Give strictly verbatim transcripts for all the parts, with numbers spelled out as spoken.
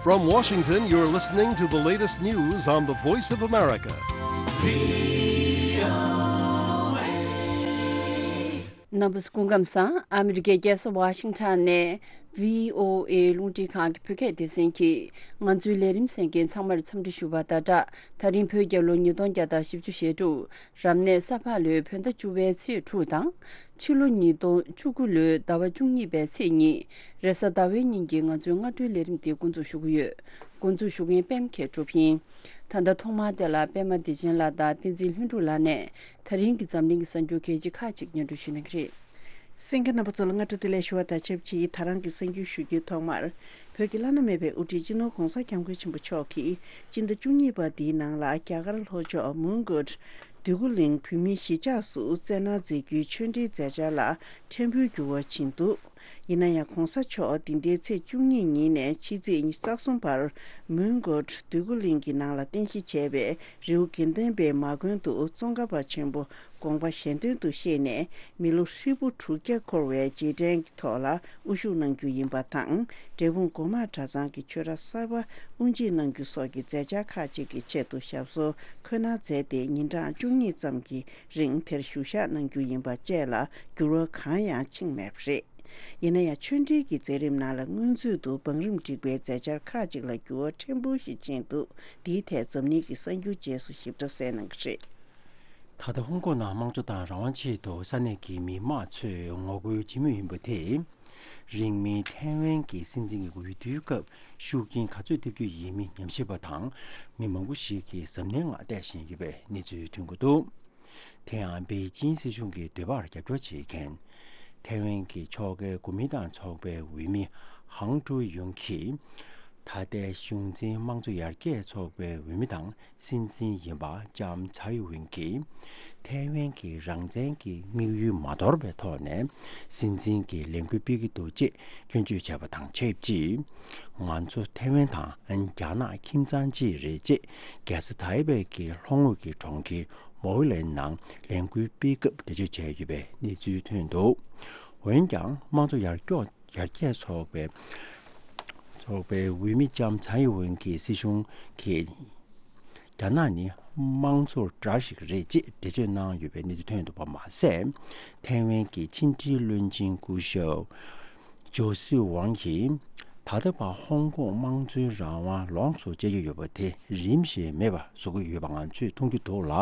From Washington, you're listening to the latest news on the Voice of America. རྣམ་པ་སྐུ་ཁམས་བཟང་། ཨ་མི་རི་ཀའི་རྒྱལ་ས་ཝ་ཤིང་ཊོན་ནས་བྷི་ཨོ་ཨེ་རླུང་འཕྲིན་ཁང་གི་བོད་སྐད་སྡེ་ཚན་གྱིས་ང་ཚོའི་ལས་རིམ་གསན་མཁན་ཚང་མར་འཚམས་འདྲི་ཞུ་བ་དང་སྦྲགས། ད་རིང་བོད་རྒྱལ་ལོ་ཉིས་སྟོང་བརྒྱ་དང་བཞི་བཅུ་ཞེ་དྲུག་རབ་གནས་ས་ཕག་ལོའི་བོད་ཟླ་བཅུ་པའི་ཚེས་དྲུག་དང་། ཕྱི་ལོ་ཉིས་སྟོང་བཅུ་དགུ་ལོའི་ཟླ་བ་བཅུ་གཉིས་པའི་ཚེས་གཉིས། རེས་གཟའ་ཟླ་བའི་ཉིན་གྱི་ང་ཚོའི་སྔ་དྲོའི་ལས་རིམ་དེ་འགོ་འཛུགས་ཞུ་གི་ཡོད། འགོ་འཛུགས་ཞུ་མཁན་པད་མ་མཁས་གྲུབ་ཡིན། ད་ལྟ་ཐོག་མར་དེ་ལ་པད་མ་བདེ་ཆེན་ལགས་དང་བསྟན་འཛིན་ལྷུན་གྲུབ་ལགས་ནས་ད་རིང་གི་འཛམ་གླིང་གི་གསར་འགྱུར་གལ་ཆེ་ཁག་ཅིག་སྙན་སྒྲོན་ཞུ་གནང་གི་རེད། གསན་མཁན་རྣམ་པ་ཚོ་ལ་སྔ་དྲོ་བདེ་ལེགས་ཞུ་བ་དང་ཆབས་ཅིག་ད་རང་གི་གསར་འགྱུར་ཞུ་རྒྱུའི་ཐོག་མར། བོད་ཀྱི་བླ་ན་མེད་པའི་དབུ་ཁྲིད་སྤྱི་ནོར་༧གོང་ས་༧སྐྱབས་མགོན་ཆེན་པོ་མཆོག་གིས་སྤྱི་ཟླ་བཅུ་གཉིས་པ་འདིའི་ནང་ལ་རྒྱ་གར་ལྷོ་ཕྱོགས་མོན་གྷོ་འདོད་རྒུ་གླིང་བོད་མིའི་གཞིས་ཆགས་སུ་བསྩལ་གནང་མཛད་རྒྱུའི་ཆོས་འབྲེལ་མཛད་འཆར་ལ་ཕྲན་བུའི་འགྱུར་བ་ཕྱིན་འདུག་ཡིན་ན་ཡང་༧གོང་ས་མཆོག་འདི་ཟླའི་ཚེས་བཅུ་གཉིས་ཉིན་ནས་ཕྱི་ཚེས་ཉི་ཤུ་རྩ་གསུམ་བར་མོན་གྷོ་འདོད་རྒུ་གླིང་གི་ནང་ལ་རྟེན་གཞི་བྱས་པའི་རི་བོ་དགེ་ལྡན་པའི་མ་དགོན་དུ་ཙོང་ཁ་པ་ཆེན་པོ་དགོངས་པ་གཞན་དོན་དུ་གཤེགས་ནས་མི་ལོ་ཧྲིལ་པོ་དྲུག་བརྒྱ་འཁོར་བའི་རྗེས་དྲན་གྱི་ཐོག་ལ་དབུ་བཞུགས་གནང་རྒྱུ་ཡིན་པ་དང་། འབྲས་སྤུངས་སྒོ་མང་གྲྭ་ཚང་གི་ཆོས་ར་གསར་པ་དབུ་འབྱེད་གནང་རྒྱུ་སོགས་ཀྱི་མཛད་འཆར་ཁག་ཅིག་གི་ཆེད་དུ་ཞབས་སོར་འཁོད་གནང་མཛད་དེ་ཉིན་གྲངས་བཅུ་གཉིས་ཙམ་གྱི་རིང་དེར་བཞུགས་ཞག་གནང་རྒྱུ་ཡིན་པ་བཅས་ལ་འགྱུར་བ་གང་ཡང་ཕྱིན་མེད་པ་རེད། ཡིན་ན་ཡང་ཆོས་འབྲེལ་གྱི་མཛད་རིམ་ནང་ལ་སྔོན་ཚུད་དུ་བང་རིམ་སྒྲིག་པའི་མཛད་འཆར་ཁག་ཅིག་ལ་འགྱུར་བ་ཕྲན་བུ་ཞིག་ཕྱིན་འདུག་འདིའི་ཐད་འཛམ་གླིང་གི་གསར་འགྱུར་རྗེས་སུ་ཞིབ་ཕྲ་གསན་གནང་གི་རེད། ད་ལྟ་ཧོང་ཀོང་ནང་དམངས་གཙོ་དང་རང་དབང་ཆེད་དུ་ས་གནས་ཀྱི་མི་མང་ཚོས་ངོ་རྒོལ་ཇི་མོ་ཡིན་པ་དེ། རིང་མིན་ཐའེ་ཝན་གྱི་སྲིད་འཛིན་གྱི་འོས་བསྡུའི་སྐབས་ཤུགས་རྐྱེན་ག་ཚོད་ཐེབས་རྒྱུ་ཡིན་མིན་ཉམས་ཞིབ་པ་དང་མི་མང་པོ་ཞིག་གིས་གཟབ་ནན་ངང་བལྟས་བཞིན་ཡོད་པའི་གནས་ཚུལ་ཐོན་གྱི་འདུག་དེ་ཡང་པེ་ཅིན་སྲིད་གཞུང་གི་འདོད་པར་རྒྱབ་སྐྱོར་བྱེད་མཁན་ཐའེ་ཝན་གྱི་ཕྱོགས་འགལ་གོ་མིན་ཏང་ཚོགས་པའི་འོས་མི་ཧང་ཀྲུའུ་ཡུང་གིས་ད་ལྟའི་གཞུང་འཛིན་དམངས་གཙོ་ཡར་རྒྱས་ཚོགས་པའི་འོས་མི་དང་སྲིད་འཛིན་ཡིན་པ་ལྕམ་ཚའེ་ཝེན་གྱིས་ཐའེ་ཝན་གྱི་རང་བཙན་གྱི་དམིགས་ཡུལ་མ་དོར་བའི་ཐོག་ནས་སྲིད་འཛིན་གྱི་ལས་འགུལ་སྤེལ་གྱི་འདུག་ཅེས་སྐྱོན་བརྗོད་བྱས་པ་དང་ཆབས་ཅིག་ང་ཚོ་ཐའེ་ཝན་དང་རྒྱ་ནག་ཁྱིམ་ཚང་གཅིག་རེད་ཅེས་རྒྱལ་ས་ཐའེ་པེ་གྱི་ལྷོ་ངོས་ཀྱི་གྲོང་ཁྱེར་མོའུ་ལེན་ནང་ལས་འགུལ་སྤེལ་སྐབས་འགྲེལ་བརྗོད་བྱས་ཡོད་པའི་གནས་ཚུལ་ཐོན་འདུག་འོན་ཀྱང་དམངས་གཙོ་ཡར་སྐྱོང་ཡར་རྒྱས་ཚོགས་པའི་ཚོགས་པའི་འོས་མི་ལྕམ་ཚའེ་ཝེན་གྱིས་སྲིད་གཞུང་གིས་རྒྱ་ནག་ནི་དམངས་གཙོར་འདྲ་ཞིག་རེད་ཅེས་འགྲེལ་བརྗོད་གནང་ཡོད་པའི་གནས་ཚུལ་ཐོན་འདུག་པ་མ་ཟད། ཐའེ་ཝན་གྱི་ཕྱི་འབྲེལ་བློན་ཆེན་སྐུ་ཞབས་ཇོ་སི་ཝང་གིས་ད་ལྟ་བར་ཧོང་ཀོང་དམངས་གཙོའི་རང་དབང་ལོངས་སུ་སྤྱད་ཀྱི་ཡོད་པ་དེ་རིམ་བཞིན་མེད་པ་བཟོ་གི་ཡོད་པ་ང་ཚོས་མཐོང་རྒྱུ་འདུག་ལ།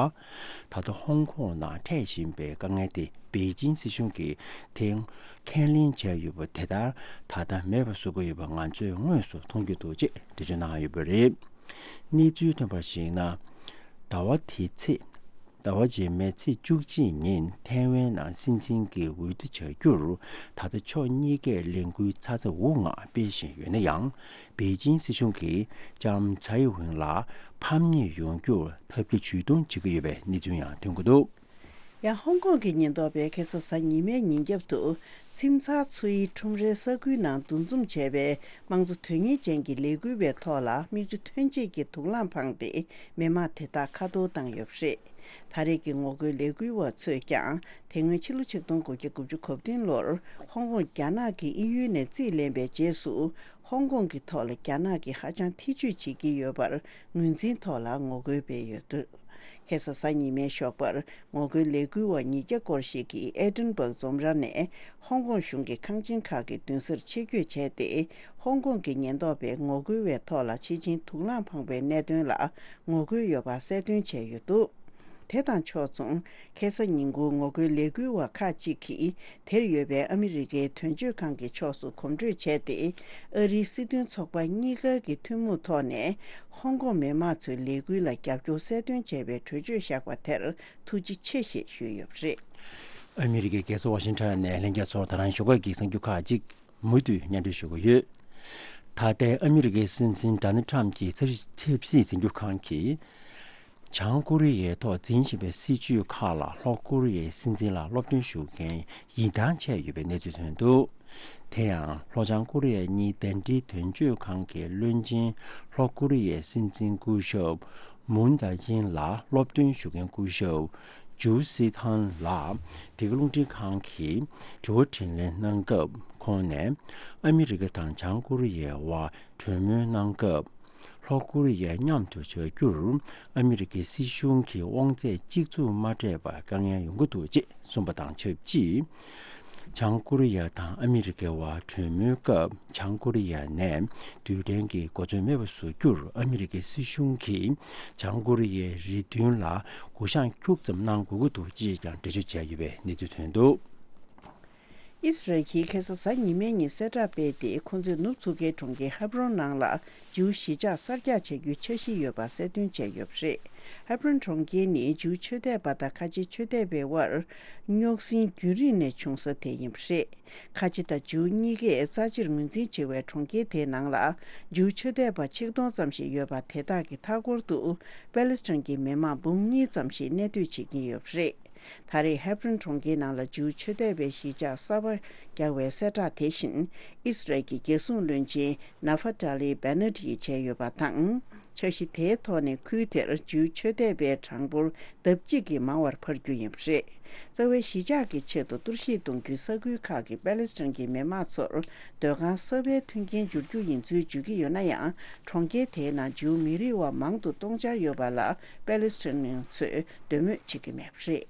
ད་ལྟ་ཧོང་ཀོང་ནང་འཕྲད་བཞིན་པའི་དཀའ་ངལ་དེ་པེ་ཅིན་སྲིད་གཞུང་གིས་དེ་ཁས་ལེན་བྱས་ཡོད་པ་དེ་ལྟར་ད་ལྟ་མེད་པ་བཟོ་གི་ཡོད་པ་ང་ཚོས་དངོས་སུ་མཐོང་རྒྱུ་འདུག་ཅེས་འགྲེལ་བརྗོད་གནང་ཡོད་པ་རེད། གནས་ཚུལ་ཐོན་པར་གཞིགས་ན། ཟླ་བ་འདིའི་ཚེས། ཟླ་བ་རྗེས་མའི་ཚེས་བཅུ་གཅིག་ཉིན་ཐའེ་ཝན་ནང་སྲིད་འཛིན་གྱི་འོས་བསྡུ་བྱ་རྒྱུར་ད་ལྟ་ཕྱོགས་གཉིས་ཀས་ལས་འགུལ་ཚ་ཚ་འུར་འུར་ངང་སྤེལ་བཞིན་ཡོད་ན་ཡང་། པེ་ཅིན་སྲིད་གཞུང་གིས་ལྕམ་ཚའེ་ཝེན་ལ་ཕམ་ཉེས་ཡོང་རྒྱུར་ཐབས་བརྒྱ་ཇུས་གཏོང་བྱེད་ཀྱི་ཡོད་པའི་གནས་ཚུལ་ཡང་ཐོན་གྱི་འདུག་ཡང་ཧོང་ཀོང་གི་ཉེན་རྟོག་པས་ཁ་སང་གཟའ་ཉི་མའི་ཉིན་རྒྱབ་ཏུ་ཚིམ་ཚང་ཚོའི་ཁྲོམ་རའི་ས་ཁུལ་ནང་འདུ་འཛོམས་བྱས་པའི་དམངས་གཙོ་དོན་གཉེར་ཅན་གྱི་ལས་འགུལ་བའི་ཐོག་ལ་མིག་ཆུ་ཐོན་སྐྱེད་ཀྱི་དུག་རླངས་འཕངས་ཏེ་མི་མང་དེ་དག་ཁ་འཐོར་བཏང་ཡོད་པ་རེད། ད་རེས་ཀྱི་ངོ་རྒོལ་ལས་འགུལ་བ་ཚོས་ཀྱང་དེ་སྔོན་ཕྱི་ལོ་ཆིག་སྟོང་དགུ་བརྒྱ་དགུ་བཅུ་གོ་བདུན་ལོར་ཧོང་ཀོང་རྒྱ་ནག་གི་དབྱིན་ཡུལ་ནས་རྩིས་ལེན་པའི་རྗེས་སུ། ཧོང་ཀོང་གི་ཐོག་ལ་རྒྱ་ནག་གིས་ཧ་ཅང་ཐེ་བྱུས་བྱེད་ཀྱི་ཡོད་པར་ངོས་འཛིན་ཐོག་ལ་ངོ་རྒོལ་སྤེལ་ཡོད་འདུག་ཁ་སང་གཟའ་ཉི་མའི་ཞོགས་པར་ངོ་རྒོལ་ལས་འགུལ་བ་ཉིས་བརྒྱ་སྐོར་ཞིག་གིས་ཨེ་ཏིན་སྦག་འཛོམས་ར་ནས་ཧོང་ཀོང་གཞུང་གི་ཁང་ཆེན་ཁག་གི་མདུན་སར་ཆེད་བསྐྱོད་བྱས་ཏེ། ཧོང་ཀོང་གི་ཉེན་རྟོག་པས་ངོ་རྒོལ་བའི་ཐོག་ལ་ཆེད་ཕྱིན་དུག་རླངས་འཕངས་པའི་གནད་དོན་ལ་ངོ་རྒོལ་ཡོད་པ་གསལ་སྟོན་བྱས་ཡོད་འདུག་དེ་དང་ཕྱོགས་མཚུངས། ཁ་སང་ཉིན་གུང་ངོ་རྒོལ་ལས་འགུལ་བ་ཁག་ཅིག་གིས་དེར་ཡོད་པའི་ཨ་མི་རི་ཀའི་དོན་གཅོད་ཁང་གི་ཕྱོགས་སུ་གོམ་བགྲོད་བྱས་ཏེ། ཨ་རིའི་སྲིད་དོན་ཚོགས་པ་གཉིས་ཀ་གི་ཐུན་མོང་ཐོག་ནས་ཧོང་ཀོང་མི་མང་ཚོའི་ལས་འགུལ་ལ་རྒྱབ་སྐྱོར་གསལ་སྟོན་བྱས་པའི་གྲོས་ཆོད་བཞག་པ་དེར་ཐུགས་རྗེ་ཆེ་ཞེས་ཞུས་ཡོད་པ་རེད། ཨ་མི་རི་ཀའི་རྒྱལ་ས་ཝ་ཤིང་ཊོན་ནས་ལྷན་རྒྱས་ཚོར་ད་རང་ཞོགས་ཀས་ཀྱི་གསར་འགྱུར་ཁག་ཅིག་མུ་མཐུད་སྙན་སྒྲོན་ཞུ་གི་ཡོད། ད་ལྟའི་ཨ་མི་རི་ཀའི་སྲིད་འཛིན་ཌོ་ནལ་ཊམ་གྱི་ཆབ་སྲིད་ཆབ་སྲིད་འཛིན་སྐྱོང་ཁང་གིས། བྱང་ཀོ་རི་ཡའི་ཐོག་འཛིན་བཞིན་པའི་སྲིད་ཇུས་ཁག་ལ་ལྷོ་ཀོ་རི་ཡའི་སྲིད་འཛིན་ལ་སློབ་སྟོན་ཞུ་མཁན་ཡིན་ཐང་ཆད་ཡོད་པའི་གནས་ཚུལ་ཐོན་འདུག་དེ་ཡང་ལྷོ་བྱང་ཀོ་རི་ཡ་གཉིས་ཟླ་སྒྲིལ་དོན་གཅོད་ཁང་གི་བློན་ཆེན་ལྷོ་ཀོ་རི་ཡའི་སྲིད་འཛིན་སྐུ་ཞབས་མུན་ཏཱ་ཡིན་ལ་སློབ་སྟོན་ཞུ་མཁན་སྐུ་ཞབས་ ཇུའུ་སི་ཐན་ལགས་འདི་ག་རླུང་འཕྲིན་ཁང་གི་དྲི་བ་དྲིས་ལན་གནང་སྐབས། ཁོང་ནས་ཨ་མི་རི་ཀ་དང་བྱང་ཀོ་རི་ཡའི་དབར་གྲོས་མོལ་གནང་སྐབས། ལྷོ་ཀོ་རི་ཡ་མཉམ་དུ་བྱ་རྒྱུར་ཨ་མི་རི་ཀའི་སྲིད་གཞུང་གི་དབང་ཚད་གཅིག་མཚུངས་མ་སྤྲད་པར་དཀའ་ངལ་ཡོང་གི་འདུག་ཅེས་གསུངས་པ་དང་ཆབས་ཅིག། བྱང་ཀོ་རི་ཡ་དང་ཨ་མི་རི་ཀའི་དབར་གྲོས་མོལ་སྐབས། བྱང་ཀོ་རི་ཡ་ནས་རྡུལ་ཕྲན་གྱི་གོ་མཚོན་མེད་པ་བཟོ་རྒྱུར་ཨ་མི་རི་ཀའི་སྲིད་གཞུང་གིས་བྱང་ཀོ་རི་ཡའི་རེ་འདུན་ལ་གུ་ཡངས་ཁྱུག་ཙམ་གནང་དགོས་ཀྱི་འདུག་ཅེས་ཀྱང་འགྲེལ་བརྗོད་བྱས་ཡོད་པའི་གནས་ཚུལ་ཐོན་འདུག། ཨིས་རལ་གྱིས་ཁ་སང་གཟའ་ཉི་མའི་ཉིན་གསལ་བསྒྲགས་སྤེལ་ཏེ། ཁོ་ཚོས་ནུབ་མཚོ་ཁའི་གྲོང་ཁྱེར་ཧབ་རོན་ནང་ལ་ཇིའུ་གཞིས་ཆགས་གསར་རྒྱག་བྱ་རྒྱུའི་འཆར་གཞི་ཡོད་པ་གསལ་སྟོན་བྱས་ཡོད་པ་རེད། ཧབ་རོན་གྲོང་ཁྱེར་ནི་ཇིའུ་ཆོས་དད་པ་དང་ཁ་ཆེ་ཆོས་དད་པའི་དབར་རྙོག་ཟིང་རྒྱུན་རིང་ནས་བྱུང་ས་དེ་ཡིན་པ་རེད། ཁ་ཆེ་དང་ཇིའུ་གཉིས་ཀས་རྩ་ཆེར་ངོས་འཛིན་བྱེད་པའི་གྲོང་ཁྱེར་དེའི་ནང་ལ་ཇིའུ་ཆོས་དད་པ་ཆིག་སྟོང་ཙམ་ཞིག་ཡོད་པ། དེ་དག་གི་མཐའ་འཁོར་དུ་པེ་ལེ་སི་ཐན་གྱི་མི་མང་འབུམ་གཉིས་ཙམ་ཞིག་གནས་སྡོད་བྱེད་ཀྱིན་ཡོད་པ་རེད། ད་རེས་ཧེབ་རོན་གྲོང་ཁྱེར་ནང་ལ་ཇིའུ་ཆོས་དད་པའི་གཞིས་ཆགས་གསར་པ་རྒྱག་པའི་གསལ་བསྒྲགས་དེ་བཞིན། ཨིས་རལ་གྱི་རྒྱལ་སྲུང་བློན་ཆེན་ནཱ་ཧྥ་ཏཱ་ལི་བྷེ་ནེ་ཏི་ཡིས་བྱས་ཡོད་པ་དང་། འཆར་གཞི་དེའི་ཐོག་ནས་ཁུལ་དེར་ཇིའུ་ཆོས་དད་པའི་གྲངས་འབོར་ལྡབ་གཅིག་གིས་མང་བར་འཕར་རྒྱུ་ཡིན་པ་རེད། རྩ་བའི་གཞིས་ཆགས་ཀྱི་ཆེད་དུ་གཏོར་བཤིག་གཏོང་རྒྱུའི་ས་ཁུལ་ཁག་གི་པེ་ལེ་སི་ཐན་གྱི་མི་མང་ཚོར་སྡོད་ཁང་གསར་པའི་མཐུན་རྐྱེན་སྦྱོར་རྒྱུ་ཡིན་ཚུལ་བརྗོད་ཀྱི་ཡོད་ན་ཡང་། གྲོང་ཁྱེར་དེའི་ནང་ཇིའུ་མི་རིགས་བ་མང་དུ་སྟོང་འཆར་ཡོད་པ་ལ་པེ་ལེ་སི་ཐན་ཚོས་འདོད་མོས་བྱེད་ཀྱི་མེད་པ་རེད།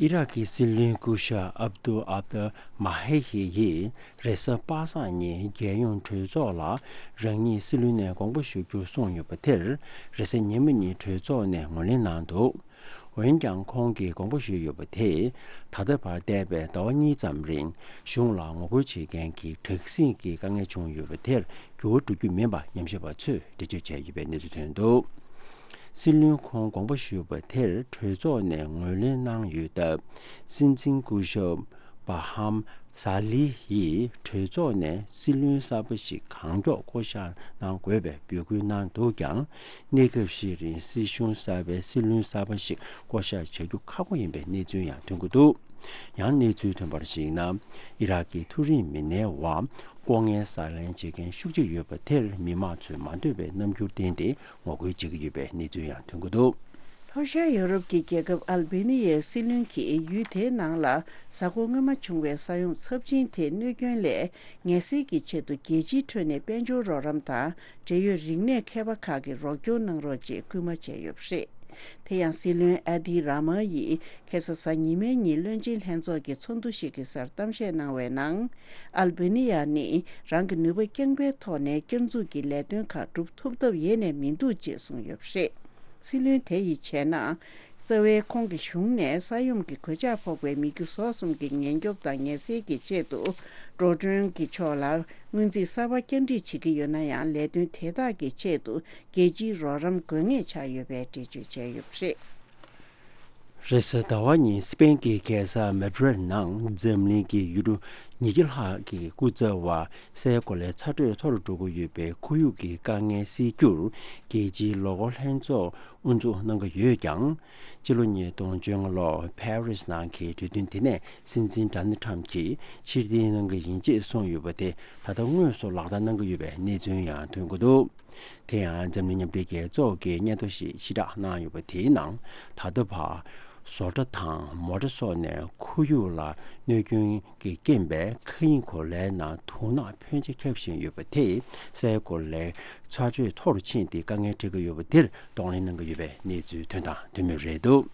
ཨི་རག་གི་སྲིད་བློན་སྐུ་ཞབས་ཨབ་ཏུ་ཨབ་ཏུ་མ་ཧེ་ཧི་ཡིས་རེས་གཟའ་པ་སངས་ཉིན་རྒྱལ་ཡོངས་གྲོས་ཚོགས་ལ་རང་ཉིད་སྲིད་བློན་ནས་དགོངས་པ་ཞུ་རྒྱུ་གསུངས་ཡོད་པ་དེར། རེས་གཟའ་ཉི་མ་ཉིན་གྲོས་ཚོགས་ནས་ངོས་ལེན་གནང་འདུག། འོན་ཀྱང་ཁོང་གིས་དགོངས་པ་ཞུས་ཡོད་པ་དེས། ད་ལྟ་བར་འདས་པའི་ཟླ་བ་གཉིས་ཙམ་རིང་གཞུང་ལ་ངོ་རྒོལ་བྱེད་མཁན་གྱི་དྲག་ཟིང་གི་དཀའ་ངལ་བྱུང་ཡོད་པ་དེར་འགྱུར་བ་འགྲོ་རྒྱུ་མིན་པ་ཉམས་ཞིབ་པ་ཚོས་འགྲེལ་བརྗོད་བྱས་ཡོད་པའི་གནས་ཚུལ་ཐོན་འདུག། སྲིད་བློན་ཁོང་དགོངས་པ་ཞུས་པ་དེར་གྲོས་ཚོགས་ནས་ངོས་ལེན་གནང་ཡོད་སྟབས། སྲིད་འཛིན་སྐུ་ཞབས་བྷ་ཧམ་ས་ལི་ཡིས་གྲོས་ཚོགས་ནས་སྲིད་བློན་གསར་པ་ཞིག་གང་མགྱོགས་བསྐོ་གཞག་གནང་དགོས་པའི་འབོད་སྐུལ་གནང་འདུག་ཀྱང་། གནས་སྐབས་ཤིག་རིང་སྲིད་གཞུང་གསར་པའི་སྲིད་བློན་གསར་པ་ཞིག་བསྐོ་གཞག་བྱ་རྒྱུ་ཁག་པོ་ཡིན་པའི་གནས་ཚུལ་ཡང་ཐོན་གྱི་འདུག། ཡང་གནས་ཚུལ་ཐོན་པར་གཞིགས་ན། ཨི་རག་གི་མཐོ་རིམ་མི་སྣའི་དབར་ལྐོག་རྔན་ཟ་ལེན་བྱེད་མཁན་ཤུགས་ཆེ་ཡོད་པ་དེར་མི་མང་ཚོས་མ་འདོད་པའི་རྣམ་འགྱུར་བསྟན་ཏེ་ངོ་རྒོལ་བྱེད་ཀྱི་ཡོད་པའི་གནས་ཚུལ་ཡང་ཐོན་གྱི་འདུག། ལྷོ་ཤར་ཡོ་རོབ་ཀྱི་རྒྱལ་ཁབ་ཨལ་བེ་ནི་ཡའི་སྲིད་བློན་གྱིས་ཡུལ་དེའི་ནང་ལ་གཟའ་འཁོར་སྔོན་མ་བྱུང་བའི་ས་ཡོམ་ཚབས་ཆེན་དེའི་གནོད་སྐྱོན་ལས་ངལ་སེལ་གྱི་ཆེད་དུ་རྒྱལ་སྤྱིའི་ཁྲོད་ནས་དཔལ་འབྱོར་རོགས་རམ་དང་འབྲེལ་ཡོད་རིག་གནས་མཁས་པ་ཁག་གིས་རོགས་སྐྱོར་གནང་རོགས་ཅེས་སྐུལ་མ་བྱས་ཡོད་པ་རེད། དེ་ཡང་སྲིད་བློན་ཨ་དི་ར་མ་ཡིས་ཁ་སང་གཟའ་ཉི་མའི་ཉིན་བློན་ཆེན་ལྷན་ཚོགས་ཀྱི་ཚོགས་འདུ་ཞིག་གི་སར་གཏམ་བཤད་གནང་བའི་ནང་། ཨལ་བེ་ནི་ཡ་ནི་རང་གི་ནུས་པ་རྐྱང་པའི་ཐོག་ནས་བསྐྱར་འཛུགས་ཀྱི་ལས་དོན་ཁག་སྒྲུབ་ཐུབ་ཐབས་ཡེ་ནས་མི་འདུག་ཅེས་གསུངས་ཡོད་པ་རེད། སྲིད་བློན་དེ་ཡིས་བྱས་ན། རྩ་བའི་ཁོང་གི་གཞུང་ནས་ས་ཡོམ་གྱི་གོད་ཆག་ཕོག་པའི་མི་རྒྱུ་ཟོག་གསུམ་གྱི་ཉེན་སྐྱོབ་དང་ངལ་སེལ་གྱི་ཆེད་དུ། འགྲོ་གྲོན་གྱི་ཕྱོགས་ལ་སྔོན་རྩིས་གསར་པ་བསྐྱར་སྒྲིག་བྱེད་ཀྱི་ཡོད་ན་ཡང་། ལས་དོན་དེ་དག་གི་ཆེད་དུ་རྒྱལ་སྤྱིའི་རོགས་རམ་དགོས་ངེས་ཆགས་ཡོད་པའི་འགྲེལ་བརྗོད་བྱས་ཡོད་པ་རེད། རེས་གཟའ་ཟླ་བ་ཉིན་སི་པེན་གྱི་རྒྱལ་ས་མེ་ཌི་རིད་ནང་འཛམ་གླིང་གི་ཡུལ་གྲུ་ཉིས་བརྒྱ་ལྷག་གི་སྐུ་ཚབ་བ་སའི་གོ་ལའི་ཚ་དྲོད་མཐོ་རུ་འགྲོ་གི་ཡོད་པའི་ཁོར་ཡུག་གི་དཀའ་ངལ་སེལ་རྒྱུར་རྒྱལ་སྤྱིའི་ལོ་འཁོར་ལྷན་ཚོགས་དབུ་འཛུགས་གནང་གི་ཡོད་ཀྱང་། སྤྱི་ལོ་ཉིས་སྟོང་བཅོ་ལྔ་ལོར་ཕ་རི་སི་ནང་གི་གྲོས་མཐུན་དེ་ནས་སྲིད་འཛིན་ཌོ་ནལ་ཊམ་གྱིས་ཕྱིར་འཐེན་གནང་གི་ཡིན་ཅེས་གསུངས་ཡོད་པ་དེ་ད་ལྟ་དངོས་སུ་ལག་བསྟར་གནང་གི་ཡོད་པའི་གནས་ཚུལ་ཡང་ཐོན་གྱི་འདུག། དེ་ཡང་འཛམ་གླིང་མཉམ་འབྲེལ་རྒྱལ་ཚོགས་ཀྱི་སྙན་ཐོ་ཞིག་ཕྱིར་བསྒྲགས་གནང་ཡོད་པ་དེའི་ནང་། ད་ལྟ་བར་བཟོ་གྲྭ་དང་མོ་ཊ་སོགས་ནས་ཁོར་ཡུག་ལ་གནོད་སྐྱོན་གྱི་རྐྱེན་པས་མཁའ་དབྱིངས་གོ་ལའི་ནང་དུག་ནག་ཕོན་ཆེ་ཁྱབ་བཞིན་ཡོད་པ་དེས་སའི་གོ་ལའི་ཚ་དྲོད་མཐོ་རུ་ཕྱིན་ཏེ་དཀའ་ངལ་འཕྲད་ཀྱི་ཡོད་པ་འདིར་གདོང་ལེན་གནང་གི་ཡོད་པའི་གནས་ཚུལ་ཐོན་དང་ཐོན་མུས་རེད་འདུག།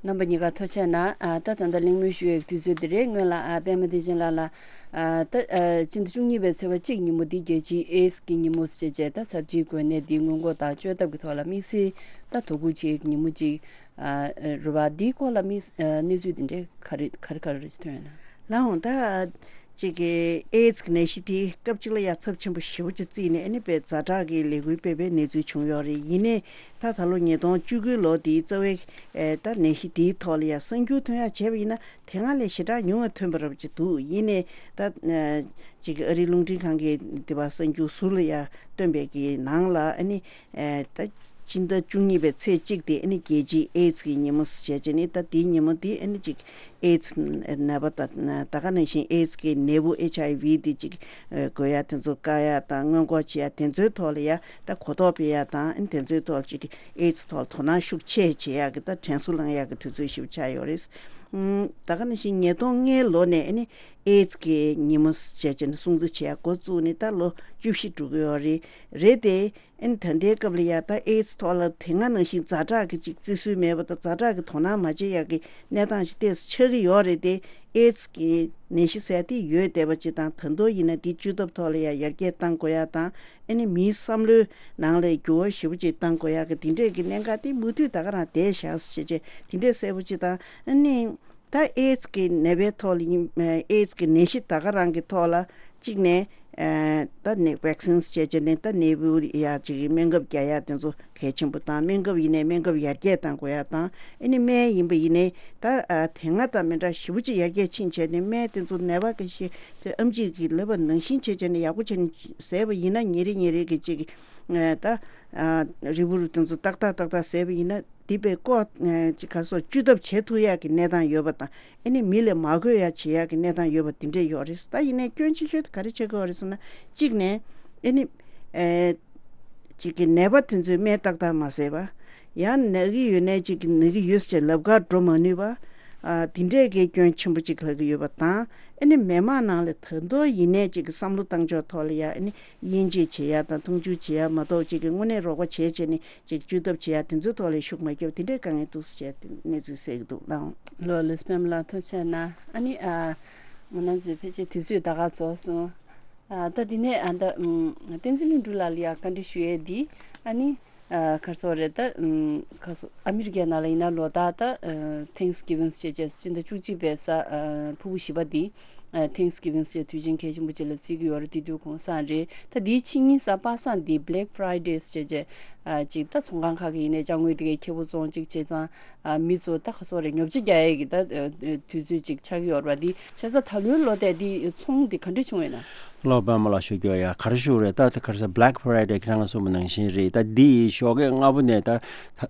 རྣམ་པ་གཉིས་ཀ་ཐུགས་རྗེ་གནང་། ཨ། ད་ད་ལྟ་གླེང་མོལ་ཞུ་ཡས་ཀྱི་དུས་ཚོད་འདི་རེད། སྔོན་ལ། ཨ། པད་མ་བདེ་ཆེན་ལགས་ལ། ཨ། ད། ཨ། སྤྱི་ཟླ་བཅུ་གཉིས་པའི་ཚེས་པ་གཅིག་ཉིན་མོ་འདི་རྒྱལ་སྤྱིའི་ཨེ་ཌི་སི་གི་ཉིན་མོ་ཞེས་བྱས། ད་ཚབས་ཆེའི་འགོས་ནད་འདི་སྔོན་འགོག་དང་བཅོས་ཐབས་ཀྱི་ཐོག་ལ་དམིགས་བསལ་ད་དོ་ཁུར་བྱེད་ཡས་ཀྱི་ཉིན་མོ་ཅིག། ཨ། རེད་པ། འདིའི་སྐོར་ལ་དམིགས། ཨ། གནས་ཚུལ་འདི་འདྲའི་ག་རེ་ག་རེ་ག་རེ་ཐོན་ཡོད་ན། ལགས་འོང་། ད་ཅིག་གི་ཨེ་ཌི་སི་གི་ནད་གཞི་དེ་སྐབས་གཅིག་ལ་ཡ་ཚབས་ཆེན་པོ་ཞེ་པོ་ཅིག་བརྩིས་ནས། ཨ་ནི་དཔེ་ཛ་དྲག་གི་ལས་འགུལ་སྤེལ་བའི་གནས་ཚུལ་བྱུང་ཡོད་རེད། ཡིན་ནའི་ད་ད་ལོ་ཉིས་སྟོང་བཅུ་དགུའི་ལོ་དེའི་རྩ་བའི། ཨེ། ད་ནད་གཞི་དེའི་ཐོག་ལ་ཡ་གསར་འགྱུར་ཐོན་ཡ་བྱས་པ་ཡིན་ན་དེ་སྔ་ལས་ཞེ་དྲག་ཉུང་བ་ཐོན་པ་འདྲ་པོ་ཅིག་འདུག། ཡིན་ནའི་ད། ཨ། ཅིག་གི་ཨ་རིའི་རླུང་འཕྲིན་ཁང་གིས་དེ་བ་གསར་འགྱུར་ཟུར་ལ་ཡ་བཏོན་པའི་གི་ནང་ལ། ཨ་ནི། ཨེ། ད་ སྤྱི་ཟླ་བཅུ་གཉིས་པའི་ཚེས་གཅིག་དེ་ཨ་ནི་རྒྱལ་སྤྱིའི་ཨེ་ཛི་གི་ཉིན་མོ་ཟེར་བྱས་བྱས་ནས། ད་དེའི་ཉིན་མོ་དེ་ཨ་ནི་ཅིག་ཨེ་ཛི་ནད་པ་དང་ད་ག་ནང་བཞིན་ཨེ་ཛི་གི་ནད་འབུ་ཨེཆ་ཨའི་ཝི་དེ་ཅིག་འགོས་ཡ་དེ་ཚོ་བཀག་ཡ་དང་སྔོན་འགོག་བྱེད་ཡ་དེ་ཚོའི་ཐོག་ལ་ཡ་ད་གོ་རྟོགས་སྤེལ་ཡ་དང་ཨ་ནི་དེ་ཚོའི་ཐོག་ལ་ཅིག་ཨེ་ཛི་ཐོག་ལ་དོ་སྣང་ཤུགས་ཆེ་བྱེད་ཡ་གི་ད་དྲན་གསོ་བསླང་ཡ་གི་དུས་ཚོད་ཞིག་ཆགས་ཡོད་རེད། ད་ག་ནང་བཞིན་ཉིས་སྟོང་ལྔའི་ལོ་ནས་ཨ་ནི་ཨེ་ཛི་གི་ཉིན་མོ་ཟེར་བྱས་ནས་སྲུང་བརྩི་བྱེད་ཡ་འགོ་བཙུགས་ནས་ད་ལོ་བཅུ་བཞི་འགྲོ་གི་ཡོད་རེད། རེད་དེ། ཨ་ནི་ད་ལྟའི་སྐབས་ལ་ཡ་ད་ཨེ་ཛི་ཐོག་ལ་དེ་སྔ་ནང་བཞིན་ཛ་དྲག་གི་ཅིག་བརྩི་སྲོལ་མེད་པ་དང་ཛ་དྲག་གི་དོ་སྣང་མ་བྱེད་ཡག་གི་གནས་སྟངས་ཤིག་ཏོག་ཙམ་ཆགས་ཀྱི་ཡོད་རེད་དེ། ཨེ་ཛི་གི་ནད་གཞི་ཟེར་དེ་ཡོད་བསྡད་པ་ཅིག་དང་ད་དུང་ཡིན་ན་དེ་བཅོས་ཐབས་ཐོག་ལ་ཡ་ཡར་རྒྱས་གཏང་དགོས་ཡ་དང་ཨ་ནི་མིའི་བསམ་བློའི་ནང་ལ་འགྱུར་བ་ཞེ་པོ་ཅིག་གཏང་དགོས་ཡ་གི་དེ་འདྲས་ཀྱི་གནད་འགག་དེ་མུ་མཐུད་ད་ག་རང་བསྡད་བཞག་ཟེར་བྱས་བྱས་དེ་འདྲས་གསལ་པོ་ཅིག་དང་ཨ་ནི། ད་ཨེ་ཛི་གི་ནད་པའི་ཐོག་ལ་ཡིན། ཨེ་ཛི་གི་ནད་གཞི་ད་ག་རང་གི་ཐོག་ལ་གཅིག་ནས་ཨ་ད་ནས་ཝེག་སིན་བྱས་བྱས་ནས་ད་ནད་འབུ་ཡ་ཅིག་གི་སྨན་ཁབ་རྒྱག་ཡ་དེ་ཚོ་གལ་ཆེན་པོ་དང་སྨན་ཁབ་ཡིན་ནའི་སྨན་ཁབ་ཡར་རྒྱས་གཏང་དགོས་ཡ་དང་ཨ་ནི་སྨན་ཡིན་པ་ཡིན་ནའི་ད་ཨ་དེ་སྔ་དང་མི་འདྲ་ཞེ་པོ་ཅིག་ཡར་རྒྱས་ཕྱིན་བྱས་ནས་སྨན་དེ་ཚོ་ནད་པ་གི་ཤི་དེ་ཨེམ་ཆི་གི་ལབ་པ་ནང་བཞིན་བྱས་བྱས་ནས་ཡག་པོ་བྱས་ནས་ཟས་པ་ཡིན་ན་ཉིན་རེ་ཉིན་རེ་གི་ཅིག་ཨ་ད་ཨ་རིལ་བུ་རུ་དེ་ཚོ་ཏག་ཏག་ཏག་ཏག་ཟས་པ་ཡིན་ན། འདི་པའི་ལྐོག་ཅིག་ག་སོགས་བཅོས་ཐབས་བྱེད་ཐུབ་ཡག་གི་གནས་སྟངས་ཡོད་པ་དང་ཨ་ནི་མི་ལ་མ་འགོས་ཡག་བྱེད་ཡག་གི་གནས་སྟངས་ཡོད་པ་འདི་འདྲས་ཡོད་རེད། ད་ཡིན་ནའི་སྐྱོན་ཆེ་ཤོས་དེ་ག་རེ་ཆགས་ཀྱི་ཡོད་རེད་ཟེར་ན་གཅིག་ནས་ཨ་ནི་ཨེ་ཅིག་གི་ནད་པ་དེ་ཚོས་སྨན་ཏག་ཏག་མ་བཟས་པ། ཡང་ན་གི་ཡོད་ནའི་ཅིག་གི་ན་གི་ཡོད་ཟེར་ལབ་གར་འགྲོ་མ་ནུས་པ། ཨ་འདི་འདྲས་ཀྱི་སྐྱོན་ཆེན་པོ་ཅིག་ལྷག་གི་ཡོད་པ་དང་ཨ་ནི་མི་མང་ནང་ལ་ད་དུང་ཡིན་ནའི་ཅིག་གི་བསམ་བློ་བཏང་ཕྱོགས་ཐོག་ལ་ཡ་ཨ་ནི་དབྱེ་འབྱེད་བྱེད་ཡ་དང་མཐོང་ཆུང་བྱེད་ཡ་མ་གཏོགས་ཅིག་གི་དངོས་གནས་རོགས་པ་བྱེད་བྱས་ནས། ཅིག་བཅོས་ཐབས་བྱེད་ཡ་དེ་ཚོའི་ཐོག་ལ་ཤུགས་མ་རྒྱབ་དེ་འདྲའི་དཀའ་ངལ་འདུག་ཟེར་བྱས་དེ་གནས་ཚུལ་གསལ་གྱི་འདུག་ལགས། ལོ་ལེ་སྤེན་ལགས་ཐུགས་རྗེ་གནང་། ཨ་ནི་ཨ་ང་རང་ཚོའི་ཕལ་ཆེར་དུས་ཚོད་ད་ག་རྫོགས་སོང་། ཨ་ད་དེ་ནས་ཨ་ད་ཨམ་བསྟན་འཛིན་ལྷུན་གྲུབ་ལགས་ལ་ཡ་བཀའ་འདྲི་ཞུ་ཡས་འདི་ཨ་ནི་ཨ་ག་རེ་ཟེར་རེད་ད་ཨམ་ག་རེ་ཟེར་ཨ་མི་རི་ཀའི་ནང་ལ་ཡིན་ན་ལོ་ལྟར་ད་ཨ་Thanksgiving་ཟེར་བྱས་སྤྱི་ཟླ་བཅུ་གཅིག་པའི་གཟའ་ཨ་ཕུར་བུ་བཞི་པ་འདི། ཨ་Thanksgiving་ཟེར་དུས་ཆེན་གལ་ཆེན་པོ་ཅིག་ལ་བརྩི་གི་ཡོད་རེད། དེ་དུས་གུང་སེང་རེད། ད་དེའི་ཕྱི་ཉིན་གཟའ་པ་སངས་འདི་Black Friday་ཟེར་བྱས་ཨ་ཅིག་ད་ཚོང་ཁང་ཁག་གི་ཡིན་ནའི་ཅ་དངོས་དེ་གའི་ཁེ་པོ་བཙོང་ཅིག་བྱས་ཙང་ཨ་མི་ཚོ་ད་ག་སོག་རེད་ཉོ་ཆ་རྒྱག་ཡས་ཀྱི་ད་དུས་ཚོད་ཅིག་ཆགས་ཀྱི་ཡོད་རེད་པ། འདི་བྱས་ཙང་ད་ལོའི་ལོ་དེ་འདི་ཚོང་འདི་ག་འདྲ་བྱུང་ཡོད་ན། ལོ་པདྨ་ལགས་ཞུ་རྒྱུ་ཡ་ག་རེ་ཞུ་རེད། ད་ད་ག་རེ་ཟེར་Black Friday་ཁྱེད་རང་གསུངས་པ་ནང་བཞིན་རེད། ད་འདི་ཞོགས་ཀས་སྔ་པོ་ནས་ད།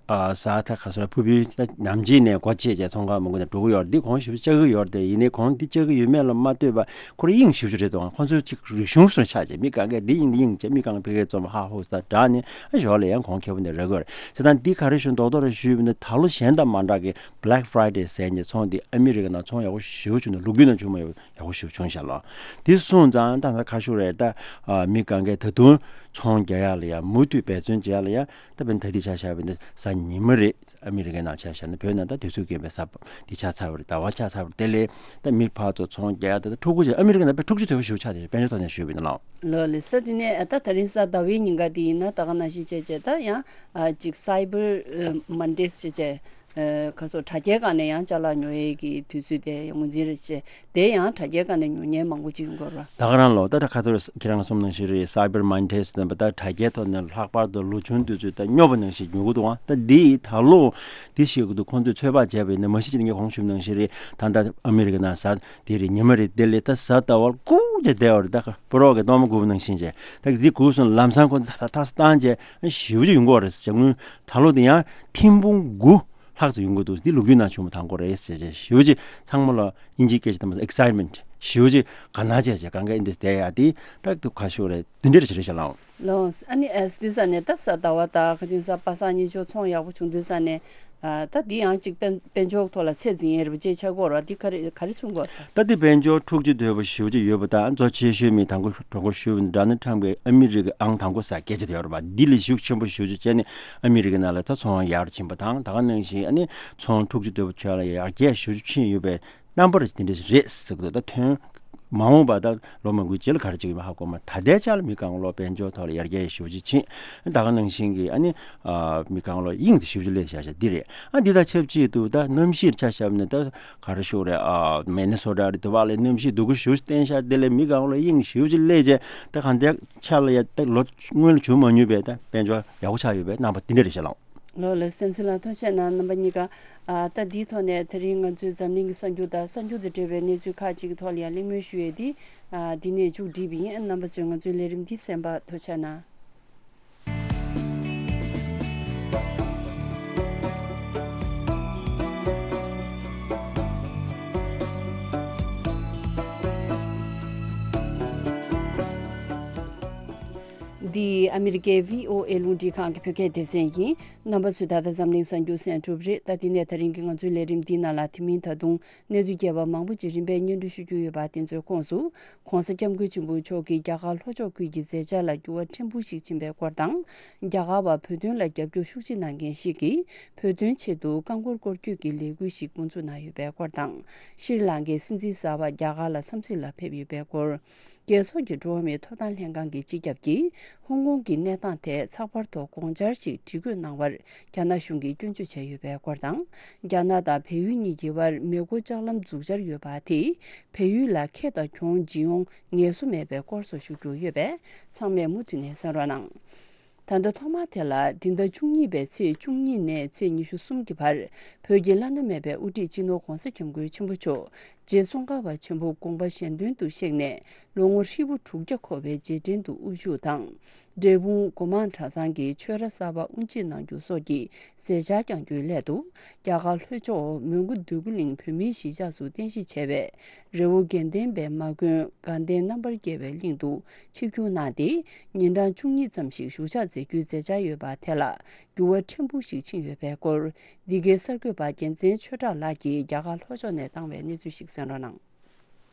ཨ་གཟའ་ད་ག་ཚོད་ཕུར་བུའི་ད་ནམ་ཕྱེད་ནས་སྒོ་ཕྱེ་བྱས་ཚོང་ཁང་མང་པོ་ནས་འགྲོ་གི་ཡོད་རེད། འདི་གོང་ཞིབ་ཆགས་ཀྱི་ཡོད་རེད་དེ། ཡིན་ནའི་གོང་འདི་ཆགས་ཀྱི་ཡོད་མེད་ལ་མ་ལྟོས་པ་ཁོ་རང་དབྱིངས་ཞེ་པོ་ཅིག་རེད་འདུག་ཁོ་ཚོས་ཅིག་རིག་གཞུང་སོགས་ཆགས་བྱས་མི་གང་གས་འདི་ཡིན་འདི་ཡིན་བྱས་མི་གང་ཕ་གིར་རྩོམ་ཧ་ཧུ་ས་དྲག་ནས་ཨ་ཞོར་ལ་ཡང་གོང་ཁེ་པོ་ནས་རག་གི་ཡོད་རེད། བྱས་ཙང་འདི་ག་རེ་ཞུ་མདོག་མདོག་རེ་ཞུས་པ་ཡིན་ན་ད་ལོ་གཞན་དང་མ་འདྲ་གི་Black Friday་ཟེར་མཁན་ཚོང་འདི་ཨ་མི་རི་ཀ་ནང་ཚོང་ཡག་པོ་ཞེ་པོ་བྱུང་འདུག་ལོ་རྒྱུས་ནང་བྱུང་མ་ཡོད། ཡག་པོ་ཞིག་བྱུང་ཤག་ལགས། དེ་སོང་ཙང་ད་ལྟ་ཁ་ཤོར་རེད་ད། ཨ་མི་གང་གས་ད་དུང་ཚོང་རྒྱག་ཡག་ལ་ཡ་མུ་མཐུད་འབད་བརྩོན་བྱེད་ཡག་ལ་ཡ་ད་བན་ད་འདི་ཆ་བཞག་པ་ཡིན་ན་གཟའ་ཉི་མ་རེད། ཨ་མི་རི་ཀའི་ནང་ཆ་བཞག་ན་བོད་ནང་ད་དུས་ཚོད་རྒན་པའི་གཟའ་འདི་ཆགས་ཚར་བ་རེད། ཟླ་བ་ཆགས་ཚར་བ་རེད། དེ་ལས་ད་མི་ཕར་ཚུར་ཚོང་རྒྱག་ཡག་ད་ད་ཕྲུ་གུ་ཅིག་ཨ་མི་རི་ཀའི་ནང་དཔེ་ཕྲུག་ཅུ་དོད་པོ་ཞིག་ཆགས་དེ་དཔལ་འབྱོར་ཐོག་ནས་ཞུས་པ་ཡིན་ན་ལགས། ལོ་ལེ་ས་དེ་ནས་ད་ད་རིང་གཟའ་ཟླ་བའི་ཉིན་ཀ་དེ་ཡིན་ན་ད་ག་ནང་བཞིན་བྱས་བྱས་ད་ཡང་ཨ་ཅིག་Cyber Mondays་བྱས་བྱས། ཨ་ག་ཚོད་དྲ་རྒྱའི་སྒང་ནས་ཡང་ཅ་ལག་ཉོ་ཡས་ཀྱི་དུས་ཚོད་དེ་ངོས་འཛིན་རེད་བྱས། དེ་ཡང་དྲ་རྒྱའི་སྒང་ནས་ཉོ་མཁན་མང་པོ་ཅིག་ཡོང་གི་ཡོད་རེད་པ། ད་ག་རང་ལོ་ད་ད་ག་ཚོད་ཁྱེད་རང་གསུངས་ནང་བཞིན་རེད། Cyber Mondays་ཟེར་བ་ད་དྲ་རྒྱའི་ཐོག་ནས་ལྷག་པར་དུ་ལོ་ཆུང་དུས་ཚོད་ད་སྨྱོ་པ་ནང་བཞིན་ཉོ་གི་འདུག་ཨ་ད་འདི་ད་ལོ་འདི་ཞིག་གི་འདུག་ཁོང་ཚོས་ཚོད་དཔག་བྱས་པ་ཡིན་ན་མ་གཞི་ཅིག་ངས་གོང་ཞུས་ནང་བཞིན་རེད། ད་ལྟ་ཨ་མི་རི་ཀ་ནང་གཟའ་དེ་རེད་ཉི་མ་རེད། དེ་ལས་ད་གཟའ་ཟླ་བར་ཀུ་ཅེ་བསྡད་པ་རེད། ད་སྤུ་རོགས་ཀྱི་གཏོར་མ་སྒུག་པ་ནང་བཞིན་བྱས་ད་འདི་སྒུག་སོང་ལམ་སང་ཁོ་ད་ད་ད་བཏང་བྱས་ཞེ་པོ་ཅིག་ཡོང་གི་ཡོད་རེད་ཟེར། དངུལ་ད་ལོ་དེ་ཡང་ཐེར་འབུམ་དགུ་ལྷག་ཙམ་ཡོང་གི་འདུག་འདི་ལོ་རྒྱུས་ནང་བྱུང་བ་དང་པོ་རེད་ཟེར་བྱས་ཞེ་པོ་ཅིག་ཚང་མ་ལ་དབྱིན་ཇིའི་སྐད་ཆ་དང་པོ་excitement་ཞེ་པོ་ཅིག་དགའ་སྣང་བྱས་བྱས་གང་ག་ཨིན་དེ་བསྡད་ཡ་དེ་ད་དུ་ཁ་ཤོར་རེད། དེ་འདྲ་རེ་ཞིག་རེད་ཤག་ལགས། ལགས། ཨ་ནི་ཨེ་དུས་ས་ནས་ད་གཟའ་ཟླ་བ་དང་ཁ་ཅིག་གཟའ་པ་སངས་ཉིན་ཞོགས་ཚོང་ཡག་པོ་བྱུང་དུས་ས་ནས་ཨ་ད་འདི་ཡང་ཅིག་དཔལ་དཔལ་འབྱོར་ཐོག་ལ་ཚད་འཛིན་ཡས་རེད་པ་ཅེས་ཆགས་ཀྱི་ཡོད་རེད་པ། འདི་ག་རེ་ག་རེ་བྱུང་གི་ཡོད་རེད་པ། ད་འདི་དཔལ་འབྱོར་འཁྲུག་ཆ་དོད་པོ་ཞེ་པོ་ཅིག་ཡོད་པ་དང་གཙོ་ཆེ་ཤོས་མི་དང་པོ་དང་པོ་ཞུས་པ་ནི་Donald Trump་གིས་ཨ་མི་རི་ཀའི་ཨང་དང་པོ་ཟེར་སྐད་ཆ་དེ་ཡོད་རེད་པ། འདི་ལས་ཤུགས་ཆེན་པོ་ཞེ་པོ་ཅིག་བྱས་ནས་ཨ་མི་རི་ཀའི་ནང་ལ་ད་ཚོང་ཡར་ཕྱིན་པ་དང་ད་ག་ནང་བཞིན་ཨ་ནི་ཚོང་འཁྲུག་ཆ་དོད་པོ་ཆགས་ལ་ཡར་རྒྱས་ཞེ་པོ་ཅིག་ཕྱིན་ཡོད་པའི་རྣམ་པ་རེ་དེ་འདྲ་ཞིག་རེད་ཟེར་གི་འདུག་ད་ཐོན་མ་འོངས་པ་ད་ལོ་མང་པོའི་རྗེས་ལ་ག་རེ་བྱེད་ཀྱི་ཡོད་མེད་ཧ་གོ་མ། ད་ལྟའི་ཆ་ལ་མི་གང་ལོ་དཔལ་འབྱོར་ཐོག་ལ་ཡར་རྒྱས་ཞེ་པོ་ཅིག་ཕྱིན། ད་ག་ནང་བཞིན་གྱི་ཨ་ནི་ཨ་མི་གང་ལོ་དབྱིངས་དེ་ཞེ་པོ་ཅིག་སླེབས་བཞག་བཞག་འདི་རེད། ཨ་འདི་དང་ཆབས་ཅིག་ཏུ་ད་གནམ་གཤིས་ཆ་བཞག་ནས་ད་ག་རེ་ཞུ་རེད། ཨ་མི་ནི་སོ་ཊ་རེད། དེ་བ་ལས་གནམ་གཤིས་སྡུག་གུ་ཞེ་པོ་ཅིག་བསྟན་བཞག་དེ་ལས་མི་གང་ལོ་དབྱིངས་ཞེ་པོ་ཅིག་སླེབས་བྱས་ད་གང་ལྟར་ཆ་ལ་ཡ་ད་ལོ་སྔོན་ལ་བྱུང་མ་མྱོང་བའི་ད་དཔལ་འབྱོར་ཡག་པོ་ཆགས་ཡོད་པའི་རྣམ་པ་འདི་འདྲ་རེད་ཤག་ལགས། ལོ་ལགས་བསྟན་འཛིན་ལགས་ཐུགས་རྗེ་གནང་། རྣམ་པ་གཉིས་ཀ་ཨ་ད་འདིའི་ཐོག་ནས་དེ་རིང་ང་ཚོའི་འཛམ་གླིང་གི་གསར་འགྱུར་དང་གསར་འགྱུར་དང་འབྲེལ་བའི་གནས་ཚུལ་ཁག་ཅིག་གི་ཐོག་ལ་ཡང་གླེང་མོལ་ཞུ་ཡས་འདི་ཨ་འདི་ནས་མཇུག་སྒྲིལ་བ་ཡིན། རྣམ་པ་ཚོས་ང་ཚོའི་ལས་རིམ་འདི་གསན་པར་ཐུགས་རྗེ་གནང་། འདི་ཨ་མི་རི་ཀའི་བྷི་ཨོ་ཨེ་རླུང་འཕྲིན་ཁང་གི་བོད་སྐད་སྡེ་ཚན་ཡིན། རྣམ་པ་ཚོས་ད་ལྟ་འཛམ་གླིང་གསར་འགྱུར་གསན་གྲུབ་རེད། ད་འདི་ནས་ད་རིང་གི་ང་ཚོའི་ལས་རིམ་འདིའི་ནང་ལ་དེ་མིན་ད་དུང་གནས་ཚུལ་རྒྱས་པ་མང་པོ་ཅིག་རིམ་པས་སྙན་སྒྲོན་ཞུ་རྒྱུ་ཡོད་པ་དེ་ཚོའི་ཁོངས་སུ། ༸གོང་ས་༸སྐྱབས་མགོན་ཆེན་པོ་མཆོག་གིས་རྒྱ་གར་ལྷོ་ཕྱོགས་ཁུལ་གྱི་མཛད་འཆར་ལ་འགྱུར་བ་ཕྲན་བུ་ཞིག་ཕྱིན་པའི་སྐོར་དང་། རྒྱ་གར་བ་བོད་དོན་ལ་རྒྱབ་སྐྱོར་ཤུགས་ཆེ་གནང་མཁན་ཞིག་གིས་བོད་དོན་ཆེད་དུ་རྐང་འཁོར་སྐོར་སྐྱོད་ཀྱི་ལས་འགུལ་ཞིག་འགོ་འཛུགས་གནང་ཡོད་པའི་སྐོར་དང་། ཤྲི་ལང་ཀའི་སྲིད་འཛིན་གསར་པ་རྒྱ་གར་ལ་འཚམས་གཟིགས་ལ་ཕེབས་ཡོད་པའི་སྐོར། རྒྱལ་ཚོགས་ཀྱི་འགྲོ་བ་མིའི་ཐོབ་ཐང་ལྷན་ཁང་གི་སྤྱི་ཁྱབ་ཀྱིས་ཧོང་ཀོང་གི་གནས་སྟངས་ཐད་ཚགས་པར་ཐོག་དགོངས་འཆར་ཞིག་བྲིས་བཀོད་གནང་བར་རྒྱ་ནག་གཞུང་གིས་སྐྱོན་བརྗོད་བྱས་ཡོད་པའི་སྐོར་དང་། རྒྱ་ནག་དང་བལ་ཡུལ་གཉིས་ཀྱི་དབར་མེ་འཁོར་ལྕགས་ལམ་འཛུགས་འཆར་ཡོད་པ་དེས་བལ་ཡུལ་ལ་ཁེ་དང་གྱོང་འབྱིན་ཡོང་ངེས་སོ་མེད་པའི་སྐོར་སོགས་ཞུ་རྒྱུ་ཡོད་པས། ཚང་མས་མུ་མཐུད་ནས་གསན་རོགས་གནང་། ད་ལྟ་ཐོག་མ་དེ་ལ་འདི་ཟླ་བཅུ་གཉིས་པའི་ཚེས་བཅུ་གཉིས་ནས་ཚེས་ཉི་ཤུ་གསུམ་གྱི་བར་བོད་ཀྱི་བླ་ན་མེད་པའི་དབུ་ཁྲིད་སྤྱི་ནོར་༸གོང་ས་༸སྐྱབས་མགོན་ཆེན་པོ་མཆོག་རྗེ་ཙོང་ཁ་པ་ཆེན་པོ་དགོངས་པ་གཞན་དོན་དུ་གཤེགས་ནས་ལོ་ངོ་ཧྲིལ་པོ་དྲུག་བརྒྱ་འཁོར་བའི་རྗེས་དྲན་དུ་དབུ་བཞུགས་དང་། འབྲས་སྤུངས་སྒོ་མང་གྲྭ་ཚང་གི་ཆོས་ར་གསར་པ་དབུ་འབྱེད་གནང་རྒྱུ་སོགས་ཀྱི་མཛད་འཆར་བསྐྱངས་རྒྱུའི་སླད་དུ། རྒྱ་གར་ལྷོ་ཕྱོགས་མོན་གྷོ་འདོད་རྒུ་གླིང་བོད་མིའི་གཞིས་ཆགས་སུ་རྟེན་གཞི་བྱས་པའི་རི་བོ་དགེ་ལྡན་པའི་མ་དགོན་དགའ་ལྡན་རྣམ་པར་རྒྱལ་བའི་གླིང་དུ་ཆིབས་བསྒྱུར་གནང་སྟེ། ཉིན་གྲངས་བཅུ་གཉིས་ཙམ་ཞིག་བཞུགས་ཞག་མཛད་རྒྱུའི་མཛད་འཆར་ཡོད་པ་དེ་ལ་འགྱུར་བ་ཕྲན་བུ་ཞིག་ཕྱིན་ཡོད་པའི་སྐོར། འདི་གའི་གསར་འགོད་པ་རྒྱལ་མཚན་ཆོས་གྲགས་ལགས་ཀྱིས་རྒྱ་གར་ལྷོ་ཕྱོགས་ནས་བཏང་བའི་གནས་ཚུལ་ཞིག་གསན་རོགས་གནང་།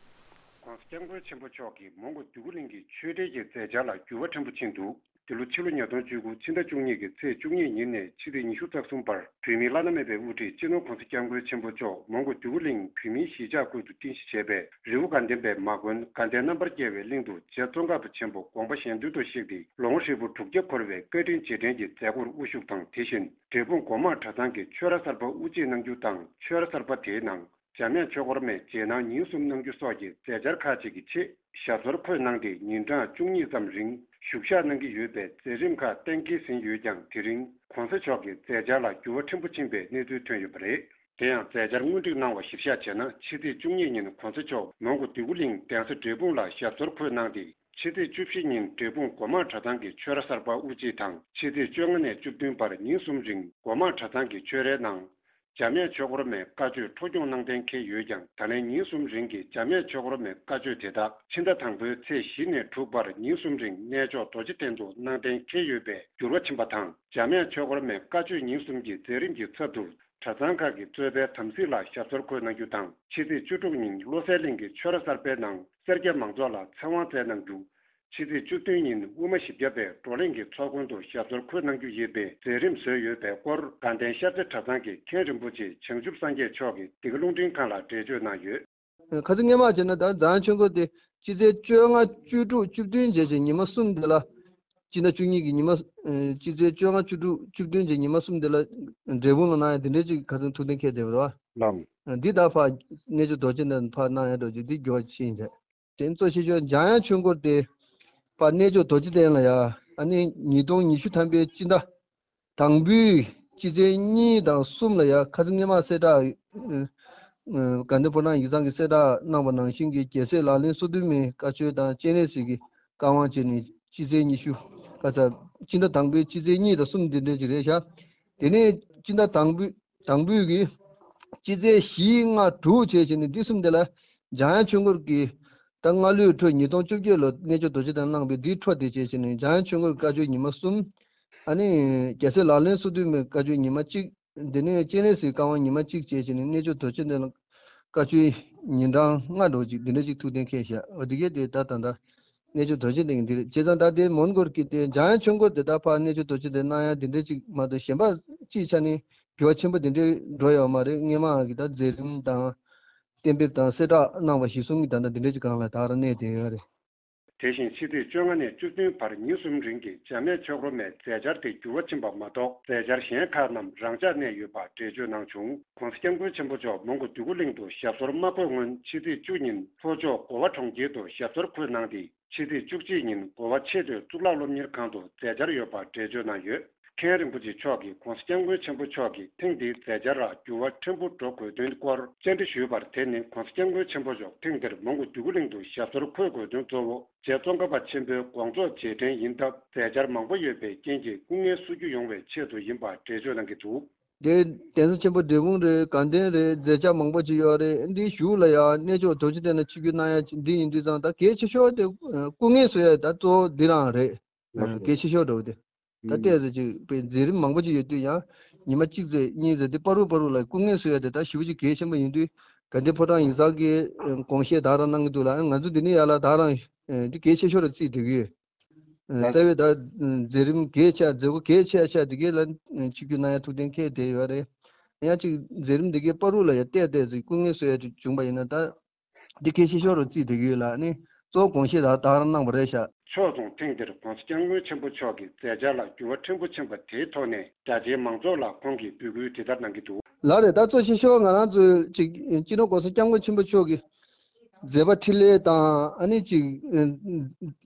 ༸གོང་ས་༸སྐྱབས་མགོན་ཆེན་པོ་མཆོག་གིས་མོན་གྷོ་འདོད་རྒུ་གླིང་གི་ཆོས་འབྲེལ་གྱི་མཛད་འཆར་ལ་འགྱུར་བ་ཕྲན་བུ་ཕྱིན་འདུག་འདི་ལོ་ཕྱི་ལོ་ཉིས་སྟོང་བཅུ་དགུ་ཕྱི་ཟླ་བཅུ་གཉིས་ཀྱི་ཚེས་བཅུ་གཉིས་ཉིན་ནས་ཕྱི་ཚེས་ཉི་ཤུ་རྩ་གསུམ་བར་བོད་མིའི་བླ་ན་མེད་པའི་དབུ་ཁྲིད་སྤྱི་ནོར་༸གོང་ས་༸སྐྱབས་མགོན་ཆེན་པོ་མཆོག་མོན་གྷོ་འདོད་རྒུ་གླིང་བོད་མིའི་གཞིས་ཆགས་ཁུལ་དུ་རྟེན་གཞི་བྱས་པའི་རི་བོ་དགའ་ལྡན་པའི་མ་དགོན་དགའ་ལྡན་རྣམ་པར་རྒྱལ་བའི་གླིང་དུ་རྗེ་ཙོང་ཁ་པ་ཆེན་པོ་དགོངས་པ་གཞན་དོན་དུ་གཤེགས་ཏེ་ལོ་ངོ་ཧྲིལ་པོ་དྲུག་བརྒྱ་འཁོར་བའི་བཀའ་དྲིན་རྗེས་དྲན་གྱི་མཛད་སྒོར་དབུ་བཞུགས་དང་། དེ་བཞིན་འབྲས་སྤུངས་སྒོ་མང་གྲྭ་ཚང་གི་ཆོས་ར་གསར་པ་དབུ་འབྱེད་གནང་རྒྱུ་དང་། ཆོས་ར་གསར་པ་དེའི་ནང་འཇམ་དབྱངས་ཆོས་འཁོར་མའི་རྗེས་གནང་ཉིན་གསུམ་གནང་རྒྱུ་སོགས་ཀྱི་མཛད་འཆར་ཁག་ཅིག་གི་ཆེད་ཞབས་སོར་འཁོད་གནང་སྟེ། ཉིན་གྲངས་བཅུ་གཉིས་ཙམ་རིང་བཞུགས་ཞག་གནང་གི་ཡོད་པའི་མཛད་རིམ་ཁག་གཏན་འཁེལ་ཟིན་ཡོད་ཀྱང་། དེ་རིང་༸གོང་ས་མཆོག་གི་མཛད་འཆར་ལ་འགྱུར་བ་ཕྲན་བུ་ཕྱིན་པའི་གནས་ཚུལ་ཐོན་ཡོད་པ་རེད། དེ་ཡང་མཛད་འཆར་སྔོན་སྒྲིག་གནང་བ་གཞིར་བཞག་བྱས་ན། ཕྱི་ཚེས་བཅུ་གཉིས་ཉིན་༸གོང་ས་མཆོག་མོན་གྷོ་འདོད་རྒུ་གླིང་གདན་ས་འབྲས་སྤུངས་ལ་ཞབས་སོར་འཁོད་གནང་སྟེ། ཕྱི་ཚེས་བཅུ་བཞི་ཉིན་འབྲས་སྤུངས་སྒོ་མང་གྲྭ་ཚང་གི་ཆོས་ར་གསར་པ་དབུ་འབྱེད་དང་། ཕྱི་ཚེས་བཅོ་ལྔ་ནས་བཅུ་བདུན་བར་ཉིན་གསུམ་རིང་སྒོ་མང་གྲྭ་ཚང་གི་ཆོས་རའི་ནང་འཇམ་དབྱངས་ཆོས་འཁོར་མའི་བཀའ་ཆོས་འཕྲོ་སྐྱོང་གནང་གཏན་འཁེལ་ཡོད་ཀྱང་། ད་ལན་ཉིན་གསུམ་རིང་གི་འཇམ་དབྱངས་ཆོས་འཁོར་མའི་བཀའ་ཆོས་དེ་དག་ཕྱི་ཟླ་དང་པོའི་ཚེས་བཞི་ནས་དྲུག་བར་ཉིན་གསུམ་རིང་གནས་མཆོག་རྡོ་རྗེ་གདན་དུ་གནང་གཏན་འཁེལ་ཡོད་པས་འགྱུར་བ་ཕྱིན་པ་དང་། འཇམ་དབྱངས་ཆོས་འཁོར་མའི་བཀའ་ཆོས་ཉིན་གསུམ་གྱི་མཛད་རིམ་གྱི་ཚབ་ཏུ། གྲྭ་ཚང་ཁག་གི་གཙོས་པའི་དམ་སྲི་ལ་ཞབས་སོར་འཁོད་གནང་རྒྱུ་དང་། ཕྱི་ཚེས་བཅུ་དྲུག་ཉིན་བློ་གསལ་གླིང་གི་ཆོས་ར་གསར་པའི་ནང་སེར་སྐྱ་མང་ཚོགས་ལ་ཚེ་དབང་སྩལ་གནང་རྒྱུ། ཕྱི་ཚེས་བཅུ་བདུན་ཉིན་དབུ་མ་བཞི་བརྒྱ་པའི་བགྲོ་གླེང་གི་ཚོགས་མགོན་དུ་ཞབས་སོར་འཁོད་གནང་རྒྱུ་ཡིན་པའི་མཛད་རིམ་བཟོས་ཡོད་པའི་སྐོར། དགའ་ལྡན་ཤར་རྩེ་གྲྭ་ཚང་གི་མཁན་རིན་པོ་ཆེ་བྱང་ཆུབ་སངས་རྒྱས་མཆོག་གིས་འདི་ག་རླུང་འཕྲིན་ཁང་ལ་འགྲེལ་བརྗོད་གནང་ཡོད། ཁ་སང་སྔོན་མ་བྱས་ན་ད་འཇམ་དབྱངས་ཆོས་འཁོར་དེ་སྤྱི་ཚེས་བཅོ་ལྔ་བཅུ་དྲུག་བཅུ་བདུན་བྱས་བྱས་ཉི་མ་གསུམ་དེ་ལ། སྤྱི་ཟླ་བཅུ་གཉིས་ཀྱི་ཉི་མ། ཨ། སྤྱི་ཚེས་བཅོ་ལྔ་བཅུ་དྲུག་བཅུ་བདུན་གྱི་ཉི་མ་གསུམ་དེ་ལ་འབྲས་སྤུངས་ལ་གནང་ཡ་དེ་འདྲའི་ཅིག་ཁ་སང་ཐུགས་གཏན་འཁེལ་བསྡད་པ་རེད་བ། ལགས། འདི་ད་ཕར་གནས་མཆོག་རྡོ་རྗེ་གདན་ཕར་གནང་ཡ་འདྲ་ཅིག་འདི་འགྱུར་བ་ཕྱིན་བྱས། དེ་གཙོ་ཆེ་ཤོས་འཇམ་དབྱངས་ཆོས་འཁོར་དེ་ཕར་གནས་མཆོག་རྡོ་རྗེ་གདན་ལ་ཡ། ཨ་ནི་ཉིས་སྟོང་ཉི་ཤུ་ཐམ་པའི་སྤྱི་ཟླ་དང་པོའི་སྤྱི་ཚེས་གཉིས་དང་གསུམ་ལ་ཡ། ཁ་སང་སྔོན་མ་གསལ་བསྒྲགས། ཨ། དགའ་ལྡན་ཕོ་བྲང་ཡིག་ཚང་གི་གསལ་བསྒྲགས་གནང་བ་ནང་བཞིན་གྱི་རྒྱལ་སྲས་ལག་ལེན་སོ་བདུན་མའི་བཀའ་ཆོས་དང་སྤྱན་རས་གཟིགས་ཀྱི་བཀའ་དབང་བྱས་ནས་སྤྱི་ཚེས་ཉི་ཤུ། ཁ་ཚ། སྤྱི་ཟླ་དང་པོའི་སྤྱི་ཚེས་གཉིས་དང་གསུམ་འདི་འདྲ་ཅིག་རེད་ཤག་དེ་ནས་སྤྱི་ཟླ་དང་པོའི་དང་པོའི་གི་སྤྱི་ཚེས་བཞི་ལྔ་དྲུག་བྱས་བྱས་ནས་འདི་གསུམ་དེ་ལ་འཇམ་དབྱངས་ཆོས་འཁོར་གྱི་ད་སྔ་ལོའི་འཕྲོ་ཉིས་སྟོང་བཅོ་བརྒྱད་ལོ་གནས་མཆོག་རྡོ་རྗེ་གདན་གནང་བའི་འདིའི་འཕྲོ་དེ་བྱས་བྱས་ནས་འཇམ་དབྱངས་ཆོས་འཁོར་བཀའ་ཆོས་ཉི་མ་གསུམ། ཨ་ནི་རྒྱལ་སྲས་ལག་ལེན་སོ་བདུན་མའི་བཀའ་ཆོས་ཉི་མ་གཅིག་དེ་ནས་སྤྱན་རས་གཟིགས་བཀའ་དབང་ཉི་མ་གཅིག་བྱས་བྱས་ནས་གནས་མཆོག་རྡོ་རྗེ་གདན་ལ་བཀའ་ཆོས་ཉིན་གྲངས་ལྔ་འགྲོ་ཅིག་འདི་འདྲ་ཅིག་ཐུགས་གཏན་འཁེལ་བཞག་འོ་དེ་གས་དེ་ད་ད་ད་གནས་མཆོག་རྡོ་རྗེ་གདན་གྱི་འདི་རེད། བྱས་ཙང་ད་དེ་མོན་གྷོར་གྱི་དེ་འཇམ་དབྱངས་ཆོས་འཁོར་དེ་ད་ཕར་གནས་མཆོག་རྡོ་རྗེ་གདན་གནང་ཡ་འདི་འདྲ་ཅིག་མ་གཏོགས་གཞན་པ་སྤྱིའི་ཆ་ནས་འགྱུར་བ་ཆེན་པོ་འདི་འདྲ་འགྲོ་ཡོད་མ་རེད། སྔོན་མ་གི་ད་མཛད་རིམ་དང་གཏན་འབེབས་དང་གསལ་བསྒྲགས་གནང་བ་གཞིར་བཟུང་གི་ད་ད་འདི་འདྲ་ཅིག་སྒང་ལ་ད་ར་གནས་བསྡད་ཡོད་རེད། དེ་བཞིན་ཕྱི་ཚེས་བཅོ་ལྔ་ནས་བཅུ་བདུན་བར་ཉིན་གསུམ་རིང་གི་འཇམ་དབྱངས་ཆོས་འཁོར་མའི་མཛད་འཆར་དེ་འགྱུར་བ་ཕྱིན་པ་མ་གཏོགས། མཛད་འཆར་གཞན་ཁག་རྣམས་རང་འཇགས་གནས་ཡོད་པ་འགྲེལ་བརྗོད་གནང་བྱུང་། ༸གོང་ས་༸སྐྱབས་མགོན་ཆེན་པོ་མཆོག་མོན་གྷོ་འདོད་རྒུ་གླིང་དུ་ཞབས་སོར་མ་འཁོད་སྔོན། ཕྱི་ཚེས་བཅུ་ཉིན་ལྷོ་ཕྱོགས་གོ་བ་གྲོང་ཁྱེར་དུ་ཞབས་སོར་འཁོད་གནང་སྟེ། ཕྱི་ཚེས་བཅུ་གཅིག་ཉིན་གོ་བ་ཆེས་མཐོའི་གཙུག་ལག་སློབ་གཉེར་ཁང་དུ་མཛད་འཆར་ཡོད་པ་འགྲེལ་བརྗོད་གནང་ཡོད། མཁན་རིན་པོ་ཆེ་མཆོག་གིས་༸གོང་ས་༸སྐྱབས་མགོན་ཆེན་པོ་མཆོག་གིས་ཐེངས་འདིའི་མཛད་འཆར་ལ་འགྱུར་བ་ཕྲན་བུ་འགྲོ་དགོས་དོན་སྐོར་བཅར་འདྲི་ཞུས་པར། དེ་ནི་༸གོང་ས་༸སྐྱབས་མགོན་ཆེན་པོ་མཆོག་ཐེངས་འདིར་མོན་གྷོ་འདོད་རྒུ་གླིང་དུ་ཞབས་སོར་འཁོད་དགོས་དོན་གཙོ་བོ་རྗེ་ཙོང་ཁ་པ་ཆེན་པོའི་དགོངས་རྫོགས་རྗེས་དྲན་ཡིན་སྟབས། མཛད་འཆར་མང་པོ་ཡོད་པའི་རྐྱེན་གྱིས་སྐུ་ངལ་གསོ་རྒྱུ་ཡོང་བའི་ཆེད་དུ་ཡིན་པ་འགྲེལ་བརྗོད་གནང་གི་འདུག། དེ་གདན་ས་ཆེན་པོ་འབྲས་སྤུངས་རེད། དགའ་ལྡན་རེད། མཛད་འཆར་མང་པོ་ཅིག་ཡོད་རེད། འདི་གཞུག་ལ་ཡང་གནས་མཆོག་རྡོ་རྗེ་གདན་ལ་ཆིབས་བསྒྱུར་གནང་ཡ་འདི་ཡིན་དུས་ཙང་ད་གལ་ཆེ་ཤོས་དེ་སྐུ་ངལ་གསོ་ཡ་ད་གཙོ་བོ་འདི་རང་རེད། ལགས་སོ། གལ་ཆེ་ཤོས་འདྲ་བོ་དེ། ད་ཨུམ། ལྟས་ཟེར་ཅིག་པའི་མཛད་རིམ་མང་པོ་ཅིག་ཡོད་དུས་ཡང་ཉི་མ་གཅིག་ཙམ་གཉིས་ཙམ་དེ་བར་དུ་བར་དུ་ལ་སྐུ་ངལ་གསོ་ཡ་དེ་ད་ཞེ་པོ་ཅིག་གལ་ཆེན་པོ་ཡིན་དུས། དགའ་ལྡན་ཕོ་བྲང་ཡིག་ཚང་གི་དགོངས་བཞེས་ད་ག་རང་གནང་གི་འདུག་ལ། ང་ཚོ་འདི་ནས་ཡར་ལ་ད་ག་རང་འདི་གལ་ཆེ་ཤོས་ལ་བརྩིས་བསྡད་ཀྱི་ཡོད། རྩ་བའི་ད་མཛད་རིམ་གལ་ཆེ་མཛད་སྒོ་གལ་ཆེ་ཤོས་འདི་གའི་ལ་ཆིབས་བསྒྱུར་གནང་ཡ་ཐུགས་གཏན་འཁེལ་བསྡད་ཡོད་རེད། ཡང་ཅིག་མཛད་རིམ་འདི་གའི་བར་དུ་ལ་ཡ་ལྟས་ལྟས་ཅིག་སྐུ་ངལ་གསོ་ཡ་དེ་བྱུང་པ་ཡིན་ན་ད། འདི་གལ་ཆེ་ཤོས་རུ་བརྩིས་བསྡད་ཀྱི་ཡོད་ལ་ནི། གཙོ་བོ་དགོངས་བཞེས་ད་ད་ག་རང་གནང་བ་རེད་ཤག་ཕྱོགས་མཚུངས་ཐེངས་འདིར་༸གོང་ས་༸སྐྱབས་མགོན་ཆེན་པོ་མཆོག་གིས་མཛད་འཆར་ལ་འགྱུར་བ་ཕྲན་བུ་ཕྱིན་པ་དེའི་ཐོག་ནས་རྒྱ་ཆེའི་མང་ཚོགས་ལ་ཁོང་གིས་འབོད་སྐུལ་དེ་ལྟར་གནང་གི་འདུག་ལགས་རེད། ད་གཙོ་ཆེ་ཤོས་ང་རང་ཚོའི་ཅིག་སྤྱི་ནོར་༸གོང་ས་༸སྐྱབས་མགོན་ཆེན་པོ་མཆོག་གི་མཛད་པ་འཕྲིན་ལས་དང་ཨ་ནི་ཅིག་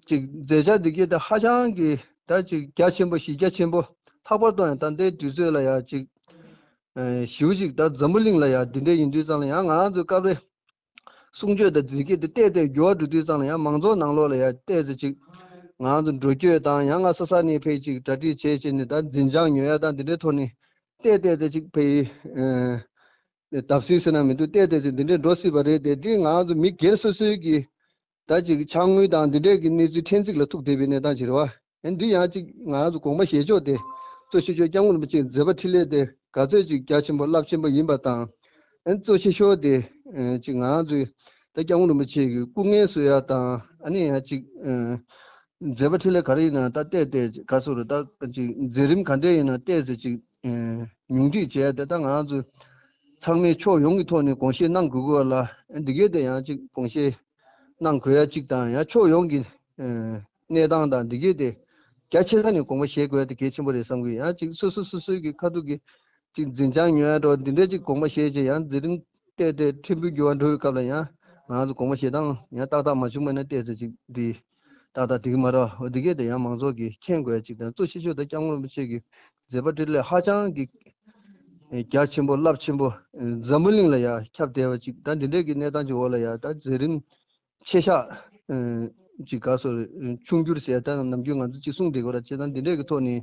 ཅིག་མཛད་འཆར་འདི་གའི་ད་ཧ་ཅང་གི་ད་ཅིག་རྒྱ་ཆེན་པོ་གཞི་རྒྱ་ཆེན་པོ། ལྷག་པར་དུ་ཡང་ད་ལྟའི་དུས་ཚོད་ལ་ཡང་ཅིག་ཞེ་པོ་ཅིག་ད་འཛམ་བུ་གླིང་ལ་ཡང་འདི་འདྲ་ཡིན་དུས་ཙང་ལ་ཡང་ང་རང་ཚོའི་སྐབས་རེ། གསུང་ཆོས་དང་འདི་གས་དེ་བལྟས་བལྟས་འགྱུར་བ་འགྲོ་དུས་ཙང་ལ་ཡང་མང་ཚོགས་ནང་ལོགས་ལ་ཡང་བལྟས་ཚེ་ཅིག་ང་ཚོ་འགྲོ་སྐྱོད་དང་ཡང་ང་ས་ས་ནས་ཕེབས་ཅིག་གྲ་སྒྲིག་བྱས་བྱས་ནས་ད་འཛིན་བྱང་ཉོ་ཡ་དང་འདི་འདྲའི་ཐོག་ནས་བལྟས་བལྟས་ཚེ་ཅིག་ཕེབས་ཡི། བརྡབ་གསིག་ཟེར་ན་མི་འདུག་བལྟས་བལྟས་ཚེ་འདི་འདྲའི་འགྲོ་སྲིད་པ་རེད་དེ། འདི་ང་ཚོ་མི་སྒེར་སོ་སོའི་གི་ད་ཅིག་ཕྱག་དངུལ་དང་འདི་འདྲས་ཀྱི་གནས་ཚུལ་ཕྲན་ཚེགས་ལ་ཐུག་བསྡད་པའི་གནས་སྟངས་ཅིག་རེད་བ། ཨ་འདི་ཡང་ཅིག་ང་རང་ཚོ་དགོངས་པ་བཞེས་ཕྱོགས་དེ་གཙོ་ཆེ་ཤོས་༸སྐྱབས་མགོན་རིན་པོ་ཆེའི་མཛད་པ་འཕྲིན་ལས་དེ་ག་ཚོད་ཅིག་རྒྱ་ཆེན་པོ་རླབས་ཆེན་པོ་ཡིན་པ་དང་། ཨ་གཙོ་ཆེ་ཤོས་དེ་ཅིག་ང་རང་ཚོའི་ད་༸སྐྱབས་མགོན་རིན་པོ་ཆེ་གི་སྐུ་ངལ་གསོ་ཡ་དང་ཨ་ནི་ཡང་ཅིག་མཛད་པ་འཕྲིན་ལས་ག་རེ་ཡིན་ན་ད་བལྟས་བལྟས་ག་ཚོད་རེད། ད་ཅིག་མཛད་རིམ་ག་འདྲས་ཡིན་ན་བལྟས་ཚེ་ཅིག་ཉུང་འཕྲི་བྱས་ཏེ་ད་ང་རང་ཚོ་ཚང་མས་ཕྱོགས་ཡོངས་ཀྱི་ཐོག་ནས་དགོངས་བཞེས་གནང་དགོས་ཀྱི་ཡོད་ལ། འདི་གས་དེ་ཡང་ཅིག་དགོངས་བཞེས་གནང་དགོས་ཡ་ཅིག་དང་ཡང་ཕྱོགས་ཡོངས་ཀྱི་གནས་སྟངས་དང་འདི་གས་དེ་རྒྱ་ཆེ་ས་ནས་དགོངས་པ་བཞེས་དགོས་ཡ་དེ་གལ་ཆེན་པོ་རེད་བསམ་གི་ཡོད། ཡང་ཅིག་སོ་སོ་སོ་སོའི་གི་ཁ་ཐུག་གི་ཅིག་འཛིན་བྱང་ཉོ་ཡ་འདྲ་བ་འདི་འདྲས་ཅིག་དགོངས་པ་བཞེས་བྱས་ཡང་མཛད་རིམ་བལྟས་ཏེ་ཕྲན་བུ་འགྱུར་བ་འགྲོ་བའི་སྐབས་ལ་ཡང་ང་ཚོ་དགོངས་པ་བཞེས་སྟངས་ཡང་ཏག་ཏག་མ་བྱུང་བ་ན་བལྟས་ཚེ་ཅིག་འདི་ཏག་ཏག་འགྲིག་གི་མ་རེད་བ། འོ་འདི་གས་དེ་ཡང་མང་ཚོགས་ཀྱིས་མཁྱེན་དགོས་ཡ་ཅིག་དང་གཙོ་ཆེ་ཤོས་ད་༸སྐྱབས་མགོན་རིན་པོ་ཆེ་གི་མཛད་པ་འཕྲིན་ལས་ཧ་ཅང་གི་རྒྱ་ཆེན་པོ་རླབས་ཆེན་པོ་འཛམ་བུ་གླིང་ལ་ཡང་ཁྱབ་བསྡད་པ་ཅིག་ད་འདི་འདྲས་ཀྱི་གནས་སྟངས་ཅིག་འོག་ལ་ཡང་ད་མཛད་རིམ་ཆེ་ཤག་ཅིག་ག་སོ་ཆུང་འགྱུར་ཟེར་ད་ནམ་རྒྱུན་ང་ཚོ་ཅིག་གསུང་བསྡད་དགོས་ར་བྱས་ཙང་འདི་འདྲས་ཀྱི་ཐོག་ནས་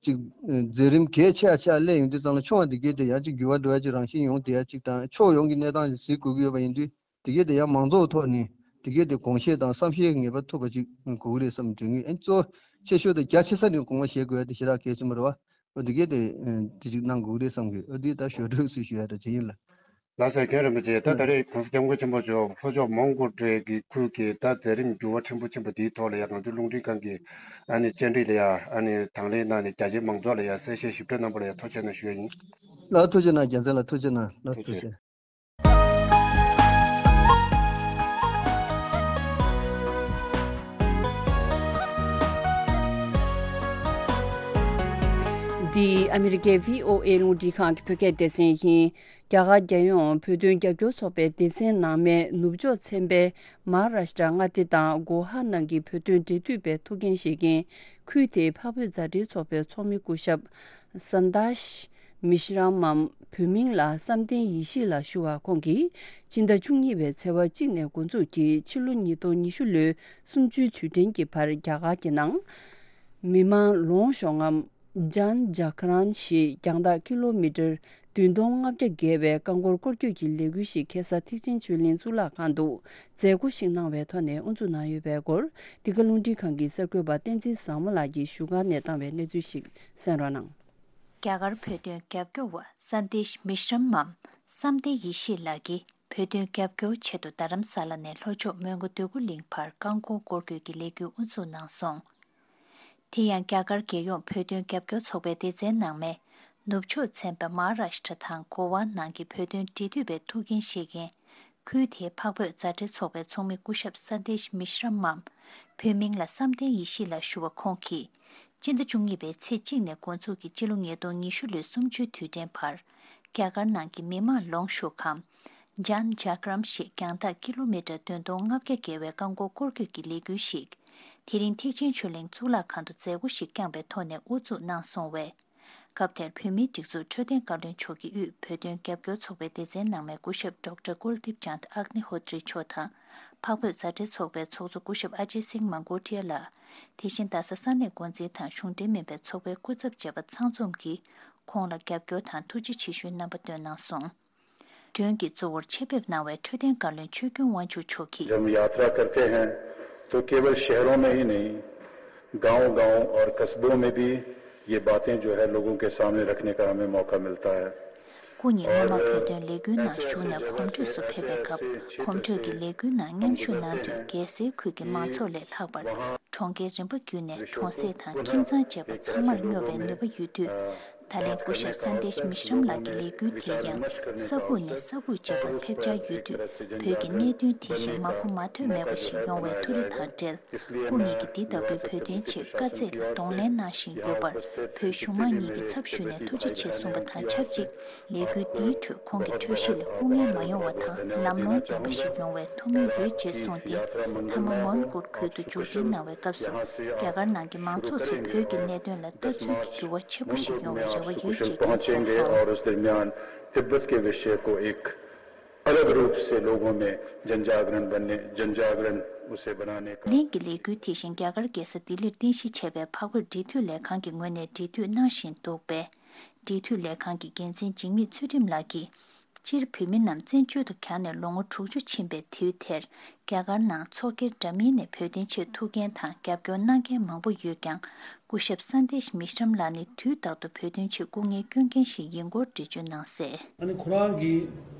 ཅིག་མཛད་རིམ་གལ་ཆེ་ཆེ་སླེབས་ཡོང་དུས་ཙང་ལ་ཆུང་བ་འདི་གས་དེ་ཡང་ཅིག་འགྱུར་བ་འགྲོ་ཡ་ཅིག་རང་བཞིན་ཡོང་བསྡད་ཡ་ཅིག་དང་ཕྱོགས་ཡོངས་ཀྱི་གནས་སྟངས་ཅིག་གཟིགས་དགོས་ཀྱི་ཡོད་པ་ཡིན་དུས། དེ་གས་དེ་ཡང་མང་ཚོགས་ཐོག་ནས་དེ་གས་དེ་དགོངས་བཞེས་དང་བསམ་ཤེས་ངེས་པར་ཐུབ་པ་ཅིག་དགོས་ཀྱི་རེད་བསམ་དྲན་གྱི། ཨ་གཙོ་ཆེ་ཤོས་དང་རྒྱ་ཆེ་ས་ནས་དགོངས་པ་བཞེས་དགོས་ཡ་དེ་ཞེ་དྲག་གལ་ཆེན་པོ་རེད་བ། ཨོ་དེ་གས་དེ་དེ་ཅིག་གནང་དགོས་ཀྱི་རེད་བསམ་གི། ཨོ་དེ་ད་ཞོར་འཕྲོས་སུ་ཞུ་ཡ་འདྲ་ཅིག་ཡིན་ལ། ལགས་སོ། རྒན་རིན་པོ་ཆེ། ད་ད་རེས་༸གོང་ས་༸སྐྱབས་མགོན་ཆེན་པོ་མཆོག་ལྷོ་ཕྱོགས་མོན་གྷོ་འབྲེལ་གྱི་ཁུལ་གྱི་ད་མཛད་རིམ་འགྱུར་བ་ཕྲན་བུ་ཕྱིན་པ་དེའི་ཐོག་ལ་ཡང་ང་ཚོའི་རླུང་འཕྲིན་ཁང་གི་ཨ་ནི་བཅར་འདྲི་ལ་ཡང་ཨ་ནི་དང་ལེན་གནང་ནས་རྒྱ་ཆེའི་མང་ཚོགས་ལ་ཡང་གསལ་བཤད་ཞིབ་ཕྲ་གནང་པ་ལ་ཡང་ཐུགས་རྗེ་གནང་ཞུ་ཡ་ཡིན། ལགས་ཐུགས་རྗེ་གནང་། རྒྱལ་མཚན་ལགས་ཐུགས་རྗེ་གནང་། ལགས་ཐུགས་རྗེ། ཐུགས་རྗེ། འདི་ཨ་མི་རི་ཀའི་བྷི་ཨོ་ཨེ་རླུང་འཕྲིན་ཁང་གི་བོད་སྐད་སྡེ་ཚན་ཡིན། རྒྱ་གར་རྒྱལ་ཡོངས་བོད་དོན་རྒྱབ་སྐྱོར་ཚོགས་པའི་སྡེ་ཚན་ནང་མའི་ནུབ་ཕྱོགས་ཚན་པའི་མ་ཧཱ་རཱཤ་ཏྲ་མངའ་སྡེ་དང་གོ་ཧ་ནང་གི་བོད་དོན་འབྲེལ་མཐུད་པའི་ཐུགས་འགན་བཞེས་མཁན་ཁུལ་དེའི་འཕགས་བོད་མཛའ་འབྲེལ་ཚོགས་པའི་ཚོགས་མི་སྐུ་ཞབས་སན་དཱཤ་མི་ཤི་རམ་མམ་བོད་མིང་ལ་བསམ་གཏན་ཡེ་ཤེས་ལགས་ཞུ་བ་ཁོང་གིས་སྤྱི་ཟླ་བཅུ་གཉིས་པའི་ཚེས་པ་གཅིག་ནས་འགོ་འཛུགས་ཀྱིས་ཕྱི་ལོ་ཉིས་སྟོང་ཉི་ཤུ་ལོའི་གསུམ་བཅུའི་དུས་དྲན་གྱི་བར་རྒྱ་གར་གྱི་ནང་མི་མང་ལོངས་ཤོག་ངམ་ཇན་ཇཱ་ག་རན་ཞེས་རྒྱང་ཐག་ཀི་ལོ་མི་ཊར་བདུན་སྟོང་ལྔ་བརྒྱ་བརྒལ་བའི་རྐང་འཁོར་སྐོར་སྐྱོད་ཀྱི་ལས་འགུལ་ཞིག་ཁ་སང་ཐེག་ཆེན་ཆོས་གླིང་གཙུག་ལག་ཁང་དུ་མཛད་སྒོ་ཞིག་གནང་བའི་ཐོག་ནས་དབུ་འཛུགས་གནང་ཡོད་པའི་སྐོར་འདི་ག་རླུང་འཕྲིན་ཁང་གི་གསར་འགོད་པ་བསྟན་འཛིན་བཟང་མོ་ལགས་ཀྱིས་བཞུགས་སྒར་ནས་བཏང་བའི་གནས་ཚུལ་ཞིག་གསན་རོགས་གནང་། རྒྱ་གར་བོད་དོན་རྒྱབ་སྐྱོར་བ་སན་དེཤ་མི་ཤྲམ་མམ་བསམ་གཏན་ཡེ་ཤེས་ལགས་ཀྱིས་བོད་དོན་རྒྱབ་སྐྱོར་ཆེད་དུ་རྡ་རམ་ས་ལ་ནས་ལྷོ་ཕྱོགས་མོན་གྷོ་འདོད་རྒུ་གླིང་བར་རྐང་འཁོར་སྐོར་སྐྱོད་ཀྱི་ལས་འགུལ་དབུ་འཛུགས་གནང་སོང་། དེ་ཡང་རྒྱ་གར་རྒྱལ་ཡོངས་བོད་དོན་རྒྱབ་སྐྱོར་ཚོགས་པའི་སྡེ་ཚན་ནང་མའི་ནུབ་ཕྱོགས་ཚན་པ་མ་ཧཱ་རཱཤ་ཏྲ་དང་གོ་ཝཱ་ནང་གི་བོད་དོན་འབྲེལ་མཐུད་པའི་ཐུགས་འགན་བཞེས་མཁན་ཁུལ་དེའི་འཕགས་བོད་མཛའ་འབྲེལ་ཚོགས་པའི་ཚོགས་མི་སྐུ་ཞབས་སན་དེཤ་མི་ཤྲམ་མམ་བོད་མིང་ལ་བསམ་གཏན་ཡེ་ཤེས་ལགས་ཞུ་བ་ཁོང་གིས་སྤྱི་ཟླ་བཅུ་གཉིས་པའི་ཚེས་གཅིག་ནས་འགོ་འཛུགས་ཀྱིས་སྤྱི་ལོ་ཉིས་སྟོང་ཉི་ཤུ་ལོའི་གསུམ་བཅུའི་དུས་དྲན་བར་རྒྱ་གར་ནང་གི་མི་མང་ལོངས་ཤོག་གམ་ཇན་ཇཱ་ག་རན་ཞེས་རྒྱང་ཐག་ཀི་ལོ་མི་ཊར་བདུན་སྟོང་ལྔ་བརྒྱ་བརྒལ་བའི་རྐང་འཁོར་སྐོར་སྐྱོད་ཀྱི་ལས་འགུལ་ཞིག་དེ་རིང་ཐེག་ཆེན་ཆོས་གླིང་གཙུག་ལག་ཁང་དུ་མཛད་སྒོ་ཞིག་བསྐྱངས་པའི་ཐོག་ནས་དབུ་འཛུགས་གནང་སོང་བས། སྐབས་དེར་བོད་མིའི་སྒྲིག་འཛུགས་འཕྲོད་བསྟེན་བཀའ་བློན་མཆོག་གིས་དབུས་བོད་དོན་རྒྱབ་སྐྱོར་ཚོགས་པའི་སྡེ་ཚན་ནང་མའི་སྐུ་ཞབས་ཌོག་ཊར་ཀུལ་དིབ་ཅཱནྡ་ཨག་ནི་ཧོ་ཏྲི་མཆོག་དང་། འཕགས་བོད་མཛའ་འབྲེལ་ཚོགས་པའི་ཚོགས་གཙོ་སྐུ་ཞབས་ཨ་ཇེ་སིང་མང་གོ་ཏྲི་ཡ་ལགས། དེ་བཞིན་རྡ་ས་ས་གནས་འགོ་འཛིན་དང་གཞུང་འབྲེལ་མིན་པའི་ཚོགས་པའི་སྐུ་ཚབ་བཅས་པ་ཚང་འཛོམས་ཀྱིས་ཁོང་ལ་རྒྱབ་སྐྱོར་དང་ཐུགས་རྗེ་ཆེ་ཞུའི་རྣམ་པ་བཏོན་གནང་སོང་། མགྲོན་གྱི་གཙོ་བོར་ཆེད་ཕེབས་གནང་བའི་འཕྲོད་བསྟེན་བཀའ་བློན་ཆོས་ཀུན་དབང་ཕྱུག་མཆོག་གིས། जब हम यात्रा करते हैं तो केवल शहरों में ही नहीं, गांव-गांव और कस्बों में भी ये बातें जो है लोगों के सामने रखने का हमें मौका मिलता है। སྐུ་ཉིད་སྔོན་མ་བོད་དོན་ལས་འགུལ་ནང་ཞུགས་ནས་གོམ་བགྲོད་སུ་ཕེབས་པའི་སྐབས་གོམ་བགྲོད་ཀྱི་ལས་འགུལ་ནང་མཉམ་ཞུགས་གནང་དུས་རྒྱལ་སའི་ཁུལ་གྱི་མང་ཚོགས་ལས་ལྷག་པར་གྲོང་ཁྱེར་རིམ་པ་བརྒྱུད་ནས་གྲོང་གསེབ་དང་ཁྱིམ་ཚང་བཅས་པ་ཚང་མར་སྨྱོ་བའི་ནུས་པ་ཡོད་དུས། ད་ལན་སྐུ་ཞབས་སན་དེཤ་མི་ཤྲམ་ལགས་ཀྱི་ལས་འགུལ་དེ་ཡང་ས་ཁུག་ནས་ས་ཁུག་བརྒྱུད་པར་ཕེབས་འཆར་ཡོད་དུས། བོད་ཀྱི་གནད་དོན་དེ་བཞིན་མ་གོ་མ་ཐོས་མེད་པ་ཞིག་ཡོང་བའི་ཐུགས་རེ་དང་འབྲེལ། སྐུ་ཉིད་ཀྱིས་འདི་ལྟ་བུའི་བོད་དོན་ཆེད་དཀའ་ཚེགས་ལ་གདོང་ལེན་གནང་བཞིན་ཡོད་པར་བོད་གཞུང་མང་གཉིས་ཀྱི་ཚབ་ཞུས་ནས་ཐུགས་རྗེ་ཆེ་གསུངས་པ་དང་ཆབས་ཅིག་ལས་འགུལ་འདིའི་ཁྲོད་ཁོང་གི་འཁྲུལ་གཞི་ལ་སྐུ་ངལ་མ་ཡོང་བ་དང་ལམ་ལྷོང་ལྡན་པ་ཞིག་ཡོང་བའི་ཐུགས་སྨོན་ཡོད་ཅེས་གསུངས་ཏེ། མཐའ་མ་མོན་གྷོ་ཁུལ་དུ་མཇུག་སྒྲིལ་གནང་བའི་སྐབས་སུ་རྒྱ་གར་ནང་གི་མང་ཚོགས་ཚོས་བོད་ཀྱི་གནད་དོན་ལ་ལྟ་ཚུལ་གྱི་འགྱུར་བ་ཆེན་པོ་ཞིག་ཡོང་བའི་རེ་བ་ཡོད་ཅེས་བསྐྱོན་གསུངས་སོང་། तिब्बत के विषय को एक अलग रूप से लोगों में जन जागरण बनने जन जागरण उसे बनाने का। ལན་གྱི་ལས་འགུལ་དེ་བཞིན་རྒྱ་གར་རྒྱལ་ས་ལྡི་ལིར་རྟེན་གཞི་བྱས་པའི་འཕགས་བོད་འབྲེལ་མཐུད་ལས་ཁང་གི་ངོས་ནས་འབྲེལ་མཐུད་གནང་བཞིན་འདུག་པས། འབྲེལ་མཐུད་ལས་ཁང་གི་འགན་འཛིན་འཇིགས་མེད་ཚུལ་ཁྲིམས་ལགས་ཀྱིས། སྤྱིར་བོད་མི་རྣམས་བཙན་བྱོལ་དུ་གྱར་ནས་ལོ་ངོ་དྲུག་ཅུ་ཕྱིན་པའི་དུས་དེར། རྒྱ་གར་ནང་ཚོགས་སྒེར་འདྲ་མིན་ནས་བོད་དོན་ཆེད་ཐུགས་འགན་དང་རྒྱབ་སྐྱོར་གནང་མཁན་མང་པོ་ཡོད་ཀྱང་། སྐུ་ཞབས་སན་དེཤ་མི་ཤྲམ་ལགས་ནི་དུས་རྟག་ཏུ་བོད་དོན་ཆེད་སྐུ་ངལ་སྐྱོན་མཁན་ཞིག་ཡིན་སྐོར་འགྲེལ་བརྗོད་གནང་གསལ། ཨ་ནི་ཁོ་རང་གིས་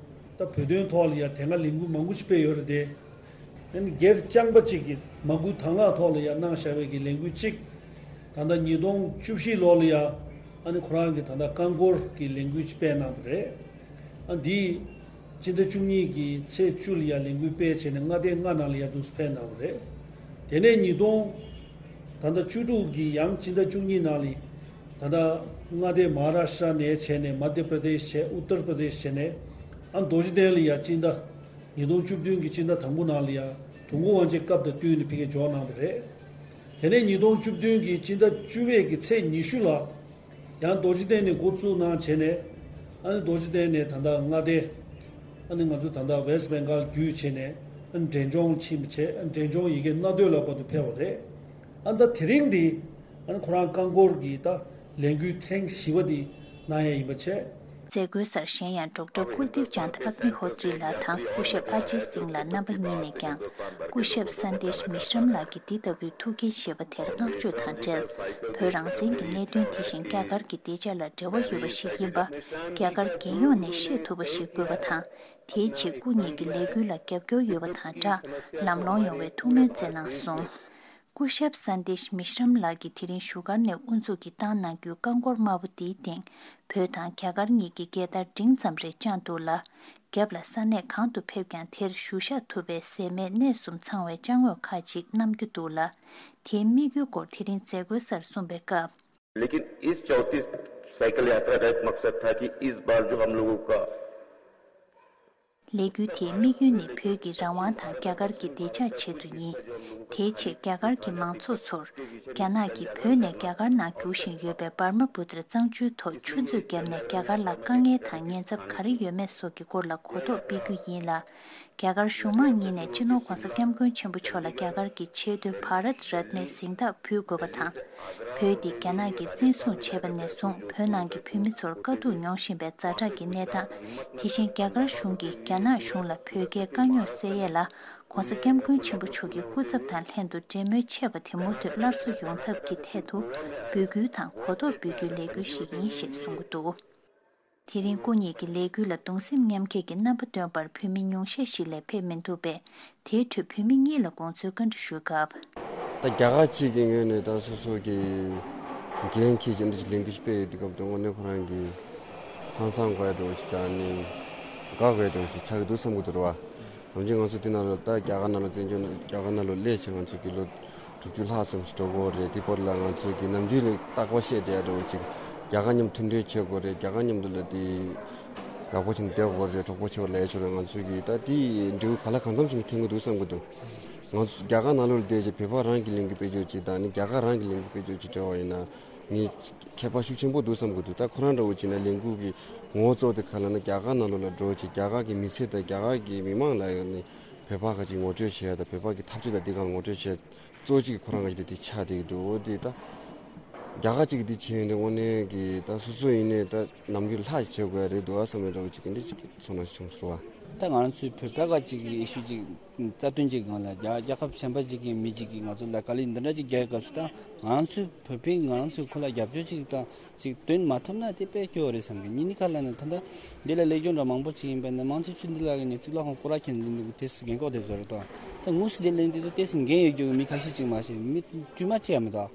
ད་བོད་དོན་ཐོག་ལ་ཡང་དེ་སྔ་ལས་འགུལ་མང་པོ་ཞིག་སྤེལ་ཡོད་རེད་དེ། ཨ་ནི་སྒེར་རྐྱང་པ་གཅིག་གིས་མ་བསྐུལ་དང་བླངས་ཐོག་ལ་ཡང་གནང་བཞག་པའི་གི་ལས་འགུལ་གཅིག་ད་ལྟ་ཉིས་སྟོང་བཅུ་བཞི་ལོ་ལ་ཡང་ཨ་ནི་ཁོ་རང་གིས་ད་ལྟ་རྐང་འཁོར་གྱི་ལས་འགུལ་ཅིག་སྤེལ་གནང་བ་རེད། ཨ་འདིས་སྤྱི་ཟླ་བཅུ་གཉིས་ཀྱི་ཚེས་བཅུ་ལ་ཡང་ལས་འགུལ་སྤེལ་བྱས་ནས་མངའ་སྡེ་ལྔ་ནང་ལ་ཡང་འདུག་སེ་ཕེབས་གནང་བ་རེད། དེ་ནས་ཉིས་སྟོང་ད་ལྟ་བཅུ་དྲུག་གི་ཡང་སྤྱི་ཟླ་བཅུ་གཉིས་ནང་ལ་ད་ལྟ་མངའ་སྡེ་མ་ཧཱ་རཱ་ཤ་ཊ་ནས་བྱས་ནས་མ་དྷྱ་པྲ་དེཤ་བྱས་ཨུ་ཏར་པྲ་དེཤ་བྱས་ནས་ཨ་རྡོ་རྗེ་གདན་ལ་ཡང་སྤྱི་ཟླ་ཉིས་སྟོང་བཅུ་བདུན་གྱི་སྤྱི་ཟླ་དང་པོ་ནང་ལ་ཡང་དུས་འཁོར་དབང་ཆེན་སྐབས་དང་བསྟུན་ནས་ཕ་གིར་འབྱོར་གནང་བ་རེད། དེ་ནས་ཉིས་སྟོང་བཅུ་བདུན་གྱི་སྤྱི་ཟླ་བཅུ་པའི་གི་ཚེས་ཉི་ཤུ་ལ་ཡང་རྡོ་རྗེ་གདན་ནས་འགོ་བཙུགས་གནང་བྱས་ནས་ཨ་ནི་རྡོ་རྗེ་གདན་ནས་ད་ལྟ་མངའ་སྡེ་ཨ་ནི་ང་ཚོ་ད་ལྟ་ཝེ་སི་ཊི་བེང་གཱལ་བརྒྱུད་བྱས་ནས་ཨ་ནི་འབྲས་ལྗོངས་ཕྱིན་པ་བྱས་ཨ་ནི་འབྲས་ལྗོངས་ཡ་གི་མནའ་སྟོད་ལ་བར་དུ་ཕེབས་པ་རེད། ཨ་ནི་ད་དེ་རིང་འདི་ཨ་ནི་ཁོ་རང་རྐང་འཁོར་གྱི་ད་ལས་འགུལ་ཐེངས་བཞི་པ་འདི་གནང་ཡ་ཡིན་པ་བྱས། མཛད་སྒོའི་སར་གཞན་ཡང་ཌོག་ཊར་ཀུལ་དིབ་ཅཱནད་ཨག་ནི་ཧོ་ཏྲི་ལགས་དང་སྐུ་ཞབས་ཨ་ཇེ་སིང་ལགས་རྣམ་པ་གཉིས་ནས་ཀྱང་སྐུ་ཞབས་སན་དེཤ་མི་ཤྲམ་ལགས་ཀྱི་འདི་ལྟ་བུའི་ཐུགས་འགན་བཞེས་པ་དེར་བསྔགས་བརྗོད་དང་འབྲེལ། བོད་རང་བཙན་གྱི་གནད་དོན་དེ་བཞིན་རྒྱ་གར་གྱི་བདེ་འཇགས་ལ་འབྲེལ་བ་ཡོད་པ་ཞིག་ཡིན་པ་རྒྱ་གར་རྒྱལ་ཡོངས་ནས་ཤེས་ཐུབ་པ་ཞིག་དགོས་པ་དང་། དེའི་ཆེད་སྐུ་ཉིད་ཀྱི་ལས་འགུལ་ལ་རྒྱབ་སྐྱོར་ཡོད་པ་དང་སྦྲགས་ལམ་ལྷོང་ཡོང་བའི་ཐུགས་སྨོན་བསྩལ་གནང་སོང་། སྐུ་ཞབས་སན་དེཤ་མི་ཤྲམ་ལགས་ཀྱིས་དེ་རིང་བཞུགས་སྒར་ནས་དབུ་འཛུགས་ཀྱིས་བཏང་གནང་རྒྱུའི་རྐང་འཁོར་དམར་པོ་འདིའི་སྟེང་བོད་དང་རྒྱ་གར་གཉིས་ཀྱི་རྒྱལ་དར་འབྲིང་ཙམ་རེ་དཔྱངས་འདུག་ལ། རྒྱབ་ལ་ས་གནས་གང་དུ་ཕེབས་ཀྱང་དེར་བཞུགས་ཤག་ཐུབ་པའི་ཟས་མེད་གནས་གསུམ་ཚང་བའི་ཅ་དངོས་ཁག་ཅིག་བསྣམས་རྒྱུ་འདུག་ལ། དེའི་དམིགས་ཡུལ་སྐོར་དེ་རིང་མཛད་སྒོའི་སར་གསུངས་པའི་སྐབས། लेकिन इस चौथी साइकिल यात्रा का एक मकसद था कि इस बार जो हम लोगों का ལས་འགུལ་དེའི་དམིགས་ཡུལ་ནི་བོད་ཀྱི་རང་དབང་དང་རྒྱ་གར་གྱི་བདེ་འཇགས་ཆེད་དུ་ཡིན། དེའི་ཆེད་རྒྱ་གར་གྱི་མང་ཚོགས་ཚོར་རྒྱ་ནག་གིས་བོད་ནས་རྒྱ་གར་ནང་རྒྱུག་བཞིན་ཡོད་པའི་འབར་མ་བུ་ཏྲ་གཙང་ཆུའི་ཐོག་ཆུ་མཛོད་བརྒྱབ་ནས་རྒྱ་གར་ལ་དཀའ་ངལ་དང་ཉེན་ཚབས་ག་རེ་ཡོད་མེད་སོགས་ཀྱི་སྐོར་ལ་གོ་རྟོགས་སྤེལ་རྒྱུ་ཡིན་ལ། རྒྱ་གར་གཞུང་མང་གཉིས་ནས་སྤྱི་ནོར་༧གོང་ས་༧སྐྱབས་མགོན་ཆེན་པོ་མཆོག་ལ་རྒྱ་གར་གྱི་ཆེས་མཐོའི་བྷ་རཏ་རཏ་ནའི་གཟེངས་རྟགས་ཕུལ་དགོས་པ་དང་། བོད་འདི་རྒྱ་ནག་གིས་བཙན་བཟུང་བྱས་པ་ནས་བཟུང་བོད་ནང་གི་བོད་མི་ཚོར་དཀའ་སྡུག་མྱོང་བཞིན་པའི་ཛ་དྲག་གི་གནས་སྟངས། དེ་བཞིན་རྒྱ་གར་གཞུང་གིས་རྒྱ་ནག་གཞུང་ལ་བོད་རྒྱའི་དཀའ་རྙོག་སེལ་ཡས་ལ་༧གོང་ས་༧སྐྱབས་མགོན་ཆེན་པོ་མཆོག་གི་སྐུ་ཚབ་དང་ལྷན་དུ་འབྲེལ་མོལ་ཆད་པ་དེ་མུ་མཐུད་སླར་གསོ་ཡོང་ཐབས་ཀྱི་ཐད་དུ་འབོད་སྐུལ་དང་གོ་རྟོགས་འབུལ་རྒྱུའི་ལས་འགུལ་ཞིག་ཡིན་ཞེས་གསུང་གི་འདུག་དེ་རིང་སྐུ་ཉིད་ཀྱི་ལས་འགུལ་ལ་གདུང་སེམས་མཉམ་སྐྱེད་ཀྱི་རྣམ་པ་སྟོན་པར་བོད་མི་ཉུང་ཤས་ཤིག་ལས་ཕེབས་མི་འདུག་པས། དེའི་ཁྲོད་བོད་མི་གཉིས་ལ་དགོངས་ཚུལ་བཀའ་འདྲི་ཞུས་སྐབས། ད་རྒྱ་གར་གཅིག་གི་ངོས་ནས་ད་སོ་སོ་གི་འགན་འཁྱེར་གྱི་འདི་ལས་འགུལ་སྤེལ་ཡོད་དུས་སྐབས་དུ་དངོས་གནས་ཁོ་རང་གི་ཧང་སང་དགོས་ཡ་འདྲ་བོ་ཞིག་དང་ནི་དགའ་དགོས་ཡ་འདྲ་བོ་ཞིག་ཆགས་ཀྱི་འདུག་བསམ་གྱི་འདུག་རེད་བ། ནམ་རྒྱུན་ང་ཚོ་འདི་ནང་ལ་ད་རྒྱ་གར་ནང་ལ་བཙན་བྱོལ་ནང་རྒྱ་གར་ནང་ལ་སླེབས་བྱས་ང་ཚོ་གི་ལོ་དྲུག་ཅུ་ལྷག་ཙམ་ཞིག་འགྲོ་གི་ཡོད་རེད། དེ་བར་ལ་ང་ཚོ་གི་ནམ་རྒྱུན་ལ་རྟག་པར་བཤད་བསྡད་ཡ་འདྲ་བོ་ཅིག་རྒྱ་གར་མཉམ་མཐུན་འབྲེལ་བྱེད་དགོས་རེད། རྒྱ་གར་མཉམ་དུ་ལ་དེ་ཡག་པོ་བྱས་ནས་བསྡད་དགོས་རེད། གྲོགས་པོ་ཆེ་བ་ལ་ཡ་ཆོག་རེད། ང་ཚོ་གི་ད་དེ་འབྲས་བུ་ག་ལ་གང་འཚམ་ཞིག་འཐེན་གི་འདུག་བསམ་གི་འདུག་ང་ཚོ་རྒྱ་གར་ནང་ལོགས་ལ་བསྡད་བྱས་བོད་པ་རང་གི་ལས་འགུལ་སྤེལ་རྒྱུ་ཅིག་དང་ནི་རྒྱ་གར་རང་གི་ལས་འགུལ་སྤེལ་རྒྱུ་ཅིག་འབྲེལ་བ་ཡིན་ན་ངས་ཁྱད་པར་ཤུགས་ཆེན་པོ་འདུག་བསམ་གི་འདུག་ད་ཁོ་རང་འདྲ་བོ་བྱས་ན་ལས་འགུལ་གི་ངོ་བོ་གཙོ་བོ་དེ་ག་ལ་ན་རྒྱ་གར་ནང་ལོགས་ལ་འགྲོ་བྱས་རྒྱ་གར་གི་མི་སེར་དང་རྒྱ་གར་གི་མི་མང་ལ་ཡང་ནི་བོད་པ་ག་ཅིག་ངོ་སྤྲོད་བྱེད་ཡ་དང་བོད་པ་གི་འཐབ་རྩོད་དང་དེ་ག་ལ་ངོ་སྤྲོད་བྱེད་ཡ་གཙོ་གཅིག་གི་ཁོ་རང་ག་ཅིག་དེ་དེ་ཆགས་བསྡད་ཀྱི་འདུག་འོ་དེ་ད་ རྒྱ་གར་གཅིག་འདི་བྱས་ཡོང་དུས་དངོས་གནས་ཀྱི་ད་སོ་སོ་ཡིན་ནའི་ད་ནམ་རྒྱུན་ལྷག་བྱེད་དགོས་ཡ་རེད་འདུག་ཨ་བསམ་པའི་འདྲ་བོ་ཅིག་གི་འདི་ཅིག་ཚོར་སྣང་བྱུང་སོང་བ། ད་ང་རང་ཚོའི་བོད་པ་ག་ཅིག་གི་ཨེ་ཤུ་ཅིག་རྩ་དོན་གྱི་སྒང་ལ་རྒྱ་རྒྱལ་ཁབ་གཞན་པ་ཅིག་གི་མི་ཅིག་གིས་ང་ཚོ་ལ་དཀའ་ལས་འདི་འདྲ་ཅིག་རྒྱག་སྐབས་སུ། ད་ང་རང་ཚོའི་བོད་པས་ང་རང་ཚོའི་ཁོ་ལ་རྒྱབ་སྐྱོར་ཅིག་དང་ཅིག་སྟོན་མ་ཐུབ་ན་དེ་དཔེ་སྐྱོ་བོ་རེད་བསམ་གི། ཉིན་ནི་ག་ལ་ནི་ད་ལྟ་འདི་ལ་སླེབས་རྒྱུ་འདྲ་མང་པོ་ཅིག་ཡིན་པ་ནི་མང་ཆེ་ཆུ་འདི་ལ་གི་ནི་གཙུག་ལག་ཁང་སྐོར་ར་མཁན་འདི་འདུག་དེ་སུ་རྒན་གོག་དེ་ཚོ་རེད་དོ། ད་དངོས་སུ་དེ་ལ་འདི་ཚོ་དེ་སུ་འགན་ཡོད་རྒྱུ་གི་མི་ཁ་ཤས་ཅིག་མ་ཤེས་མི་དཀྱུས་མ་ཅིག་ཡང་མི་འདུག་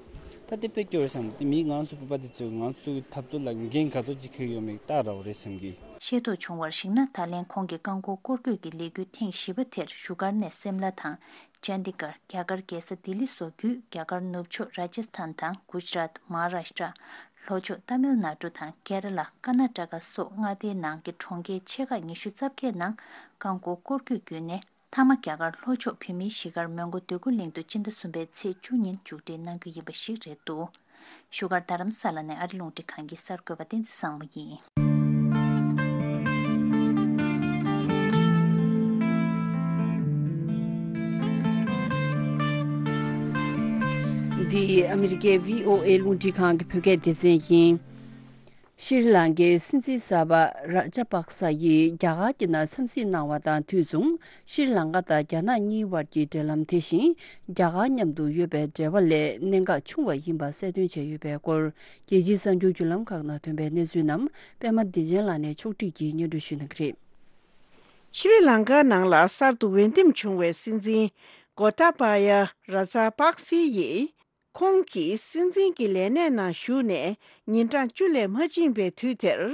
ད་དེ་དཔེ་སྐྱོ་བོ་རེད་བསམ། དེ་མིན་ང་རང་ཚོ་བོད་པ་དེ་ཚོས་ང་ཚོའི་འཐབ་རྩོད་ལ་འགན་ག་ཚོད་ཅིག་འཁྱེར་ཡོད་མེད་ལྟ་ར་བ་རེད་བསམ་གི། ཤེས་རྟོགས་བྱུང་བར་གཞིགས་ན། ད་ལན་ཁོང་གི་རྐང་འཁོར་སྐོར་སྐྱོད་ཀྱི་ལས་འགུལ་ཐེངས་བཞི་པ་དེར་བཞུགས་སྒར་ནས་སིམ་ལ་དང་། ཅན་དི་གར། རྒྱ་གར་རྒྱལ་ས་ལྡི་ལི་སོགས་བརྒྱུད། རྒྱ་གར་ནུབ་ཕྱོགས་ར་ཇ་སི་ཐན་དང་གུ་ཇི་རཱཏ། མ་ཧཱ་རཱ་ཤི་ཏྲ། ལྷོ་ཕྱོགས་ཏཱ་མིལ་ནཱ་ཌུ་དང་ཀེ་ར་ལ། ཀར་ནཱ་ཊ་ཀ་སོགས་མངའ་སྡེའི་ནང་གི་གྲོང་ཁྱེར་ཆེ་ཁག་ཉི་ཤུ་རྩ་བརྒྱད་ནང་རྐང་འཁོར་སྐོར་སྐྱོད་བརྒྱུད་ནས། མཐའ་མ་རྒྱ་གར་ལྷོ་ཕྱོགས་བོད་མིའི་གཞིས་སྒར་མོན་གྷོ་འདོད་རྒུ་གླིང་དུ་སྤྱི་ཟླ་གསུམ་པའི་ཚེས་བཅུ་ཉིན་མཇུག་སྒྲིལ་གནང་རྒྱུ་ཡིན་པ་ཞིག་རེད་འདུག་བཞུགས་སྒར་རྡ་རམ་ས་ལ་ནས་ཨ་རི་རླུང་འཕྲིན་ཁང་གི་གསར་འགོད་པ་བསྟན་འཛིན་བཟང་མོ་ཡིན། འདི་ཨ་མི་རི་ཀའི་བྷི་ཨོ་ཨེ་རླུང་འཕྲིན་ཁང་གི་བོད་སྐད་སྡེ་ཚན་ཡིན། ཤྲི་ལང་ཀའི་སྲིད་འཛིན་གསར་པ་ར་ཇ་པག་ས་ཡིས་རྒྱ་གར་གྱི་ནང་འཚམས་གཟིགས་གནང་བ་དང་དུས་མཚུངས། ཤྲི་ལང་ཀ་དང་རྒྱ་ནག་གཉིས་བར་གྱི་འབྲེལ་ལམ་དེ་བཞིན་རྒྱ་གར་མཉམ་དུ་ཡོད་པའི་འབྲེལ་བ་ལས་གནད་འགག་ཆུང་བ་ཡིན་པ་གསལ་སྟོན་བྱས་ཡོད་པའི་སྐོར། རྒྱལ་སྤྱིའི་གསར་འགྱུར་བརྒྱུད་ལམ་ཁག་ནང་ཐོན་པའི་གནས་ཚུལ་རྣམས་པད་མ་བདེ་ཆེན་ལགས་ནས་ཕྱོགས་སྒྲིག་གིས་སྙན་སྒྲོན་ཞུ་གནང་གི་རེད། ཤྲི་ལང་ཀ་ནང་ལ་གསར་དུ་འོས་འདེམས་བྱུང་བའི་སྲིད་འཛིན་གོ་ཏཱ་བཱ་ཡ་ར་ཛ་པག་སི་ཡིས། ཁོང་གིས་སྲིད་འཛིན་གྱི་ལས་གནས་ནང་ཞུགས་ནས་ཉིན་གྲངས་བཅུ་ལས་མ་ཕྱིན་པའི་དུས་དེར།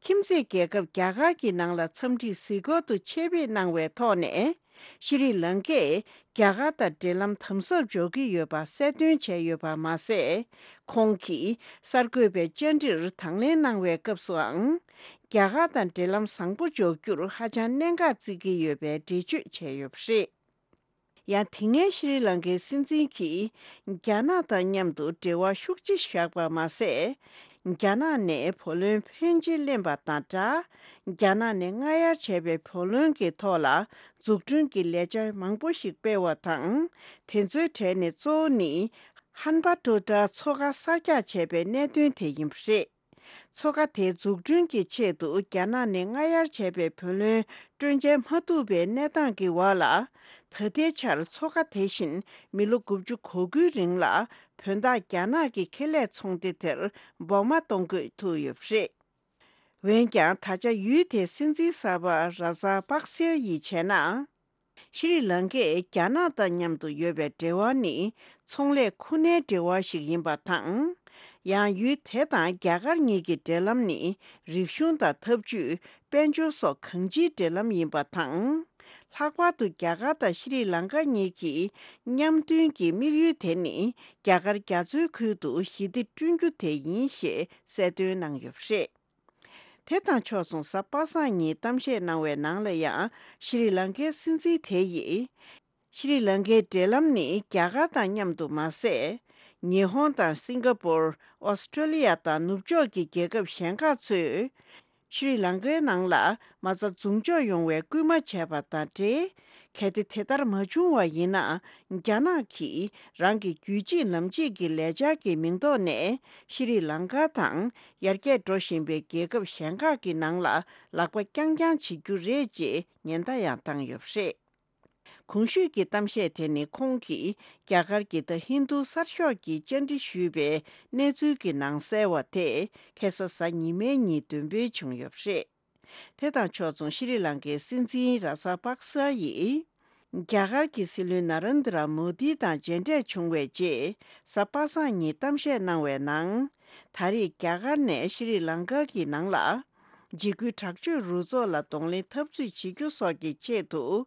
ཁྱིམ་མཚེས་རྒྱལ་ཁབ་རྒྱ་གར་གྱི་ནང་ལ་འཚམས་འདྲིའི་གཟིགས་སྐོར་དུ་ཆེད་ཕེབས་གནང་བའི་ཐོག་ནས། ཤྲི་ལང་ཀས་རྒྱ་གར་དང་འབྲེལ་ལམ་དམ་ཟབ་འཇོག་གི་ཡོད་པ་གསལ་སྟོན་བྱས་ཡོད་པ་མ་ཟད། ཁོང་གིས་གསར་འགོད་པའི་བཅར་འདྲིར་དང་ལེན་གནང་བའི་སྐབས་སུའང་། རྒྱ་གར་དང་འབྲེལ་ལམ་བཟང་པོ་འཇོག་རྒྱུར་ཧ་ཅང་གནད་འགག་བརྩི་གི་ཡོད་པའི་འགྲེལ་བརྗོད་བྱས་ཡོད་པ་རེད། ཡང་དེ་སྔའི་ཤྲི་ལང་ཀའི་སྲིད་འཛིན་གྱིས་རྒྱ་ནག་དང་མཉམ་དུ་འབྲེལ་བ་ཤུགས་ཆེ་བཞག་པ་མ་ཟད། རྒྱ་ནག་ནས་བུ་ལོན་ཕོན་ཆེ་ལེན་པ་དང་སྦྲགས། རྒྱ་ནག་ནས་སྔ་གཡར་བྱས་པའི་བུ་ལོན་གྱི་ཐོག་ལ་འཛུགས་སྐྲུན་གྱི་ལས་འཆར་མང་པོ་ཞིག་སྤེལ་བ་དང་། དེ་ཚོའི་གྲས་ནས་གཙོ་བོ་ནི། ཧན་པ་ཏོ་ཏྲ་མཚོ་ཁ་གསར་རྒྱག་བྱས་པའི་གནད་དོན་དེ་ཡིན་པ་རེད། མཚོ་ཁ་དེ་འཛུགས་སྐྲུན་གྱི་ཆེད་དུ་རྒྱ་ནག་ནས་སྔ་གཡར་བྱས་པའི་བུ་ལོན་སྤྲོད་འཇལ་མ་ཐུབ་པའི་གནས་སྟངས་ཀྱི་འོག་ལ། ད་ལྟའི་ཆར་མཚོ་ཁ་དེ་བཞིན་མི་ལོ་དགུ་བཅུ་གོ་དགུའི་རིང་ལ་བོད་འདགས་རྒྱ་ནག་གི་ཁེ་ལས་ཚོང་སྡེ་དེར་སྦོང་མ་གཏོང་དགོས་ཐུག་ཡོད་པ་རེད། འོན་ཀྱང་ད་ཆ་ཡུལ་དེའི་སྲིད་འཛིན་གསར་པ་ར་ཛ་པག་སེ་ཡིས་བྱས་ན། ཤྲི་ལང་ཀས་རྒྱ་ནག་དང་མཉམ་དུ་ཡོད་པའི་འབྲེལ་བ་ནི་ཚོང་ལས་ཁོ་ནའི་འབྲེལ་བ་ཞིག་ཡིན་པ་དང་། ཡང་ཡུལ་དེ་དང་རྒྱ་གར་གཉིས་ཀྱི་འབྲེལ་ལམ་ནི་རིག་གཞུང་དང་འཐབ་ཇུས། དཔལ་འབྱོར་སོགས་གང་ཅིའི་འབྲེལ་ལམ་ཡིན་པ་དང་། ལྷག་པར་དུ་རྒྱ་གར་དང་ཤྲི་ལང་ཀ་གཉིས་ཀྱི་མཉམ་མཐུན་གྱི་དམིགས་ཡུལ་དེ་ནི་རྒྱ་གར་རྒྱ་མཚོའི་ཁུལ་དུ་ཞི་བདེ་བསྐྲུན་རྒྱུ་དེ་ཡིན་ཞེས་གསལ་སྟོན་གནང་ཡོད་པ་རེད། དེ་དང་ཕྱོགས་མཚུངས་གཟའ་པ་སངས་ཉིན་གཏམ་བཤད་གནང་བའི་ནང་ལ་ཡང་ཤྲི་ལང་ཀའི་སྲིད་འཛིན་དེ་ཡིས། ཤྲི་ལང་ཀའི་འབྲེལ་ལམ་ནི་རྒྱ་གར་དང་མཉམ་དུ་མ་ཟད། ཉི་ཧོང་དང་སིང་ག་པོར། ཨོ་སི་ཀྲོ་ལི་ཡ་དང་ནུབ་ཕྱོགས་ཀྱི་རྒྱལ་ཁབ་གཞན་ཁག་ཚོས། ཤྲི་ལང་ཀའི་ནང་ལ་མ་རྩ་འཛུགས་འཇོག་ཡོང་བའི་སྐུལ་མ་བྱས་པ་དང་འབྲེལ། གལ་ཏེ་དེ་ལྟར་མ་བྱུང་བ་ཡིན་ན། རྒྱ་ནག་གིས་རང་གི་རྒྱུད་གཅིག་ལམ་གཅིག་གི་ལས་འཆར་གྱི་མིང་ཐོག་ནས་ཤྲི་ལང་ཀ་དང་ཡར་རྒྱས་འགྲོ་བཞིན་པའི་རྒྱལ་ཁབ་གཞན་ཁག་གི་ནང་ལ་ལག་པ་རྐྱང་རྐྱང་བྱེད་རྒྱུ་རེད་ཅེས་ཉེན་བརྡ་ཡང་བཏང་ཡོད་པ་རེད། གོང་ཞུས་ཀྱི་གཏམ་བཤད་དེ་ནི་ཁོང་གིས་རྒྱ་གར་གྱི་ད་ཧིན་རྡུ་གསར་ཤོག་གིས་བཅར་འདྲི་ཞུས་པའི་གནས་ཚུལ་གྱི་ནང་གསལ་བ་དེ་ཁ་སང་གཟའ་ཉི་མའི་ཉིན་འདོན་སྤེལ་བྱུང་ཡོད་པ་རེད། དེ་དང་ཕྱོགས་མཚུངས་ཤྲི་ལང་ཀའི་སྲིད་འཛིན་ར་ཛ་པག་ས་ཡིས། རྒྱ་གར་གྱི་སྲིད་བློན་ན་རེན་དྲ་མོ་དི་དང་མཇལ་འཕྲད་བྱུང་བའི་རྗེས། གཟའ་པ་སངས་ཉིན་གཏམ་བཤད་གནང་བའི་ནང་། ད་རེས་རྒྱ་གར་ནས་ཤྲི་ལང་ཀ་གི་ནང་ལ། འཇིགས་སྐུལ་དྲག་སྤྱོད་རུ་ཚོགས་ལ་གདོང་ལེན་འཐབ་རྩོད་བྱེད་རྒྱུ་སོགས་ཀྱི་ཆེད་དུ།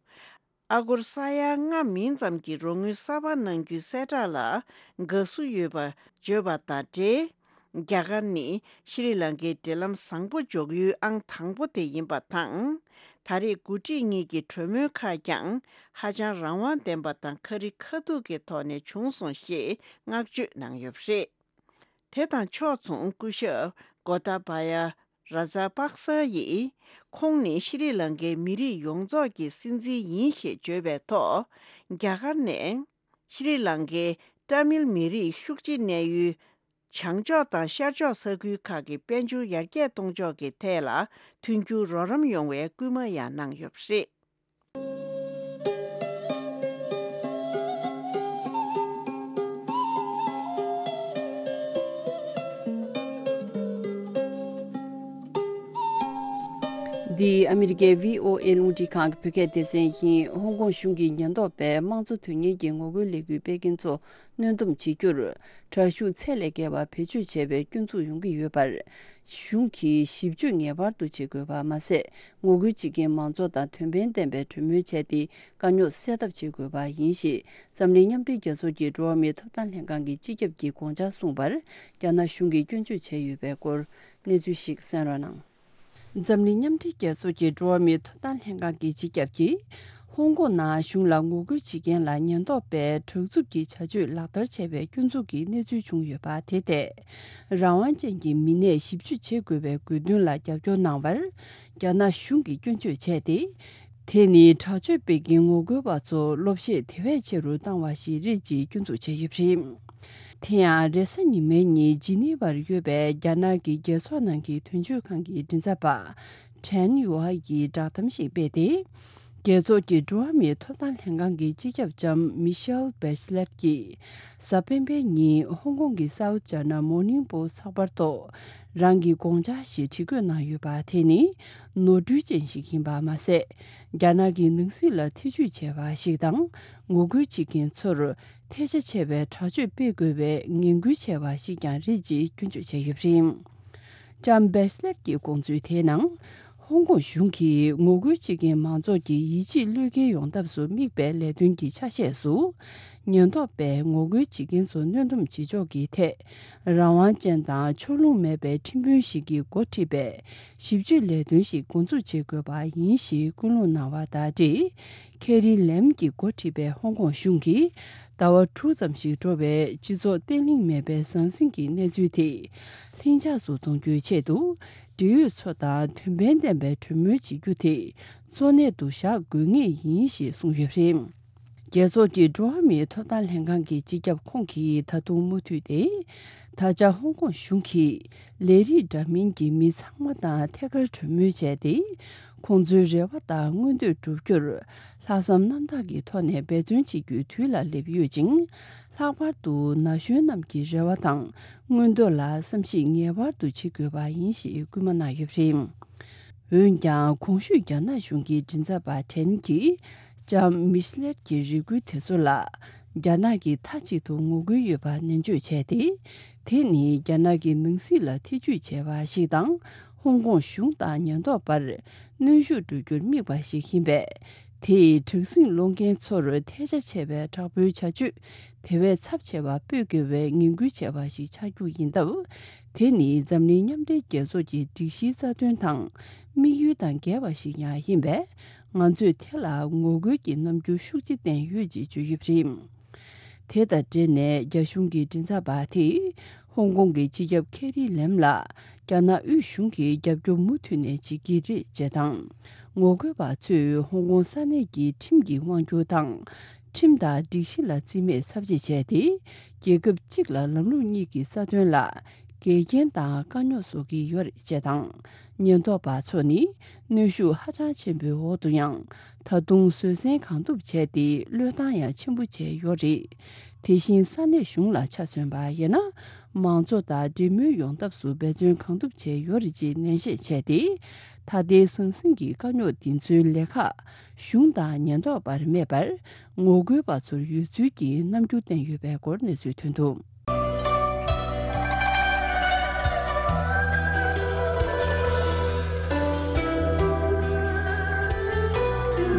ཨ་སྒོར་ས་ཡ་ལྔ་མིན་ཙམ་གྱི་རོགས་དངུལ་གསར་པ་གནང་རྒྱུའི་གསལ་བསྒྲགས་ལ་དགའ་བསུ་ཡོད་པ་བརྗོད་པ་དང་འབྲེལ། རྒྱ་གར་ནི་ཤྲི་ལང་ཀའི་འབྲེལ་ལམ་བཟང་པོ་འཇོག་ཡུལ་ཨང་དང་པོ་དེ་ཡིན་པ་དང་། ད་རེས་འགོ་ཁྲིད་གཉིས་ཀྱི་གྲོས་མོལ་ཁག་ཀྱང་ཧ་ཅང་རང་དབང་ལྡན་པ་དང་ཁ་རི་ཁ་ཐུག་གི་ཐོག་ནས་བྱུང་སོང་ཞེས་བསྔགས་བརྗོད་གནང་ཡོད་པ་རེད། དེ་དང་ཕྱོགས་མཚུངས་སྐུ་ཞབས་གོ་ཏཱ་བཱ་ཡ་ར་ཛ་པག་ས་ཡིས་ཁོང་ནི་ཤྲི་ལང་ཀའི་མི་རིགས་ཡོངས་རྫོགས་ཀྱི་སྲིད་འཛིན་ཡིན་ཞེས་བརྗོད་པའི་ཐོག་རྒྱ་གར་ནས་ཤྲི་ལང་ཀའི་ཏཱ་མིལ་མི་རིགས་ཤུགས་ཆེ་གནས་ཡུལ་ བྱང་ཕྱོགས་དང་ཤར་ཕྱོགས་ས་ཁུལ་ཁག་གི་དཔལ་འབྱོར་ཡར་རྒྱས་གཏོང་ཕྱོགས་ཀྱི་ཐད་ལ་མཐུན་འགྱུར་རོགས་རམ་ཡོང་བའི་སྐུལ་མ་ཡང་གནང་ཡོད་པ་རེད། འདི་ཨ་མི་རི་ཀའི་བྷི་ཨོ་ཨེ་རླུང་འཕྲིན་ཁང་གི་བོད་སྐད་སྡེ་ཚན་ཡིན། ཧོང་ཀོང་གཞུང་གིས་ཉེན་རྟོག་པས་དམངས་གཙོ་དོན་གཉེར་གྱི་ངོ་རྒོལ་ལས་འགུལ་སྤེལ་མཁན་ཚོ་གནོན་སྡོམ་བྱེད་རྒྱུར། དྲག་ཤུགས་ཚད་ལས་བརྒལ་བ་བེད་སྤྱོད་བྱས་པའི་སྐྱོན་འཛུགས་ཡོང་གི་ཡོད་པར། གཞུང་གིས་ཞིབ་དཔྱོད་ངེས་པར་དུ་བྱེད་དགོས་པ་མ་ཟད། ངོ་རྒོལ་བྱེད་མཁན་མང་ཚོགས་དང་དོན་ཕན་ལྡན་པའི་གྲོས་མོལ་བྱས་ཏེ། དཀའ་རྙོག་སེལ་ཐབས་བྱེད་དགོས་པ་ཡིན་ཞེས། འཛམ་གླིང་མཉམ་འབྲེལ་རྒྱལ་ཚོགས་ཀྱི་འགྲོ་བ་མིའི་ཐོབ་ཐང་ལྷན་ཁང་གི་སྤྱི་ཁྱབ་ཀྱིས་དགོངས་འཆར་གསུངས་པར། རྒྱ་ནག་གཞུང་གིས་སྐྱོན་བརྗོད་བྱས་ཡོད་པའི་སྐོར། གནས་ཚུལ་ཞིག་གསན་རོགས་གནང་། འཛམ་གླིང་མཉམ་འབྲེལ་རྒྱལ་ཚོགས་ཀྱི་འགྲོ་བ་མིའི་ཐོབ་ཐང་ལྷན་ཁང་གི་སྤྱི་ཁྱབ་ཀྱིས། ཧོང་ཀོང་ནང་གཞུང་ལ་ངོ་རྒོལ་བྱེད་མཁན་ལ་ཉེན་རྟོག་པས་དྲག་རྩུབ་ཀྱི་བྱ་སྤྱོད་ལག་བསྟར་བྱས་པའི་སྐྱོན་འཛུགས་ཀྱི་གནས་ཚུལ་བྱུང་ཡོད་པ་དེ་ཐད། རང་དབང་ཅན་གྱི་མི་སྣས་ཞིབ་དཔྱོད་བྱེད་དགོས་པའི་དགོས་འདུན་ལ་རྒྱབ་སྐྱོར་གནང་བར། རྒྱ་ནག་གཞུང་གིས་སྐྱོན་བརྗོད་བྱས་ཏེ། དེ་ནི་དྲག་སྤྱོད་སྤེལ་མཁན་ངོ་རྒོལ་བ་ཚོ་ལོ་ཤས་དེ་བས་ཆེ་རུ་བཏང་བ་ཞིག་རེད་ཅེས་སྐྱོན་འཛུགས་བྱས་ཡོད་པ་རེད། དེ་ཡང་རེས་གཟའ་ཉི་མའི་ཉིན་ཇི་ནི་ཝར་ཡོད་པའི་རྒྱ་ནག་གི་རྒྱལ་ཚོགས་ནང་གི་དོན་གཅོད་ཁང་གི་མགྲིན་ཚབ་པ་ཁྲན་ཡུའེ་ཡིས་བསྒྲགས་གཏམ་ཞིག་སྤེལ་ཏེ། རྒྱལ་ཚོགས་ཀྱི་འགྲོ་བ་མིའི་ཐོབ་ཐང་ལྷན་ཁང་གི་སྤྱི་ཁྱབ་ལྕམ་མི་ཤེལ་བྷེ་ཆི་ལེཊ་ཀྱིས་གཟའ་སྤེན་པའི་ཉིན་ཧོང་ཀོང་གི་South China Morning Post་ཚགས་པར་ཐོག་རང་གི་དགོངས་འཆར་ཞིག་བྲིས་བཀོད་གནང་ཡོད་པ་དེ་ནི་ནོར་འཁྲུལ་ཅན་ཞིག་ཡིན་པ་མ་ཟད། རྒྱ་ནག་གི་ནང་སྲིད་ལ་ཐེ་ཇུས་བྱས་པ་ཞིག་དང་། ངོ་རྒོལ་བྱེད་མཁན་ཚོར་ཐལ་ཆ་ཆེ་བའི་དྲག་སྤྱོད་སྤེལ་དགོས་པའི་ངན་སྐུལ་བྱས་པ་ཞིག་ཀྱང་རེད་ཅེས་སྐྱོན་བརྗོད་བྱས་ཡོད་པ་རེད། ལྕམ་བྷེ་ཆི་ལེཊ་ཀྱི་དགོངས་ཚུལ་དེའི་ནང་། ཧོང་ཀོང་གཞུང་གིས་ངོ་རྒོལ་བྱེད་མཁན་མང་ཚོགས་ཀྱི་ཡིད་ཆེས་བློས་འགེལ་ཡོང་ཐབས་སུ་དམིགས་པའི་ལས་དོན་གྱི་ཆ་ཤས་སུ། ཉེན་རྟོག་པས་ངོ་རྒོལ་བྱེད་མཁན་ཚོ་གནོན་སྡོམ་བྱེད་ཕྱོགས་ཀྱི་ཐད། རང་དབང་ཅན་དང་ཕྱོགས་ལྷུང་མེད་པའི་ཁྲིམས་དཔོན་ཞིག་གིས་འགོ་ཁྲིད་པའི་ཞིབ་དཔྱོད་ལས་དོན་ཞིག་འགོ་འཛུགས་བྱེད་དགོས་པ་ཡིན་ཞེས་སྐུལ་སློང་གནང་བ་དང་འབྲེལ། ཁེ་རི་ལེམ་གྱིས་འགོ་ཁྲིད་པའི་ཧོང་ཀོང་གཞུང་གིས་ཟླ་བ་དྲུག་ཙམ་ཞིག་འགྲོ་བའི་སྤྱི་ཚོགས་བརྟན་ལྷིང་མེད་པའི་ཟང་ཟིང་གི་གནས་ཚུལ་དེ་ལྷིང་འཇགས་སུ་གཏོང་རྒྱུའི་ཆེད་དུ། འབྲེལ་ཡོད་ཚོ་དང་དོན་ཕན་ལྡན་པའི་གྲོས་མོལ་བྱེད་རྒྱུ་དེ་གཙོ་གནད་དུ་བཞག་དགོས་ངེས་ཡིན་ཞེས་གསུངས་ཡོད་པ་རེད། རྒྱལ་ཚོགས་ཀྱི་འགྲོ་བ་མིའི་ཐོབ་ཐང་ལྷན་ཁང་གི་སྤྱི་ཁྱབ་ཁོང་གིས་ད་དུང་མུ་མཐུད་དེ། ད་ཆ་ཧོང་ཀོང་གཞུང་གིས་ལས་རིགས་འདྲ་མིན་གྱི་མི་ཚང་མ་དང་ཐད་ཀར་གྲོས་མོལ་བྱས་ཏེ། ཁོང་ཚོའི་རེ་བ་དང་མངོན་འདོད་བསྒྲུབ་རྒྱུར་ལྷག་བསམ་རྣམ་དག་གི་ཐོག་ནས་འབད་བརྩོན་བྱེད་རྒྱུའི་དུས་ལ་སླེབས་ཡོད་ཅིང་། ལྷག་པར་དུ་ན་གཞོན་རྣམས་ཀྱི་རེ་བ་དང་མངོན་འདོད་ལ་བསམ་གཞིག་ངེས་པར་དུ་བྱེད་དགོས་པ་ཡིན་ཞེས་སྐུལ་མ་གནང་ཡོད་པ་རེད། འོན་ཀྱང་གོང་ཞུས་རྒྱ་ནག་གཞུང་གི་མགྲིན་ཚབ་པ་ཁྲེན་གྱིས་ལྕམ་མི་ཤི་ལེར་གྱི་རེ་སྐུལ་དེ་ཚོ་ལ་རྒྱ་ནག་གིས་མཐའ་གཅིག་ཏུ་ངོ་རྒོལ་ཡོད་པ་ནན་བརྗོད་བྱས་ཏེ། དེ་ནི་རྒྱ་ནག་གི་ནང་སྲིད་ལ་ཐེ་ཇུས་བྱས་པ་ཞིག་དང་། ཧོང་ཀོང་གཞུང་དང་ཉེན་རྟོག་པར་གནོན་ཤུགས་སྤྲོད་རྒྱུར་དམིགས་པ་ཞིག་ཡིན་པས། དེས་དྲག་ཟིང་སློང་མཁན་ཚོར་ཐལ་ཆ་ཆེ་བའི་དྲག་པོའི་བྱ་སྤྱོད་དེ་བས་ཚབས་ཆེ་བ་སྤེལ་དགོས་པའི་ངན་སྐུལ་བྱས་པ་ཞིག་ཆགས་རྒྱུ་ཡིན་སྟབས། དེ་ནི་འཛམ་གླིང་མཉམ་འབྲེལ་རྒྱལ་ཚོགས་ཀྱི་སྒྲིག་གཞིའི་རྩ་དོན་དང་དམིགས་ཡུལ་དང་འགལ་བ་ཞིག་ཡང་ཡིན་པས། ང་ཚོས་དེ་ལ་ངོ་རྒོལ་གྱི་རྣམ་འགྱུར་ཤུགས་ཆེ་བསྟན་ཡོད་ཅེས་བརྗོད་ཡོད་པ་རེད། དེ་དང་འབྲེལ་ནས་རྒྱ་གཞུང་གི་མགྲིན་ཚབ་པ་དེས་ཧོང་ཀོང་གི་སྤྱི་ཁྱབ་ཁེ་རི་ལེམ་ལ་རྒྱ་ནག་དབུས་གཞུང་གིས་རྒྱབ་སྐྱོར་མུ་མཐུད་ནས་བྱེད་ཀྱི་རེད་ཅེས་དང་། ངོ་རྒོལ་བ་ཚོས་ཧོང་ཀོང་ས་གནས་ཀྱི་ཁྲིམས་ཀྱི་དབང་སྒྱུར་དང་། ཁྲིམས་དང་སྒྲིག་གཞི་ལ་རྩིས་མེད་ཚབས་ཆེ་བྱས་ཏེ། རྒྱལ་ཁབ་གཅིག་ལ་ལམ་ལུགས་གཉིས་ཀྱི་རྩ་དོན་ལ་འགལ་རྐྱེན་དང་དཀའ་རྙོག་བཟོ་གི་ཡོད་རེད་ཅེས་དང་། ཉེན་རྟོག་པ་ཚོ་ནི་གནོན་ཤུགས་ཧ་ཅང་ཆེན་པོའི་འོག་ཏུ་ཡང་ད་དུང་བཟོད་བསྲན་གང་ཐུབ་བྱས་ཏེ་བློས་བཏང་ཡང་ཆེན་པོ་བྱས་ཡོད་རེད། དེ་བཞིན་ས་གནས་གཞུང་ལ་ཆ་མཚོན་པ་ཡིན་ན། མང་གཙོ་དང་འབྲེལ་མོལ་ཡོང་ཐབས་སུ་འབད་བརྩོན་གང་ཐུབ་བྱས་ཡོད་རེད་ཅེས་ནན་བཤད་བྱས་ཏེ། ད་ལྟའི་ཟང་ཟིང་གི་དཀའ་རྙོག་འདི་ཚོའི་ལས་ཁག་གཞུང་དང་ཉེན་རྟོག་པར་མེད་པར། ངོ་རྒོལ་བ་ཚོར་ཡོད་ཚུལ་གྱི་རྣམ་འགྱུར་བསྟན་ཡོད་པའི་སྐོར་གནས་ཚུལ་ཐོན་འདུག།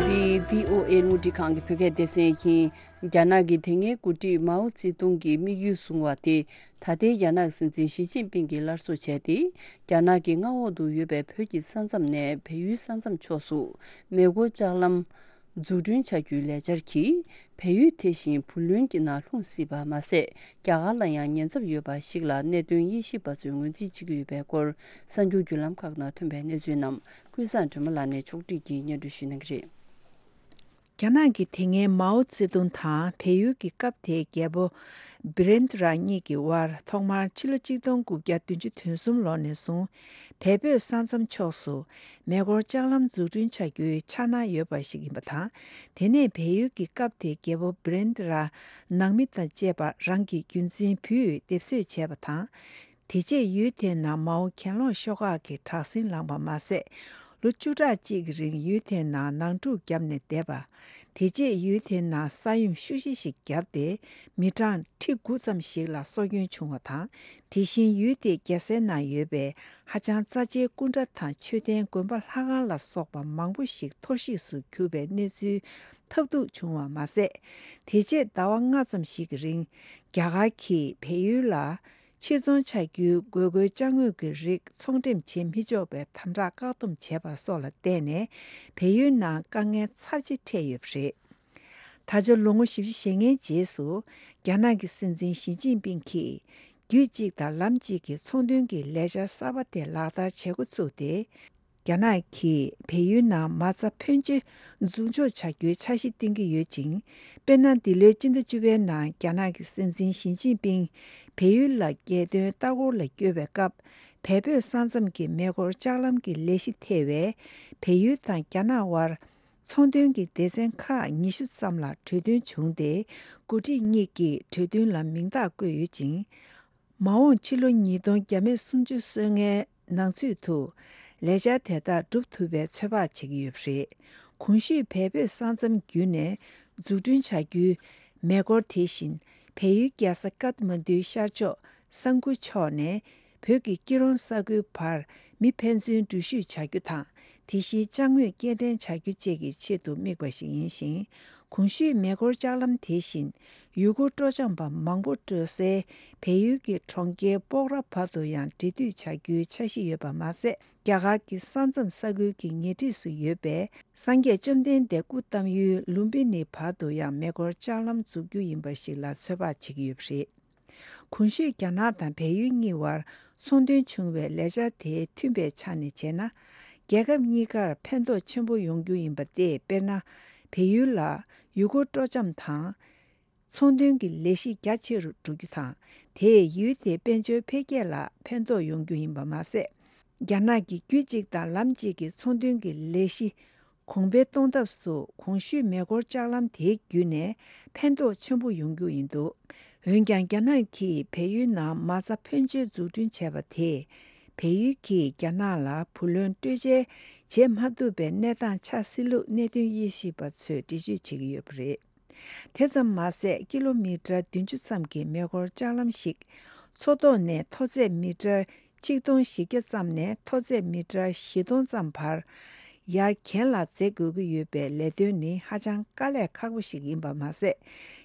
འདི་བྷི་ཨོ་ཨེ་རླུང་འཕྲིན་ཁང་གི་བོད་སྐད་སྡེ་ཚན་ཡིན། རྒྱ་ནག་གི་དེ་སྔའི་འགོ་ཁྲིད་མའོ་ཙེ་ཏུང་གིས་དམིགས་ཡུལ་བཟུང་བ་དེ། ད་ལྟའི་རྒྱ་ནག་སྲིད་འཛིན་ཞི་ཅིན་ཕིང་གིས་སླར་གསོ་བྱས་ཏེ། རྒྱ་ནག་གི་མངའ་འོག་ཏུ་ཡོད་པའི་བོད་ཀྱི་ས་མཚམས་ནས་བལ་ཡུལ་ས་མཚམས་ཕྱོགས་སུ་མེ་འཁོར་ལྕགས་ལམ་འཛུགས་སྐྲུན་བྱ་རྒྱུའི་ལས་འཆར་གྱིས། བལ་ཡུལ་དེ་བཞིན་བུ་ལོན་གྱི་ནང་ལྷུང་སྲིད་པ་མ་ཟད། རྒྱ་གར་ལ་ཡང་ཉེན་ཚབས་ཡོད་པ་ཞིག་ལ་གནད་དོན་དབྱེ་ཞིབ་པ་ཚོས་ངོས་འཛིན་བྱེད་ཀྱི་ཡོད་པའི་སྐོར། གསར་འགྱུར་བརྒྱུད་ལམ་ཁག་ནང་ཐོན་པའི་གནས་ཚུལ་རྣམས་ཀུན་བཟང་སྒྲོལ་མ་ལགས་ནས་ཕྱོགས་སྒྲིག་གིས་སྙན་སྒྲོན་ཞུ་གནང་གི་རེད། རྒྱ་ནག་གི་དེ་སྔའི་མའོ་ཙེ་ཏུང་དང་བལ་ཡུལ་གྱི་སྐབས་དེའི་རྒྱལ་པོ་བྷི་རེན་ཏི་ར་གཉིས་ཀྱི་དབར་ཐོག་མར་ཕྱི་ལོ་ཆིག་སྟོང་དགུ་བརྒྱ་བདུན་ཅུ་དོན་གསུམ་ལོ་ནས་བཟུང་བལ་བོད་ས་མཚམས་ཕྱོགས་སུ་མེ་འཁོར་ལྕགས་ལམ་འཛུགས་སྐྲུན་བྱ་རྒྱུའི་འཆར་སྣང་ཡོད་པ་ཞིག་ཡིན་པ་དང་། དེ་ནས་བལ་ཡུལ་གྱི་སྐབས་དེའི་རྒྱལ་པོ་བྷི་རེན་ཏི་ར་ནང་མི་དང་བཅས་པ་རང་གི་རྒྱུན་འཛིན་བུས་སྡེབ་གསོད་བྱས་པ་དང་། དེ་རྗེས་ཡུལ་དེའི་ནང་མའོ་གྱེན་ལོག་ཤོག་ཁག་གིས་དྲག་ཟིང་ལངས་པ་མ་ཟད། ལོ་བཅུ་ཕྲག་གཅིག་གི་རིང་ཡུལ་དེའི་ནང་ནང་འཁྲུག་བརྒྱབ་ནས་བསྡད་པ། དེ་རྗེས་ཡུལ་དེའི་ནང་ས་ཡོམ་ཤུགས་ཆེ་ཞིག་བརྒྱབ་སྟེ། མི་གྲངས་ཁྲི་དགུ་ཙམ་ཞིག་ལ་སྲོག་སྐྱོན་བྱུང་བ་དང་། དེ་བཞིན་ཡུལ་དེའི་རྒྱལ་སའི་ནང་ཡོད་པའི་ཧ་ཅང་རྩ་ཆེའི་སྐུ་འདྲ་དང་མཆོད་རྟེན་དགོན་པ་ལྷ་ཁང་ལ་སོགས་པ་མང་པོ་ཞིག་འཐོར་བཤིག་ཏུ་གྱུར་པའི་གནས་ཚུལ་ཐབས་སྡུག་བྱུང་བ་མ་ཟད། དེ་རྗེས་ཟླ་བ་ལྔ་ཙམ་ཞིག་གི་རིང་རྒྱ་གར་གྱིས་བལ་ཡུལ་ལ། ཕྱིར་ཚོང་བྱ་རྒྱུའི་དགོས་མཁོའི་ཅ་དངོས་ཀྱི་རིགས་ཚོང་འགྲེམས་བྱེད་མི་ཆོག་པའི་དམ་དྲག་བཀག་སྡོམ་བྱས་པ་སོགས་ལ་བརྟེན་ནས། བལ་ཡུལ་ནང་དཀའ་ངལ་ཚབས་ཆེ་འཕྲད་ཡོད་པ་རེད། ད་ཆ་ལོ་ངོ་བཞི་བཅུ་ཞེ་ལྔའི་རྗེས་སུ། རྒྱ་ནག་གི་སྲིད་འཛིན་ཞི་ཅིན་ཕིང་གིས། རྒྱུད་གཅིག་དང་ལམ་གཅིག་གི་ཚོང་དོན་གྱི་ལས་འཆར་གསར་པ་དེ་ལག་བསྟར་བྱེད་འགོ་ཚུགས་ཏེ། རྒྱ་ནག་གིས་བལ་ཡུལ་ནང་མ་རྩ་ཕོན་ཆེ་འཛུགས་འཇོག་བྱ་རྒྱུའི་འཆར་གཞི་བཏིང་གི་ཡོད་ཅིང་། དཔེར་ན། འདི་ལོའི་སྤྱི་ཟླ་བཅུ་པའི་ནང་རྒྱ་ནག་གི་སྲིད་འཛིན་ཞི་ཅིན་ཕིང་བལ་ཡུལ་ལ་རྒྱལ་དོན་ལྟ་སྐོར་ལ་བསྐྱོད་པའི་སྐབས། བལ་བོད་ས་མཚམས་ཀྱི་མེ་འཁོར་ལྕགས་ལམ་གྱི་ལས་གཞི་ཐེ་བའི་བལ་ཡུལ་དང་རྒྱ་ནག་དབར་ཚོང་དོན་གྱི་སྡེ་ཚན་ཁག་ཉི་ཤུ་ཙམ་ལ་གྲོས་མཐུན་བྱུང་སྟེ། འགོ་ཁྲིད་གཉིས་ཀྱིས་གྲོས་མཐུན་ལ་མིང་རྟགས་བཀོད་ཡོད་ཅིང་། མ་འོངས་ཕྱི་ལོ་ཉིས་སྟོང་བརྒྱ་མེད་སུམ་ཅུ་སོ་ལྔའི་ནང་ཚུད་དུ་ལས་འཆར་དེ་དག་འགྲུབ་ཐུབ་པའི་ཚོད་དཔག་བྱེད་ཀྱི་ཡོད་པ་རེད། གོང་ཞུས་བལ་བོད་ས་མཚམས་བརྒྱུད་ནས་འཛུགས་སྐྲུན་བྱ་རྒྱུའི་མེ་འཁོར་དེ་བཞིན་བལ་ཡུལ་རྒྱལ་ས་ཀཏ་མན་ཌུའི་ཤར་ཕྱོགས་ས་འགུ་ཕྱོགས་ནས་བོད་ཀྱི་སྐྱིད་རོང་ས་ཁུལ་བར་མི་ཕན་ཚུན་འགྲུལ་བཞུད་བྱ་རྒྱུ་དང་། དེ་བཞིན་ཅ་དངོས་སྐྱེལ་འདྲེན་བྱ་རྒྱུ་བཅས་ཀྱི་ཆེད་དུ་དམིགས་པ་ཞིག་ཡིན་ཞིང་། གོང་ཞུས་མེ་འཁོར་ལྕགས་ལམ་དེ་བཞིན་ཡུལ་སྐོར་སྤྲོ་འཆམ་པ་མང་པོ་འགྲོ་སའི་བལ་ཡུལ་གྱི་གྲོང་ཁྱེར་སྤོག་ར་བར་དུ་ཡང་འབྲེལ་མཐུད་བྱ་རྒྱུའི་འཆར་གཞི་ཡོད་པ་མ་ཟད། རྒྱ་གར་གྱི་ས་མཚམས་ས་ཁུལ་གྱི་ཉེ་འཁྲིས་སུ་ཡོད་པའི་སངས་རྒྱས་བཅོམ་ལྡན་འདས་སྐུ་བལྟམས་ཡུལ་ལུམ་བི་ནི་བར་དུ་ཡང་མེ་འཁོར་ལྕགས་ལམ་འཛུགས་རྒྱུ་ཡིན་པ་ཞིག་ལ་ཚོད་དཔག་བྱེད་ཀྱི་ཡོད་པ་རེད། གོང་ཞུས་རྒྱ་ནག་དང་བལ་ཡུལ་གཉིས་བར་ཚོང་དོན་བྱུང་བའི་ལས་འཆར་དེ་མཐུན་པའི་ཆ་ནས་བྱས་ན། རྒྱལ་ཁབ་གཉིས་ཀར་ཕན་ཐོགས་ཆེན་པོ་ཡོང་རྒྱུ་ཡིན་པ་སྟེ། དཔེར་ན། བལ་ཡུལ་ལ་ཡུལ་སྐོར་སྤྲོ་འཆམ་དང་། ཚོང་དོན་གྱི་ལས་གཞི་རྒྱ་ཆེ་རུ་འགྲོ་རྒྱུ་དང་། དེས་ཡུལ་དེའི་དཔལ་འབྱོར་འཕེལ་རྒྱས་ལ་ཕན་ཐོགས་ཡོང་རྒྱུ་ཡིན་པ་མ་ཟད། རྒྱ་ནག་གི་རྒྱུད་གཅིག་དང་ལམ་གཅིག་གི་ཚོང་དོན་གྱི་ལས་གཞི་གོང་འཕེལ་གཏོང་ཐབས་སུ་གོང་ཞུས་མེ་འཁོར་ལྕགས་ལམ་དེ་བརྒྱུད་ནས་ཕན་ཐོགས་ཆེན་པོ་ཡོང་རྒྱུ་ཡིན་འདུག་འོན་ཀྱང་། རྒྱ་ནག་གིས་བལ་ཡུལ་ནང་མ་རྩ་ཕོན་ཆེ་འཛུགས་སྐྲུན་བྱས་པ་དེས། བལ་ཡུལ་གྱིས་རྒྱ་ནག་ལ་བུ་ལོན་སྤྲོད་འཇལ་བྱེད་མ་ཐུབ་པའི་གནས་སྟངས་ཆགས་སྲིད་ལུགས་གནད་དོན་དབྱེ་ཞིབ་པ་ཚོས་འགྲེལ་བརྗོད་བྱེད་ཀྱི་ཡོད་པ་རེད། དེ་ཙམ་མ་ཟད། ཀི་ལོ་མི་ཊར་བདུན་ཅུ་ཙམ་གྱི་མེ་འཁོར་ལྕགས་ལམ་ཞིག་མཚོ་ཐོག་ནས་མཐོ་ཚད་མི་ཊར་ཆིག་སྟོང་བཞི་བརྒྱ་ཙམ་ནས་མཐོ་ཚད་མི་ཊར་བཞི་སྟོང་ཙམ་བར་ཡར་གྱེན་ལ་འཛེག་དགོས་ཀྱི་ཡོད་པའི་ལས་དོན་ནི་ཧ་ཅང་དཀའ་ལས་ཁག་པོ་ཞིག་ཡིན་པ་མ་ཟད།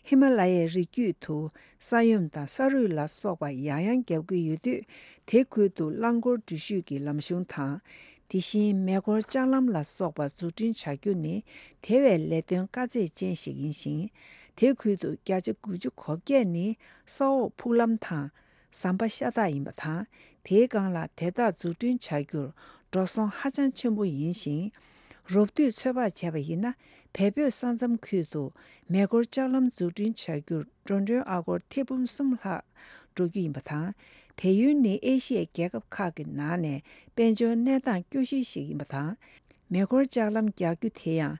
ཧི་མ་ལ་ཡའི་རི་རྒྱུད་དུ་ས་ཡོམ་དང་ས་རུད་ལ་སོགས་པ་ཡང་ཡང་བརྒྱབ་ཀྱི་ཡོད་དུས། དེ་ཁུལ་དུ་རླངས་འཁོར་འགྲུལ་བཞུད་ཀྱི་ལམ་གཞུང་དང་། དེ་བཞིན་མེ་འཁོར་ལྕགས་ལམ་ལ་སོགས་པ་འཛུགས་སྐྲུན་བྱ་རྒྱུ་ནི་དེ་བས་ལས་དོན་དཀའ་ཚེགས་ཅན་ཞིག་ཡིན་ཞིང་། དེ་ཁུལ་དུ་བརྒྱ་ཆ་དགུ་བཅུ་གོ་བརྒྱད་ནི་ས་འོག་ཕུག་ལམ་དང་ཟམ་པ་ཤ་སྟག་ཡིན་པ་དང་། དེའི་སྒང་ལ་དེ་དག་འཛུགས་སྐྲུན་བྱ་རྒྱུར་འགྲོ་སོང་ཧ་ཅང་ཆེན་པོ་ཡིན་ཞིང་། རོབ་བསྡུས་ཚོད་དཔག་བྱས་པ་ཡིན་ན། བལ་བོད་ས་མཚམས་ཁུལ་དུ་མེ་འཁོར་ལྕགས་ལམ་འཛུགས་སྐྲུན་བྱ་རྒྱུར་འགྲོ་གྲོན་ཨ་སྒོར་ཐེར་འབུམ་གསུམ་ལྷག་འགྲོ་རྒྱུ་ཡིན་པ་དང་། བལ་ཡུལ་ནི་ཨེ་ཤི་ཡའི་རྒྱལ་ཁབ་ཁག་གི་ནང་ནས་དཔལ་འབྱོར་གནས་སྟངས་སྐྱོ་ཤོས་ཤིག་ཡིན་པ་དང་། མེ་འཁོར་ལྕགས་ལམ་རྒྱག་རྒྱུ་དེ་ཡང་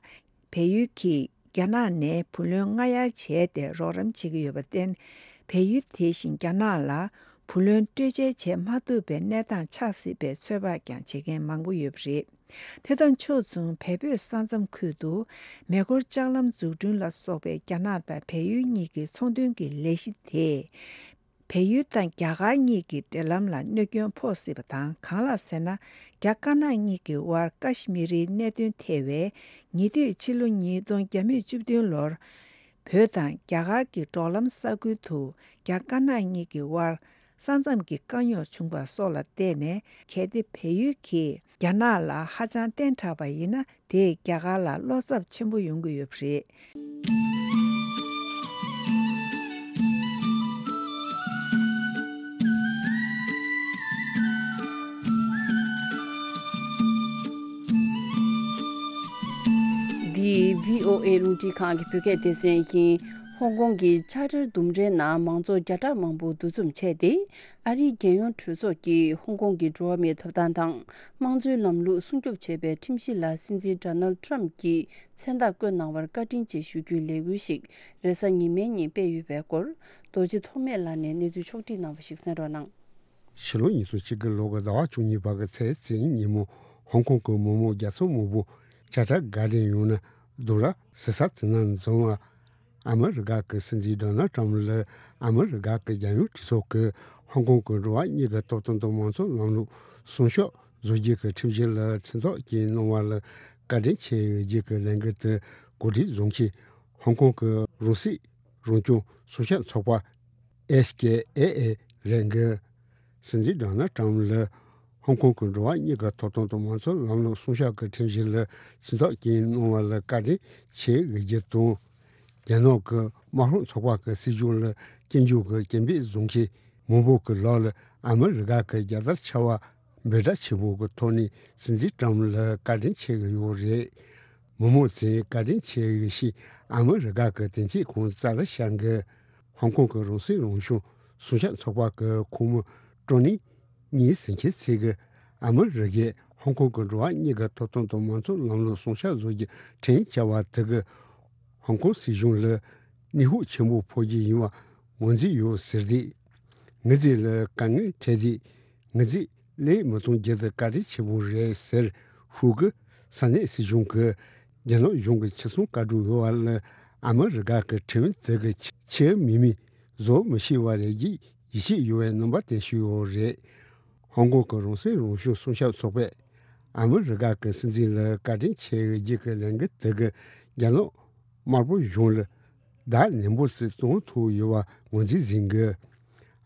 བལ་ཡུལ་གྱིས་རྒྱ་ནག་ནས་བུ་ལོན་སྔ་གཡར་བྱས་ཏེ་རོགས་རམ་བྱེད་ཀྱི་ཡོད་པར་བརྟེན། བལ་ཡུལ་དེ་བཞིན་རྒྱ་ནག་ལ་བུ་ལོན་སྤྲོད་འཇལ་བྱེད་མ་ཐུབ་པའི་གནས་སྟངས་ཆགས་སྲིད་པའི་ཚོད་དཔག་ཀྱང་བྱེད་མཁན་མང་པོ་ཡོད་པ་རེད། དེ་དང་ཕྱོགས་མཚུངས། བལ་བོད་ས་མཚམས་ཁུལ་དུ་མེ་འཁོར་ལྕགས་ལམ་འཛུགས་སྐྲུན་ལ་སོགས་པའི་རྒྱ་ནག་དང་བལ་ཡུལ་གཉིས་ཀྱི་ཚོང་དོན་གྱི་ལས་གཞི་དེས། བལ་ཡུལ་དང་རྒྱ་གར་གཉིས་ཀྱི་འབྲེལ་ལམ་ལ་གནོད་སྐྱོན་ཕོག་སྲིད་པ་དང་། གང་ལགས་ཟེར་ན། རྒྱ་དཀར་ནག་གཉིས་ཀྱི་དབར་ཀ་ཤི་མི་རིའི་གནད་དོན་ཐད་པའི་ཉེ་དུས་ཕྱི་ལོ་ཉིས་སྟོང་བརྒྱ་མེད་བཅུ་བདུན་ལོར། བོད་དང་རྒྱ་གར་གྱི་འབྲོག་ལམ་ས་ཁུལ་དུ་རྒྱ་དཀར་ནག་གཉིས་ཀྱི་དབར་ས་མཚམས་ཀྱི་དཀའ་རྙོག་བྱུང་བ་སོགས་ལ་བརྟེན་ནས། གལ་ཏེ་བལ་ཡུལ་གྱིས་རྒྱ་ནག་ལ་ཧ་ཅང་བརྟན་དྲགས་པ་ཡིན་ན། དེས་རྒྱ་གར་ལ་བློ་འཚབ་ཆེན་པོ་ཡོང་གི་ཡོད་པ་རེད། འདི་ ཝི་ཨོ་ཨེ་རླུང་འཕྲིན་ཁང་གི་བོད་སྐད་སྡེ་ཚན་ཡིན། ཧོང་ཀོང་གི་ཆར་ཊར་ལྡུམ་རའི་ནང་མང་ཚོགས་བརྒྱ་ཕྲག་མང་པོ་འདུ་འཛོམས་བྱས་ཏེ། ཨ་རིའི་རྒྱལ་ཡོངས་གྲོས་ཚོགས་ཀྱིས་ཧོང་ཀོང་གི་འགྲོ་བ་མིའི་ཐོབ་ཐང་དང་། དམངས་གཙོའི་ལམ་ལུགས་སྲུང་སྐྱོབ་བྱེད་པའི་ཁྲིམས་གཞི་ལ་སྲིད་འཛིན་ཌོ་ནལ་ཊམ་གྱིས་མཚན་རྟགས་བཀོད་གནང་བར་བཀའ་དྲིན་ཆེ་ཞུ་རྒྱུའི་ལས་འགུལ་ཞིག་རེས་གཟའ་ཉི་མའི་ཉིན་སྤེལ་ཡོད་པའི་སྐོར། རྡོ་རྗེ་ཐོགས་མེད་ལགས་ནས་གནས་ཚུལ་ཕྱོགས་བསྒྲིགས་གནང་བ་ཞིག་གསན་རོགས་གནང་། ཕྱི་ལོ་ཉིས་སྟོང་ཆིག་ལོ་གི་ཟླ་བ་བཅུ་གཉིས་པ་གི་ཚེས་བཅུ་ཉིན་ཉིན་མོ། ཧོང་ཀོང་གི་མི་མང་བརྒྱ་ཚོ་མང་པོ་ཆར་ཊར་གར་ཌེན་ཡོང་ན་སྡོད་ར་ཟི་ས་དེ་ན་འཛོམས་པ། ཨ་མི་རི་ཀ་གི་སྲིད་འཛིན་ཌོ་ནལ་ཊམ་ལ་ཨ་མི་རི་ཀ་གི་རྒྱལ་ཡོངས་གྲོས་ཚོགས་ཀྱིས་ཧོང་ཀོང་གི་འགྲོ་བ་མིའི་ཐོབ་ཐང་དང་མང་གཙོ་ལམ་ལུགས་སྲུང་སྐྱོབ་བཟོ་རྒྱུ་གི་ཁྲིམས་གཞི་ལ་མཚན་རྟགས་བཀོད་གནང་བ་ལ་བཀའ་དྲིན་ཆེ་ཞུ་རྒྱུ་གི་ལས་འགུལ་དེ་གོ་སྒྲིག་བཟོ་མཁན་ཧོང་ཀོང་གི་རང་སྲིད་རང་སྐྱོང་སྲུང་སྐྱོབ་ཚོགས་པ། ཨེས་ཀེ་ཨེ་ཨེ་རེད་འདུག། སྲིད་འཛིན་ཌོ་ནལ་ཊམ་ལ་ཧོང་ཀོང་གི་འགྲོ་བ་མིའི་ཐོབ་ཐང་དང་མང་གཙོ་ལམ་ལུགས་སྲུང་སྐྱོབ་ཀྱི་ཁྲིམས་གཞི་ལ་མཚན་རྟགས་བཀོད་གནང་བ་ལ་བཀའ་དྲིན་ཆེ་ཞུ་རྒྱུ་དང་། རྒྱ་ནག་གི་དམར་ཤོག་ཚོགས་པ་གི་སྲིད་གཞུང་ལ་སྐྱོན་བརྗོད་ཀྱི་སྐད་འབོད་བཟོ་མཁན་མང་པོ་གི་ལག་ལ་ཨ་མི་རི་ཀ་གི་རྒྱལ་དར་འཕྱར་བ་འབོད་སྒྲ་ཆེན་པོ་གི་ཐོག་ནས་སྲིད་འཛིན་ཊམ་ལ་བཀའ་དྲིན་ཆེ་ཞུ་ཡོད་རེད། མི་མང་ཚོས་བཀའ་དྲིན་ཆེ་ཞུ་ཞེས་ཨ་མི་རི་ཀ་གི་དོན་གཅོད་ཁང་རྩ་ལ་ཤར་འདུག། ཧོང་ཀོང་གི་རང་སྲིད་རང་སྐྱོང་སྲུང་སྐྱོབ་ཚོགས་པ་གི་ཁོངས་མི་ཀྲོ་ནི་གཉིས་ཟེར་མཁན་ཚོས་ཀྱིས་ཨ་མི་རི་ཀས་ཧོང་ཀོང་གི་འགྲོ་བ་མིའི་ཐོབ་ཐང་དང་མང་གཙོ་ལམ་ལུགས་སྲུང་སྐྱོབ་བཟོ་རྒྱུ་ཁྲིམས་བཅའ་བ་དེ་གིས་ཧོང་ཀོང་སྲིད་གཞུང་ལ་ནུས་ཤུགས་ཆེན་པོ་ཕོག་རྒྱུ་ཡིན་པ་ངོས་འཛིན་ཡོད་ཟེར་ཏེ། ངོས་འཛིན་ལ་དཀའ་ངལ་འཕྲད་དེ། ངོས་འཛིན་ལས་མི་གཏོང་རྒྱུ་དེ་བཀའ་དྲིན་ཆེན་པོ་རེད་ཟེར་ཤོད་ཀྱི། ས་གནས་སྲིད་གཞུང་གིས་རྒྱ་ནག་གཞུང་གི་ཕྱིར་ཚོང་བཀའ་འགྲོ་ཡོད་པ་ལ་ཨ་མི་རི་ཀ་གི་ཁྲིམས་དེ་གི་ཆེས་མི་མི་བཟོ་མི་ཤེས་པ་རེད་ཅེས་ཡིད་ཆེས་ཡོད་པའི་རྣམ་པ་བསྟན་བཞིན་ཡོད་རེད། ཧོང་ཀོང་གི་རང་སྲིད་རང་སྐྱོང་སྲུང་སྐྱོབ་ཚོགས་པས་ཨ་མི་རི་ཀ་གི་སྲིད་འཛིན་ལ་བཀའ་དྲིན་ཆེ་ཞུ་རྒྱུ་གི་ལས་འགུལ་དེ་གིས་རྒྱ་ནག་དམར་པོ་གཞུང་ལ་བརྡ་ནན་པོ་ཞིག་བཏང་ཐུབ་ཡོད་པ་ངོས་འཛིན་བྱེད་དགོས།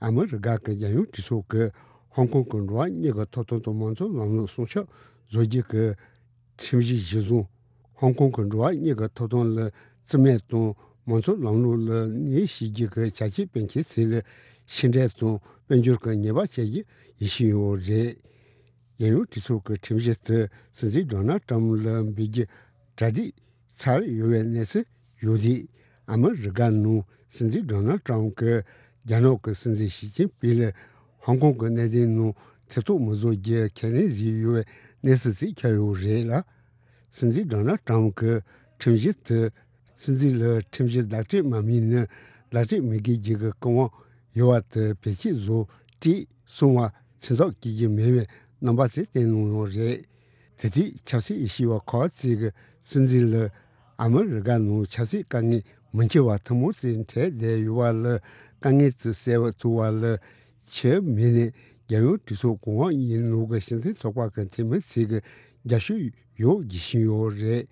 ཨ་མི་རི་ཀ་གི་རྒྱལ་ཡོངས་གྲོས་ཚོགས་ཀྱིས་ཧོང་ཀོང་གི་འགྲོ་བ་མིའི་ཐོབ་ཐང་དང་མང་གཙོ་ལམ་ལུགས་སྲུང་སྐྱོབ་བཟོ་རྒྱུ་གི་ཁྲིམས་གཞི་གཞིར་བཟུང་། ཧོང་ཀོང་གི་འགྲོ་བ་མིའི་ཐོབ་ཐང་ལ་བརྩི་མེད་དང་མང་གཙོ་ལམ་ལུགས་ལ་གནོད་བྱེད་རྒྱུ་གི་བྱ་སྤྱོད་སྤེལ་མཁན་ཚོ་ལ་ཕྱི་འབྲེལ་དང་དཔལ་འབྱོར་གྱི་ཉེས་པ་བཅད་རྒྱུ་ཡིན་བཞིན་ཡོད་རེད། རྒྱལ་ཡོངས་གྲོས་ཚོགས་ཀྱི་ཁྲིམས་གཞི་དེ་སྲིད་འཛིན་ཌོ་ནལ་ཊམ་ལ་འབུལ་རྒྱུ་གྲ་སྒྲིག་ཚར་ཡོད་པའི་གནས་ཚུལ་ཡོད་དུས། ཨ་མི་རི་ཀ་ནང་སྲིད་འཛིན་ཌོ་ནལ་ཊམ་གྱིས་རྒྱ་ནག་གི་སྲིད་འཛིན་ཞི་ཅིན་ཕིང་ལ་ཧོང་ཀོང་གི་གནད་དོན་ནང་ཐེ་གཏོགས་མི་བཟོ་རྒྱུ་ཁས་ལེན་བྱས་ཡོད་པའི་གནས་ཚུལ་ཞིག་ཁྱབ་ཡོད་རེད་ལ། སྲིད་འཛིན་ཌོ་ནལ་ཊམ་གྱིས་ཁྲིམས་གཞི་དེ་སྲིད་འཛིན་ལ་ཁྲིམས་གཞི་ལག་བསྟར་མ་མིན་ན་ལག་བསྟར་མི་དགོས་རྒྱུ་གི་བཀའ་དབང་ཡོད་པ་དེ་བེད་སྤྱོད་བཟོ་དུས་གསུང་བ་མཚན་རྟགས་བཀོད་རྒྱུ་མེད་པའི་རྣམ་པ་ཞིག་བསྟན་གནང་ཡོད་རེད། དེ་དུས་ཆབ་སྲིད་དབྱེ་ཞིབ་པ་ཁག་ཅིག་གིས་སྲིད་འཛིན་ལ་ཨ་མི་རི་ཀ་ནང་ཆབ་སྲིད་དཀའ་ངལ་མི་འཁྱོལ་བ་ཐུན་མོང་ཞིག་འཕྲད་བསྡད་ཡོད་པ་ལ་དཀའ་ངལ་དེ་སེལ་ཐུབ་པ་ལ་ཕྱིར་མི་ནས་རྒྱལ་ཡོངས་གྲོས་ཚོགས་གོང་འོག་གཉིས་ནང་གི་སྤྱི་མཐུན་ཚོགས་པ་གི་འཐུས་མི་ཚོས་ཀྱི་རྒྱབ་སྐྱོར་ཡོད་བརྗོད་བཞིན་ཡོད་རེད།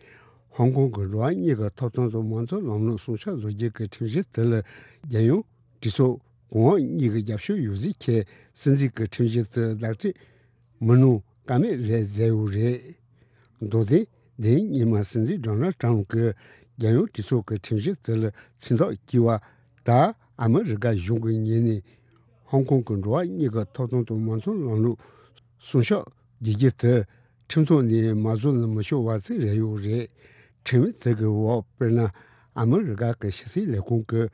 ཧོང་ཀོང་གི་འགྲོ་བ་མིའི་ཐོབ་ཐང་དང་མང་གཙོ་ལམ་ལུགས་སྲུང་སྐྱོབ་བཟོ་རྒྱུ་གི་ཁྲིམས་གཞི་དེ་ལ་རྒྱལ་ཡོངས་གྲོས་ཚོགས་གོང་འོག་གཉིས་ཀྱི་རྒྱབ་སྐྱོར་ཡོད་ཟེར་ཁྱེད་སྲིད་འཛིན་གྱི་ཁྲིམས་གཞི་དེ་ལག་བསྟར་མི་གནང་ཀ་མེད་རེད་ཟེར་ཡོད་རེད། མདོར་བསྟན་འདི་སྔོན་མ་སྲིད་འཛིན་ཌོ་ནལ་ཊམ་གྱིས་རྒྱལ་ཡོངས་གྲོས་ཚོགས་ཀྱི་ཁྲིམས་གཞི་དེ་ལ་མཚན་རྟགས་བཀོད་པ་ད་ཨ་མི་རི་ཀ་གཞུང་གི་ངོས་ནས་ཧོང་ཀོང་གི་འགྲོ་བ་མིའི་ཐོབ་ཐང་དང་མང་གཙོ་ལམ་ལུགས་སྲུང་སྐྱོབ་བྱེད་རྒྱུ་དེ་ཁྲིམས་ཐོག་ནས་མ་བཟོ་ན་མི་ཆོག་པ་ཞིག་རེད་ཡོད་རེད། ཁྲིམས་དེ་གི་འོག་དཔེར་ན་ཨ་མི་རི་ཀ་གི་ཕྱི་སྲིད་ལས་ཁུངས་ཀྱིས་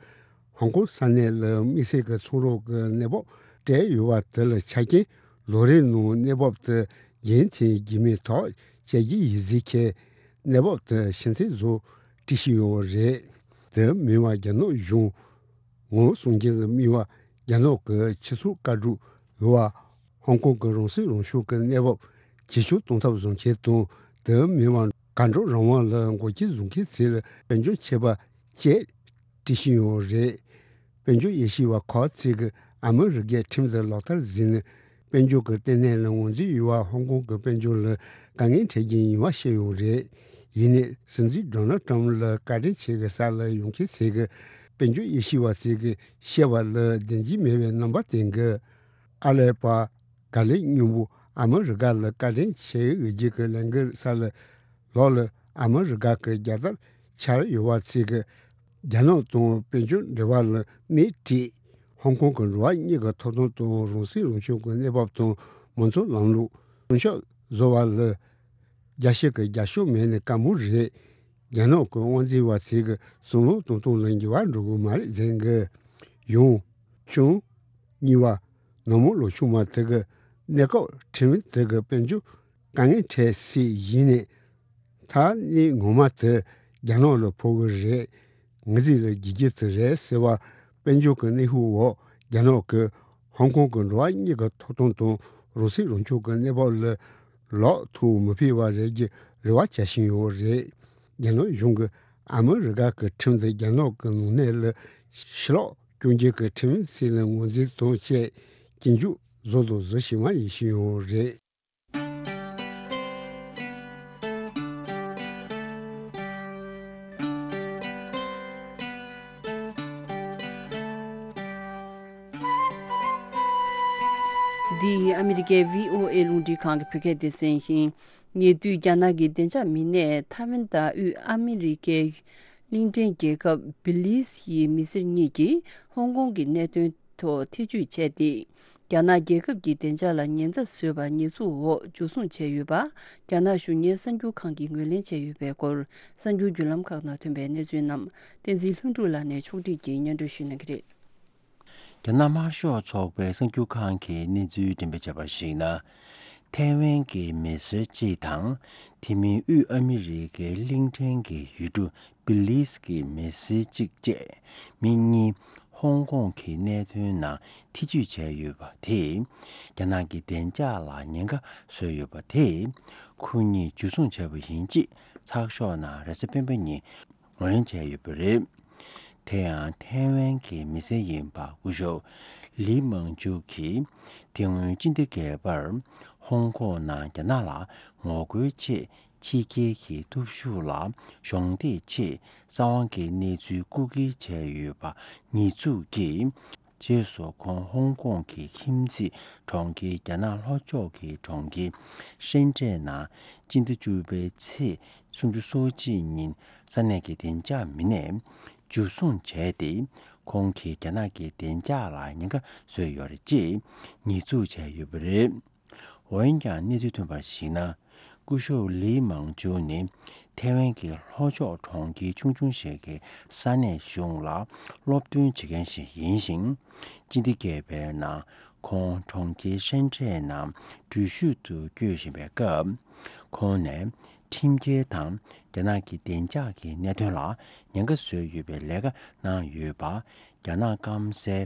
ཧོང་ཀོང་ས་གནས་ལ་དམིགས་བསལ་གྱི་ཚོང་རོགས་ཀྱི་གནས་བབ་སྤྲད་ཡོད་པ་དེ་ལ་ཆ་རྐྱེན་ལོ་རེའི་ནང་གནས་བབ་དེ་རྒྱུན་མཐུད་རྒྱུ་མིན་ཐག་བཅད་རྒྱུ་ཡིན་ཟེར་ཁྱེད་གནས་བབ་དེ་ཕྱིར་འཐེན་བཟོ་སྒྲིག་བཞིན་ཡོད་རེད། དེ་མིན་པ་རྒྱ་ནག་གཞུང་ངོ་སྲུང་རྒྱུ་ལ་དམིགས་པ་རྒྱ་ནག་གི་ཕྱི་ཚོགས་བཀའ་འགྲུབ་ཡོད་པ། ཧོང་ཀོང་གི་རང་སྲིད་རང་སྐྱོང་གི་གནས་བབ་ཇེ་ཆུང་གཏོང་ཐབས་བཟོ་མཁན་དང་དེ་མིན་པ་གར་འགྲོ་རང་དབང་ལ་འགོག་རྐྱེན་བཟོ་མཁན་ཚོ་ལ་དཔལ་འབྱོར་ཆད་པ་བཅད་སྒྲིག་བཞིན་ཡོད་རེད། དཔལ་འབྱོར་དབྱེ་ཞིབ་པ་ཁག་ཅིག་གིས་ཨ་མི་རི་ཀས་ཁྲིམས་དེ་ལག་བསྟར་བཟོས་ན་དཔལ་འབྱོར་གྱི་ལྟེ་གནས་ལ་ངོས་འཛིན་ཡོད་པ་ཧོང་ཀོང་གི་དཔལ་འབྱོར་ལ་དཀའ་ངལ་འཕྲད་རྒྱུ་ཡིན་པ་བཤད་ཡོད་རེད། ཡིན་ནའི་སྲིད་འཛིན་ཌོ་ནལ་ཊམ་ལ་བཀའ་དྲིན་ཆེ་གི་ས་ལ་ཡོང་མཁན་ཚོས་ཀྱིས་དཔལ་འབྱོར་དབྱེ་ཞིབ་པ་ཚོས་ཀྱིས་བཤད་པ་ལ་བདེན་རྫུན་མེད་པའི་རྣམ་པ་བསྟན་གི། ཨ་ལས་པ་ག་ལེ་སྙིང་པོ་ཨ་མི་རི་ཀ་ལ་བཀའ་དྲིན་ཆེ་ཞུ་རྒྱུ་གི་ལས་འགུལ་ས་ལ་ལོག་ལ་ཨ་མི་རི་ཀ་གི་རྒྱལ་དར་འཕྱར་ཡོད་པ་ཚོས་ཀྱིས་རྒྱ་ནག་དང་དཔལ་འབྱོར་འབྲེལ་བ་ལ་སྣེ་ཁྲིད། ཧོང་ཀོང་གི་འགྲོ་བ་མིའི་ཐོབ་ཐང་དང་རང་སྲིད་རང་སྐྱོང་གི་གནས་བབ་དང་མང་གཙོ་ལམ་ལུགས་སྲུང་སྐྱོབ་བཟོ་བ་ལ་རྒྱལ་སྤྱི་གི་རྒྱབ་སྐྱོར་མེད་ན་དཀའ་མོ་རེད། རྒྱ་ནག་གི་དབང་འཛིན་པ་ཚོས་གསུང་གླེང་གཏོང་སྟངས་ལ་འགྱུར་བ་འགྲོ་གི་མ་རེད་ཟེར་གི། ཡང་། ཆུང་། གཉིས་པ། ནང་མི་ལོ་ཆུང་བ་དེ་གི་གནས་སྐབས་ཁྲིམས་དེ་གི་དཔལ་འབྱོར་དཀའ་ངལ་འཕྲད་སྲིད་ཡིན་ནའི། ད་གནས་ངོ་མ་དེ་རྒྱ་ནག་ལ་ཕོག་གི་རེད། ངེས་ཟིན་ལ་རྒྱུ་རྒྱུ་དེ་རེད་ཟེར་བ། དཔལ་འབྱོར་གྱི་གནོན་ཤུགས་འོག་རྒྱ་ནག་གིས་ཧོང་ཀོང་གི་འགྲོ་བ་མིའི་ཐོབ་ཐང་དང་རང་སྲིད་རང་སྐྱོང་གི་གནས་བབ་ལ་ལོག་ཐུག་མི་ཕོད་པ་རེད་ཀྱི་རེ་བ་བྱ་བཞིན་ཡོད་རེད། རྒྱ་ནག་གཞུང་གིས་ཨ་མི་རི་ཀ་གི་ཁྲིམས་དེ་རྒྱ་ནག་གི་ནང་གནས་ལ་ཕྱི་ལོགས་སྐྱོན་བརྗོད་ཀྱི་ཁྲིམས་ཡིག་ཟེར་ནས་ངོས་འཛིན་དང་བཅས་སྐྱོན་བརྗོད་བཟོ་དང་བཟོ་བཞིན་པ་ཡིན་བཞིན་ཡོད་རེད། འདི་ཨ་མི་རི་ཀའི་བྷི་ཨོ་ཨེ་རླུང་འཕྲིན་ཁང་གི་བོད་སྐད་སྡེ་ཚན་ཡིན། ཉེ་དུས་རྒྱ་ནག་གི་བདེ་འཇགས་མི་སྣས་ཐའེ་ཝན་དང་དབུས་ཨ་མི་རི་ཀའི་གླིང་ཕྲན་རྒྱལ་ཁབ་བི་ལིས་ཡི་མི་སེར་གཉིས་ཀྱིས་ཧོང་ཀོང་གི་གནད་དོན་ཐོག་ཐེ་བྱུས་བྱས་ཏེ། རྒྱ་ནག་རྒྱལ་ཁབ་ཀྱི་བདེ་འཇགས་ལ་ཉེན་ཚབས་བཟོས་པ་ཉེས་འཛུགས་འོག་འཇུ་བཟུང་བྱས་ཡོད་པ། རྒྱ་ནག་གཞུང་གཉེར་གསར་འགྱུར་ཁང་གིས་ངོས་ལེན་བྱས་ཡོད་པའི་སྐོར། གསར་འགྱུར་བརྒྱུད་ལམ་ཁག་ནང་ཐོན་པའི་གནས་ཚུལ་རྣམས་བསྟན་འཛིན་ལྷུན་གྲུབ་ལགས་ནས་ཕྱོགས་སྒྲིག་གིས་སྙན་སྒྲོན་ཞུ་གནང་གི་རེད། རྒྱ་ནག་དམར་ཤོག་ཚོགས་པའི་གསར་འགྱུར་ཁང་གིས་གནས་ཚུལ་འགྲེམས་སྤེལ་བྱས་པར་གཞིགས་ན། ཐའེ་ཝན་གྱི་མི་སེར་གཅིག་དང་། དེ་མིན་དབུས་ཨ་མི་རི་ཀའི་གླིང་ཕྲན་གྱི་ཡུལ་གྲུ་བི་ལིས་ཀྱི་མི་སེར་གཅིག་བཅས་མི་གཉིས་ཧོང་ཀོང་གི་གནད་དོན་ནང་ཐེ་བྱུས་བྱས་ཡོད་པ་དེས། རྒྱ་ནག་གི་བདེ་འཇགས་ལ་ཉེན་ཁ་བཟོས་ཡོད་པ་དེས། ཁོ་གཉིས་འཇུ་བཟུང་བྱས་པ་ཡིན་ཅེས་ཚགས་ཤོག་ནང་རེས་གཟའ་སྤེན་པ་ཉིན་ངོས་ལེན་བྱས་ཡོད་པ་རེད། དེ་ཡང་ཐའེ་ཝན་གྱི་མི་སེར་ཡིན་པ་སྐུ་ཞབས་ལི་མང་ཇུ་གིས། དེ་སྔོན་སྤྱི་ཟླ་བརྒྱད་པར་ཧོང་ཀོང་ནང་རྒྱ་ནག་ལ་ངོ་རྒོལ་ཆེད་ཕྱི་རྒྱལ་གྱི་སྟོབས་ཤུགས་ལ་གཞོགས་འདེགས་ཆེད་གསང་བ་གི་གནས་ཚུལ་རྐུ་འཁྱེར་བྱས་ཡོད་པ་ཉེས་འཛུགས་ཀྱིས། རྗེས་སུ་ཁོང་ཧོང་ཀོང་གི་ཁྱིམ་མཚེས་གྲོང་ཁྱེར་རྒྱ་ནག་ལྷོ་ཕྱོགས་ཀྱི་གྲོང་ཁྱེར་ཧྲེན་ཀྲེན་ནང་སྤྱི་ཟླ་བཅུ་པའི་ཚེས་སུམ་ཅུ་སོ་གཅིག་ཉིན་ས་གནས་ཀྱི་བདེ་འཇགས་མི་སྣས་འཇུ་བཟུང་བྱས་ཏེ། ཁོང་གིས་རྒྱ་ནག་གི་བདེ་འཇགས་ལ་ཉེན་ཁ་བཟོས་ཡོད་རེད་ཅེས་ཉེས་འཛུགས་བྱས་ཡོད་པ་རེད། འོན་ཀྱང་གནས་ཚུལ་ཐོན་པར་གཞིགས་ན། སྐུ་ཞབས་ལི་མང་ཇུ་ནི་ཐའེ་ཝན་གྱི་ལྷོ་ཕྱོགས་གྲོང་ཁྱེར་ཆུང་ཆུང་ཞིག་གི་ས་གནས་གཞུང་ལ་སློབ་སྟོན་བྱེད་མཁན་ཞིག་ཡིན་ཞིང་། སྤྱི་ཟླ་བརྒྱད་པའི་ནང་ཁོང་གྲོང་ཁྱེར་ཧྲེན་ཀྲེན་ནང་འགྲུལ་བཞུད་དུ་བསྐྱོད་བཞིན་པའི་སྐབས། ཁོང་ནས་ཁྲིམས་འགལ་དང་རྒྱ་ནག་གི་བདེ་འཇགས་ཀྱི་གནད་དོན་ལ་ཉེན་ཁ་བཟོས་ཡོད་པའི་ལས་ཀ་གནང་ཡོད་པ། རྒྱ་ནག་སྐམ་སའི་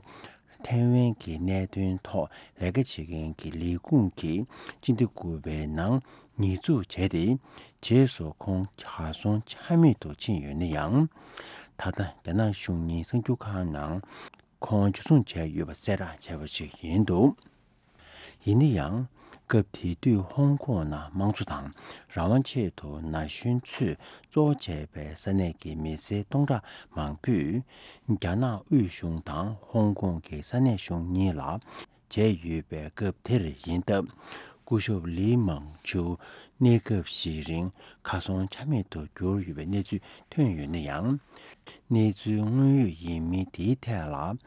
ཐའེ་ཝན་གྱི་གནད་དོན་ཐོག་ལས་ཀ་བྱེད་མཁན་གྱི་ལས་ཁུངས་ཀྱིས་སྤྱི་ཟླ་དགུ་པའི་ནང་ཉེས་འཛུགས་བྱས་ཏེ། རྗེས་སུ་ཁོང་གར་སོང་ཆ་མེད་དུ་ཕྱིན་ཡོད་ན་ཡང་། ད་ལྟ་རྒྱ་ནག་གཞུང་གཉེར་གསར་འགྱུར་ཁང་ནང་ཁོང་འཇུ་བཟུང་བྱས་ཡོད་པ་གསལ་བསྒྲགས་བྱས་པ་ཞིག་ཡིན་འདུག་ཡིན་ན་ཡང་། སྐབས་དེ་དུས་ཧོང་ཀོང་ནང་དམངས་གཙོ་དང་རང་དབང་ཆེད་དུ་ན་གཞོན་ཚོས་གཙོ་བོ་བྱས་པའི་ས་གནས་ཀྱི་མི་སེར་སྟོང་ཕྲག་མང་པོས་རྒྱ་ནག་དབུས་གཞུང་དང་ཧོང་ཀོང་གི་ས་གནས་གཞུང་གཉིས་ལ་བྱས་ཡོད་པའི་སྐབས་དེར་ཡིན་སྟབས། སྐུ་ཞབས་ལི་མང་ཇུ་གནས་སྐབས་ཤིག་རིང་གར་སོང་ཆ་མེད་དུ་གྱུར་ཡོད་པའི་གནས་ཚུལ་ཐོན་ཡོད་ན་ཡང་། གནས་ཚུལ་དངོས་ཡོད་ཡིན་མིན་དེའི་ཐད་ལ།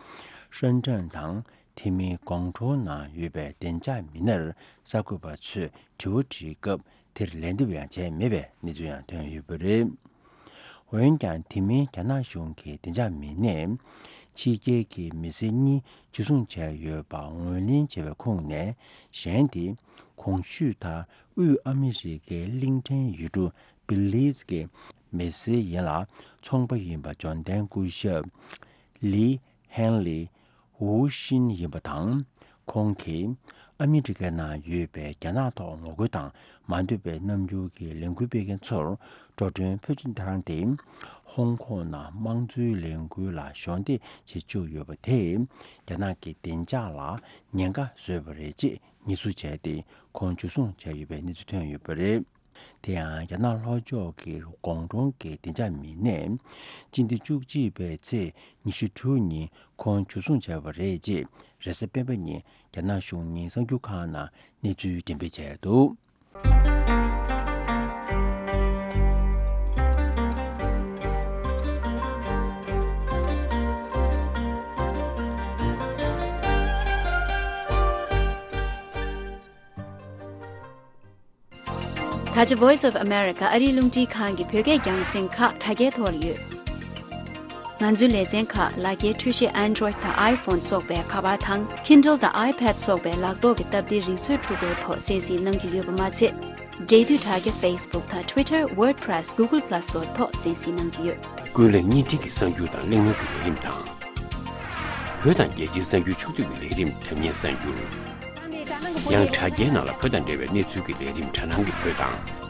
ཧྲེན་ཀྲེན་དང་དེ་མིན་ཀོང་ཀྲོའུ་ནང་ཡོད་པའི་བདེ་འཇགས་མི་སྣར་གསར་འགོད་པ་ཚོས་དྲི་བ་དྲིས་སྐབས་དེར་ལན་འདེབས་ཡང་བྱས་མེད་པའི་གནས་ཚུལ་ཡང་ཐོན་ཡོད་པ་རེད། འོན་ཀྱང་དེ་མིན་རྒྱ་ནག་གཞུང་གི་བདེ་འཇགས་མི་སྣས་ཕྱི་རྒྱལ་གྱི་མི་སེར་གཉིས་འཇུ་བཟུང་བྱས་ཡོད་པ་ངོས་ལེན་བྱས་པའི་ཁོངས་ནས་གཞན་དེ་གོང་ཞུས་ལྟར་དབུས་ཨ་མི་རི་ཀའི་གླིང་ཕྲན་ཡུལ་གྲུ་བི་ལིས་ཀྱི་མི་སེར་ཡིན་ལ། ཚོང་པ་ཡིན་པ་འབྱོར་ལྡན་སྐུ་ཞབས་ལི་ཧན་ལི་ཝུའུ་ཤིན་ཡིན་པ་དང་། ཁོང་གིས་ཨ་མི་རི་ཀའི་ནང་ཡོད་པའི་རྒྱ་ནག་ཐོག་ངོ་རྒོལ་དང་མ་འདོད་པའི་རྣམ་འགྱུར་གྱི་ལས་འགུལ་སྤེལ་མཁན་ཚོར་འགྲོ་གྲོན་ཕུལ་ཆེད་བཏང་སྟེ། ཧོང་ཀོང་ནང་དམངས་གཙོའི་ལས་འགུལ་ལ་གཞོགས་འདེགས་བྱེད་བཅུག་ཡོད་པ་དེས་རྒྱ་ནག་གི་བདེ་འཇགས་ལ་ཉེན་ཁ་བཟོས་པ་རེད་ཅེས་ཉེས་འཛུགས་བྱས་ཏེ། ཁོང་འཇུ་བཟུང་བྱས་ཡོད་པའི་གནས་ཚུལ་ཐོན་ཡོད་པ་རེད། དེ་ཡང་རྒྱ་ནག་ལྷོ་ཕྱོགས་ཀྱི་ཀོང་ཀྲོའུ་གི་བདེ་འཇགས་མི་སྣས་སྤྱི་ཟླ་བཅུ་གཅིག་པའི་ཚེས་ཉི་ཤུ་དྲུག་ཉིན་ཁོང་འཇུ་བཟུང་བྱས་པ་རེད་ཅེས་རེས་གཟའ་སྤེན་པ་ཉིན་རྒྱ་ནག་གཞུང་གཉེར་གསར་འགྱུར་ཁང་ནང་གནས་ཚུལ་འགྲེམས་སྤེལ་བྱས་འདུག་ད་ ཨ་ཅེ་Voice of America ཨ་རིའི་རླུང་འཕྲིན་ཁང་གི་བོད་སྐད་རྒྱང་སྲིང་ཁག་དྲ་རྒྱའི་ཐོག་ལ་ཡོད། ང་ཚོའི་ལེ་ཚན་ཁག་ལག་འཁྱེར་འཕྲུལ་ཆས་Android་དང་iPhone་སོགས་པའི་ཁ་པར་དང་Kindle་དང་iPad་སོགས་པའི་ལག་ཐོག་གི་སྟབས་བདེའི་རིག་མཛོད་འཕྲུལ་འཁོར་ཐོག་གསན་གཟིགས་གནང་རྒྱུ་ཡོད་པ་མ་ཚད། འབྲེལ་མཐུད་དྲ་རྒྱ་Facebook་དང་Twitter, WordPress, Google Plus་སོགས་ཐོག་གསན་གཟིགས་གནང་རྒྱུ་ཡོད། ཀུན་གླེང་བརྙན་འཕྲིན་གྱི་གསར་འགྱུར་དང་གླེང་མོལ་གྱི་ལས་རིམ་དང་། བོད་དང་རྒྱལ་སྤྱིའི་གསར་འགྱུར་ཕྱོགས་བསྡུས་ཀྱི་ལས་རིམ་དྲ་བརྙན་གསར་འགྱུར། ཡང་དྲ་རྒྱའི་ནང་ལ་བོད་དང་འབྲེལ་བའི་གནས་ཚུལ་གྱི་ལས་རིམ་དྲ་སྣང་གི་བོད་དང་།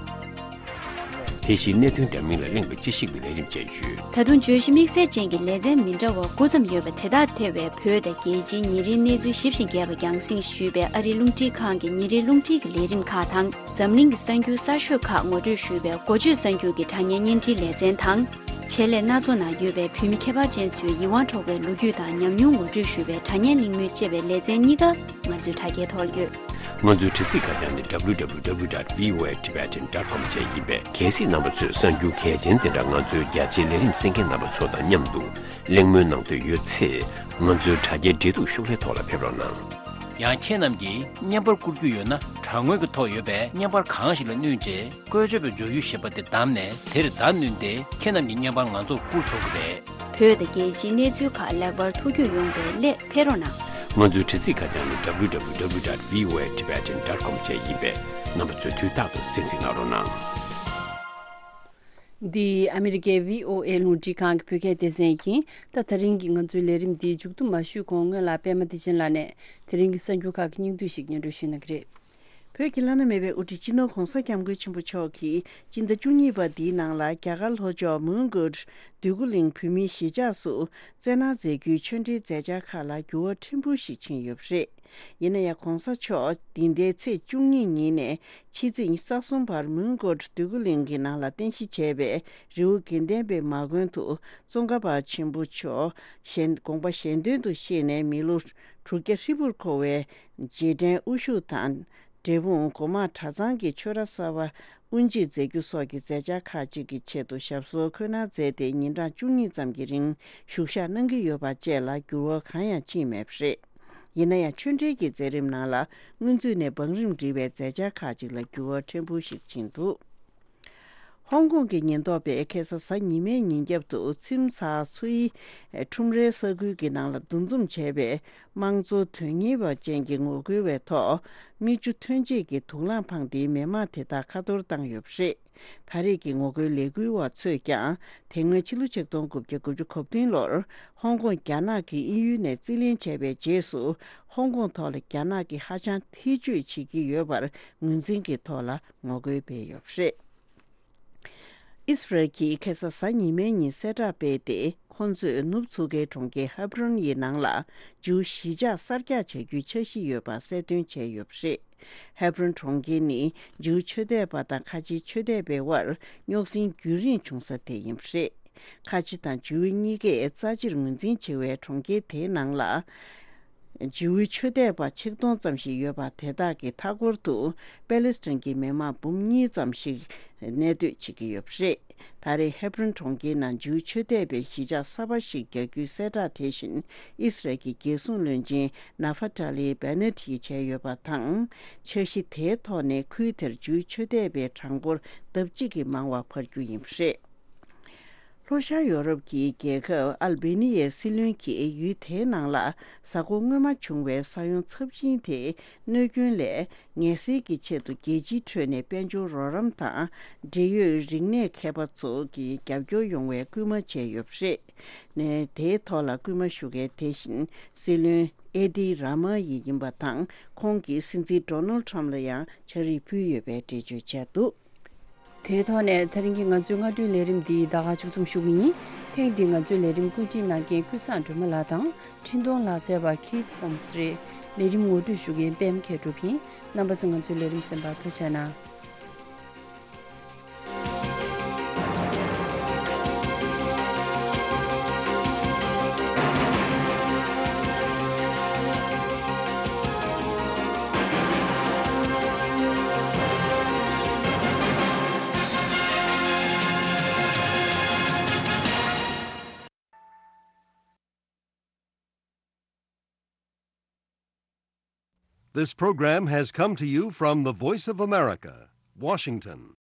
དེ་བཞིན་གནད་དོན་འདྲ་མིན་ལ་གླེང་བའི་དཔྱད་ཞིབ་ཀྱི་ལས་རིམ་བཅས་ཡོད། ད་དུང་བརྗོད་གཞི་དམིགས་བསལ་ཅན་གྱི་ལེ་ཚན་མི་འདྲ་བ་དགུ་ཙམ་ཡོད་པ་དེ་དག་ཐེ་བའི་བོད་དང་རྒྱལ་སྤྱིའི་ཉིན་རེའི་གནས་ཚུལ་ཞིབ་ཅིང་རྒྱས་པ་རྒྱང་སྲིང་ཞུས་པའི་ཨ་རིའི་རླུང་འཕྲིན་ཁང་གི་ཉིན་རེའི་རླུང་འཕྲིན་གྱི་ལས་རིམ་ཁག་དང་། འཛམ་གླིང་གི་གསར་འགྱུར་གསར་ཤོས་ཁག་ངོ་སྤྲོད་ཞུས་པའི་འགོ་བརྗོད་གསར་འགྱུར་གྱི་དྲ་བརྙན་བརྙན་འཕྲིན་ལེ་ཚན་དང་། ཆེད་ལས་སྣ་ཚོགས་ནང་ཡོད་པའི་བོད་མི་ཁྱད་པར་ཅན་ཚོའི་ཡིད་དབང་འཕྲོག་པའི་ལོ་རྒྱུས་དང་ཉམས་མྱོང་ངོ་སྤྲོད་ཞུ་བའི་དྲ་བརྙན་གླེང་མོལ་ཅེས་པའི་ལེ་ཚན་གཉིས་ཀ་ང་ཚོའི་དྲ་རྒྱའི་ཐོག་ལ་ཡོད། ང་ཚོའི་དྲ་ཚིགས་ཁ་བྱང་ནི་W W W dot V O A Tibetan dot com བཅས་ཡིན་པས། གལ་སྲིད་རྣམ་པ་ཚོས་གསར་འགྱུར་གལ་ཆེན་དེ་འདྲ་ང་ཚོའི་རྒྱ་ཆེའི་ལས་རིམ་གསན་མཁན་རྣམ་པ་ཚོ་དང་མཉམ་དུ་གླེང་མོལ་གནང་འདོད་ཡོད་ཚེ། ང་ཚོའི་དྲ་རྒྱའི་འབྲེལ་གཏུག་ཤོག་ལྷེ་ཐོག་ལ་ཕེབས་རོགས་གནང་། ཡང་ཁྱེད་རྣམས་ཀྱིས་བརྙན་པར་བསྐུར་རྒྱུ་ཡོད་ན། དྲ་ངོས་ཀྱི་ཐོག་ཡོད་པའི་བརྙན་པར་གང་ཞིག་ལ་བསྣུན་རྗེས། བཀོལ་སྤྱོད་པའི་སྦྱོར་ཡུལ་ཞེས་པ་དེ་བདམས་ནས། དེར་བརྡ་བསྣུན་ཏེ། ཁྱེད་རྣམས་ཀྱི་བརྙན་པར་ང་ཚོར་བསྐུར་ཆོག་གི་རེད། བོད་དང་རྒྱལ་སྤྱིའི་གནས་ཚུལ་ཁག་ལེགས་པར་ཐུགས་རྒྱུས་ཡོང་བའི་སླད་ཕེབས་རོགས་གནང་། ང་ཚོའི་དྲ་ཚིགས་ཁ་བྱང་ནི་W W W dot V O A Tibetan dot com བཅས་ཡིན་པས། རྣམ་པ་ཚོས་དུས་རྟག་ཏུ་གསན་གཟིགས་གནང་རོགས་གནང་། འདི་ཨ་མི་རི་ཀའི་V O A རླུང་འཕྲིན་ཁང་གི་བོད་སྐད་སྡེ་ཚན་ཡིན། ད་དེ་རིང་གི་ང་ཚོའི་ལས་རིམ་འདི་མཇུག་བསྡོམས་མ་ཞུས་གོང་སྔོན་ལ་པད་མ་བདེ་ཆེན་ལགས་ནས་དེ་རིང་གི་གསར་འགྱུར་ཁག་གི་སྙིང་བསྡུས་ཤིག་སྙན་སྒྲོན་ཞུ་གནང་གི་རེད། བོད་ཀྱི་བླ་ན་མེད་པའི་དབུ་ཁྲིད་སྤྱི་ནོར་༧གོང་ས་༧སྐྱབས་མགོན་ཆེན་པོ་མཆོག་གིས་སྤྱི་ཟླ་བཅུ་གཉིས་པ་འདིའི་ནང་ལ་རྒྱ་གར་ལྷོ་ཕྱོགས་མོན་གྷོ་འདོད་རྒུ་གླིང་བོད་མིའི་གཞིས་ཆགས་སུ་བསྩལ་གནང་མཛད་རྒྱུའི་ཆོས་འབྲེལ་མཛད་འཆར་ཁག་ལ་འགྱུར་བ་ཕྲན་བུ་ཞིག་ཕྱིན་ཡོད་པ་རེད། ཡིན་ན་ཡང་༧གོང་ས་མཆོག་འདི་ཟླའི་ཚེས་བཅུ་གཉིས་ཉིན་ནས་ཕྱི་ཚེས་ཉི་ཤུ་རྩ་གསུམ་བར་མོན་གྷོ་འདོད་རྒུ་གླིང་གི་ནང་ལ་རྟེན་གཞི་བྱས་པའི་རི་བོ་དགེ་ལྡན་པའི་མ་དགོན་དུ་ཙོང་ཁ་པ་ཆེན་པོ་མཆོག་ཞལ་དགོངས་པ་ཞལ་འདོན་དུ་གཤེགས་ནས་མི་ལོ་དྲུག་བརྒྱ་ཧྲིལ་པོར་འཁོར་བའི་རྗེས་དྲན་དབུ་བཞུགས་དང་། འབྲས་སྤུངས་སྒོ་མང་གྲྭ་ཚང་གི་ཆོས་ར་གསར་པ་དབུ་འབྱེད་མཛད་རྒྱུ་སོགས་ཀྱི་མཛད་འཆར་ཁག་ཅིག་གི་ཆེད་དུ་ཞབས་སོར་འཁོད་གནང་མཛད་དེ། ཉིན་གྲངས་བཅུ་གཉིས་ཙམ་གྱི་རིང་བཞུགས་ཞག་གནང་གི་ཡོད་པ་བཅས་ལ་འགྱུར་བ་གང་ཡང་ཕྱིན་མེད་པ་རེད། ཡིན་ན་ཡང་ཆོས་འབྲེལ་གྱི་མཛད་རིམ་ནང་ལ་སྔོན་ཚུད་ནས་བང་རིམ་འགྲིག་པའི་མཛད་འཆར་ཁག་ཅིག་ལ་འགྱུར་བ་ཕྲན་བུ་ཞིག་ཕྱིན་འདུག་ཧོང་ཀོང་གི་ཉེན་རྟོག་པས་ཁ་སང་གཟའ་ཉི་མའི་ཉིན་རྒྱབ་ཏུ་ཚོད་ལྟ་ཚོ་ཡི་ཁྲོམ་རའི་ས་ཁུལ་གྱི་ནང་ལ་འདུ་འཛོམས་བྱས་པའི་དམངས་གཙོ་དོན་གཉེར་བ་ཅན་གྱི་ངོ་རྒོལ་བའི་ཐོག་མིག་ཆུ་ཐོན་རྗེས་ཀྱི་དུག་རླངས་འཕངས་ཏེ་མི་མང་དེ་དག་ཁ་གཏོར་བཏང་ཡོད་པ་རེད། ད་རེས་ཀྱི་ངོ་རྒོལ་ལས་འགུལ་བ་ཚོས་ཀྱང་དེ་སྔོན་ཕྱི་ལོ་ཆིག་སྟོང་དགུ་བརྒྱ་དགུ་བཅུ་གོ་བདུན་ལོར་ཧོང་ཀོང་རྒྱ་ནག་གིས་དབྱིན་ཡུལ་ནས་རྩིས་ལེན་བྱས་པའི་རྗེས་སུ་ཧོང་ཀོང་ཐོག་ལ་རྒྱ་ནག་གིས་ཧ་ཅང་ཐེ་བྱུས་བྱེད་ཀྱི་ཡོད་པར་ངོས་འཛིན་གྱི་ཐོག་ལ་ངོ་རྒོལ་སྤེལ་ཡོད་པ་རེད། ཨིས་རལ་གྱིས་ཁ་སང་གཟའ་ཉི་མའི་ཉིན་གསལ་བསྒྲགས་སྤེལ་ཏེ། ཁོང་ཚོས་ནུབ་མཚོ་ཁའི་གྲོང་ཁྱེར་ཧེབ་རོན་ཡི་ནང་ལ་ཇིའུ་གཞིས་ཆགས་གསར་རྒྱག་བྱ་རྒྱུའི་འཆར་གཞི་ཡོད་པ་གསལ་སྟོན་བྱས་ཡོད་པ་རེད། ཧེབ་རོན་གྲོང་ཁྱེར་ནི་ཇིའུ་ཆོས་དད་པ་དང་ཁ་ཆེའི་ཆོས་དད་པའི་དབར་རྙོག་ཟིང་རྒྱུན་རིང་བྱུང་ས་དེ་ཡིན་པ་རེད། ཁ་ཆེ་དང་ཇིའུ་གཉིས་ཀས་རྩ་ཆེར་ངོས་འཛིན་བྱེད་པའི་གྲོང་ཁྱེར་དེའི་ནང་ལ། ཇིའུའི་ཆོས་དད་པ་ཆིག་སྟོང་ཙམ་ཞིག་ཡོད་པ་དེ་དག་གི་མཐའ་འཁོར་དུ་པེ་ལེ་སི་ཐན་གྱི་མི་མང་འབུམ་གཉིས་ཙམ་ཞིག་གནས་སྡོད་བྱེད་ཀྱི་ཡོད་པ་རེད། ད་རེས་ཧེབ་རོན་གྲོང་ཁྱེར་ནང་ཇིའུ་ཆོས་དད་པའི་གཞིས་ཆགས་གསར་པ་ཞིག་རྒྱག་རྒྱུའི་གསལ་བསྒྲགས་དེ་བཞིན་ཨིས་རལ་གྱི་རྒྱལ་སྲུང་བློན་ཆེན་ནཱ་ཧྥ་ཏཱ་ལི་བེ་ནེ་ཏི་ཡིས་བྱས་ཡོད་པ་དང་། འཆར་གཞི་དེའི་ཐོག་ནས་ཁུལ་དེར་ཇིའུ་ཆོས་དད་པའི་གྲངས་འབོར་ལྡབ་གཅིག་གིས་མང་བ་འཕར་རྒྱུ་ཡིན་པ་རེད། ལྷོ་ཤར་ཡོ་རོབ་ཀྱི་རྒྱལ་ཁབ་ཨལ་བེ་ནི་ཡའི་སྲིད་བློན་གྱིས་ཡུལ་དེའི་ནང་ལ་གཟའ་འཁོར་སྔོན་མ་བྱུང་བའི་ས་ཡོམ་ཚབས་ཆེན་དེའི་གནོད་སྐྱོན་ལས་ངལ་སེལ་གྱི་ཆེད་དུ་རྒྱལ་སྤྱིའི་ཁྲོད་ནས་དཔལ་འབྱོར་རོགས་རམ་དང་འབྲེལ་ཡོད་རིག་གནས་མཁས་པ་ཚོ་གི་རྒྱབ་སྐྱོར་ཡོང་བའི་སྐུལ་མ་བྱས་ཡོད་པ་རེད། ནས་དེའི་ཐོག་ལ་སྐུལ་མ་ཞུ་མཁན་དེ་བཞིན་སྲིད་བློན་ཨེ་ཏི་ར་མ་ཡི་ཡིན་པ་དང་། ཁོང་གིས་སྲིད་འཛིན་ཌོ་ནལ་ཊམ་ལ་ཡང་ཕྱག་བྲིས་ཕུལ་ཡོད་པའི་འགྲེལ་བརྗོད་བྱས་འདུག་དེའི་ཐོག་ནས་དེ་རིང་གི་ང་ཚོའི་སྔ་དྲོའི་ལས་རིམ་འདི་ད་ག་མཇུག་བསྡོམས་ཞུ་གི་ཡིན། ཐེངས་འདིའི་ང་ཚོའི་ལས་རིམ་བཀོད་སྒྲིག་གནང་མཁན་ཀུན་བཟང་སྒྲོལ་མ་ལགས་དང་། འཕྲིན་གཏོང་ལག་རྩལ་བ་ཁིད་ཧོམ་སི་རེད། ལས་རིམ་ངོ་སྤྲོད་ཞུ་མཁན་པད་མ་མཁས་གྲུབ་ཡིན། རྣམ་པ་ཚོ་ང་ཚོའི་ལས་རིམ་གསན་པར་ཐུགས་རྗེ་གནང་། This program has come to you from the Voice of America, Washington.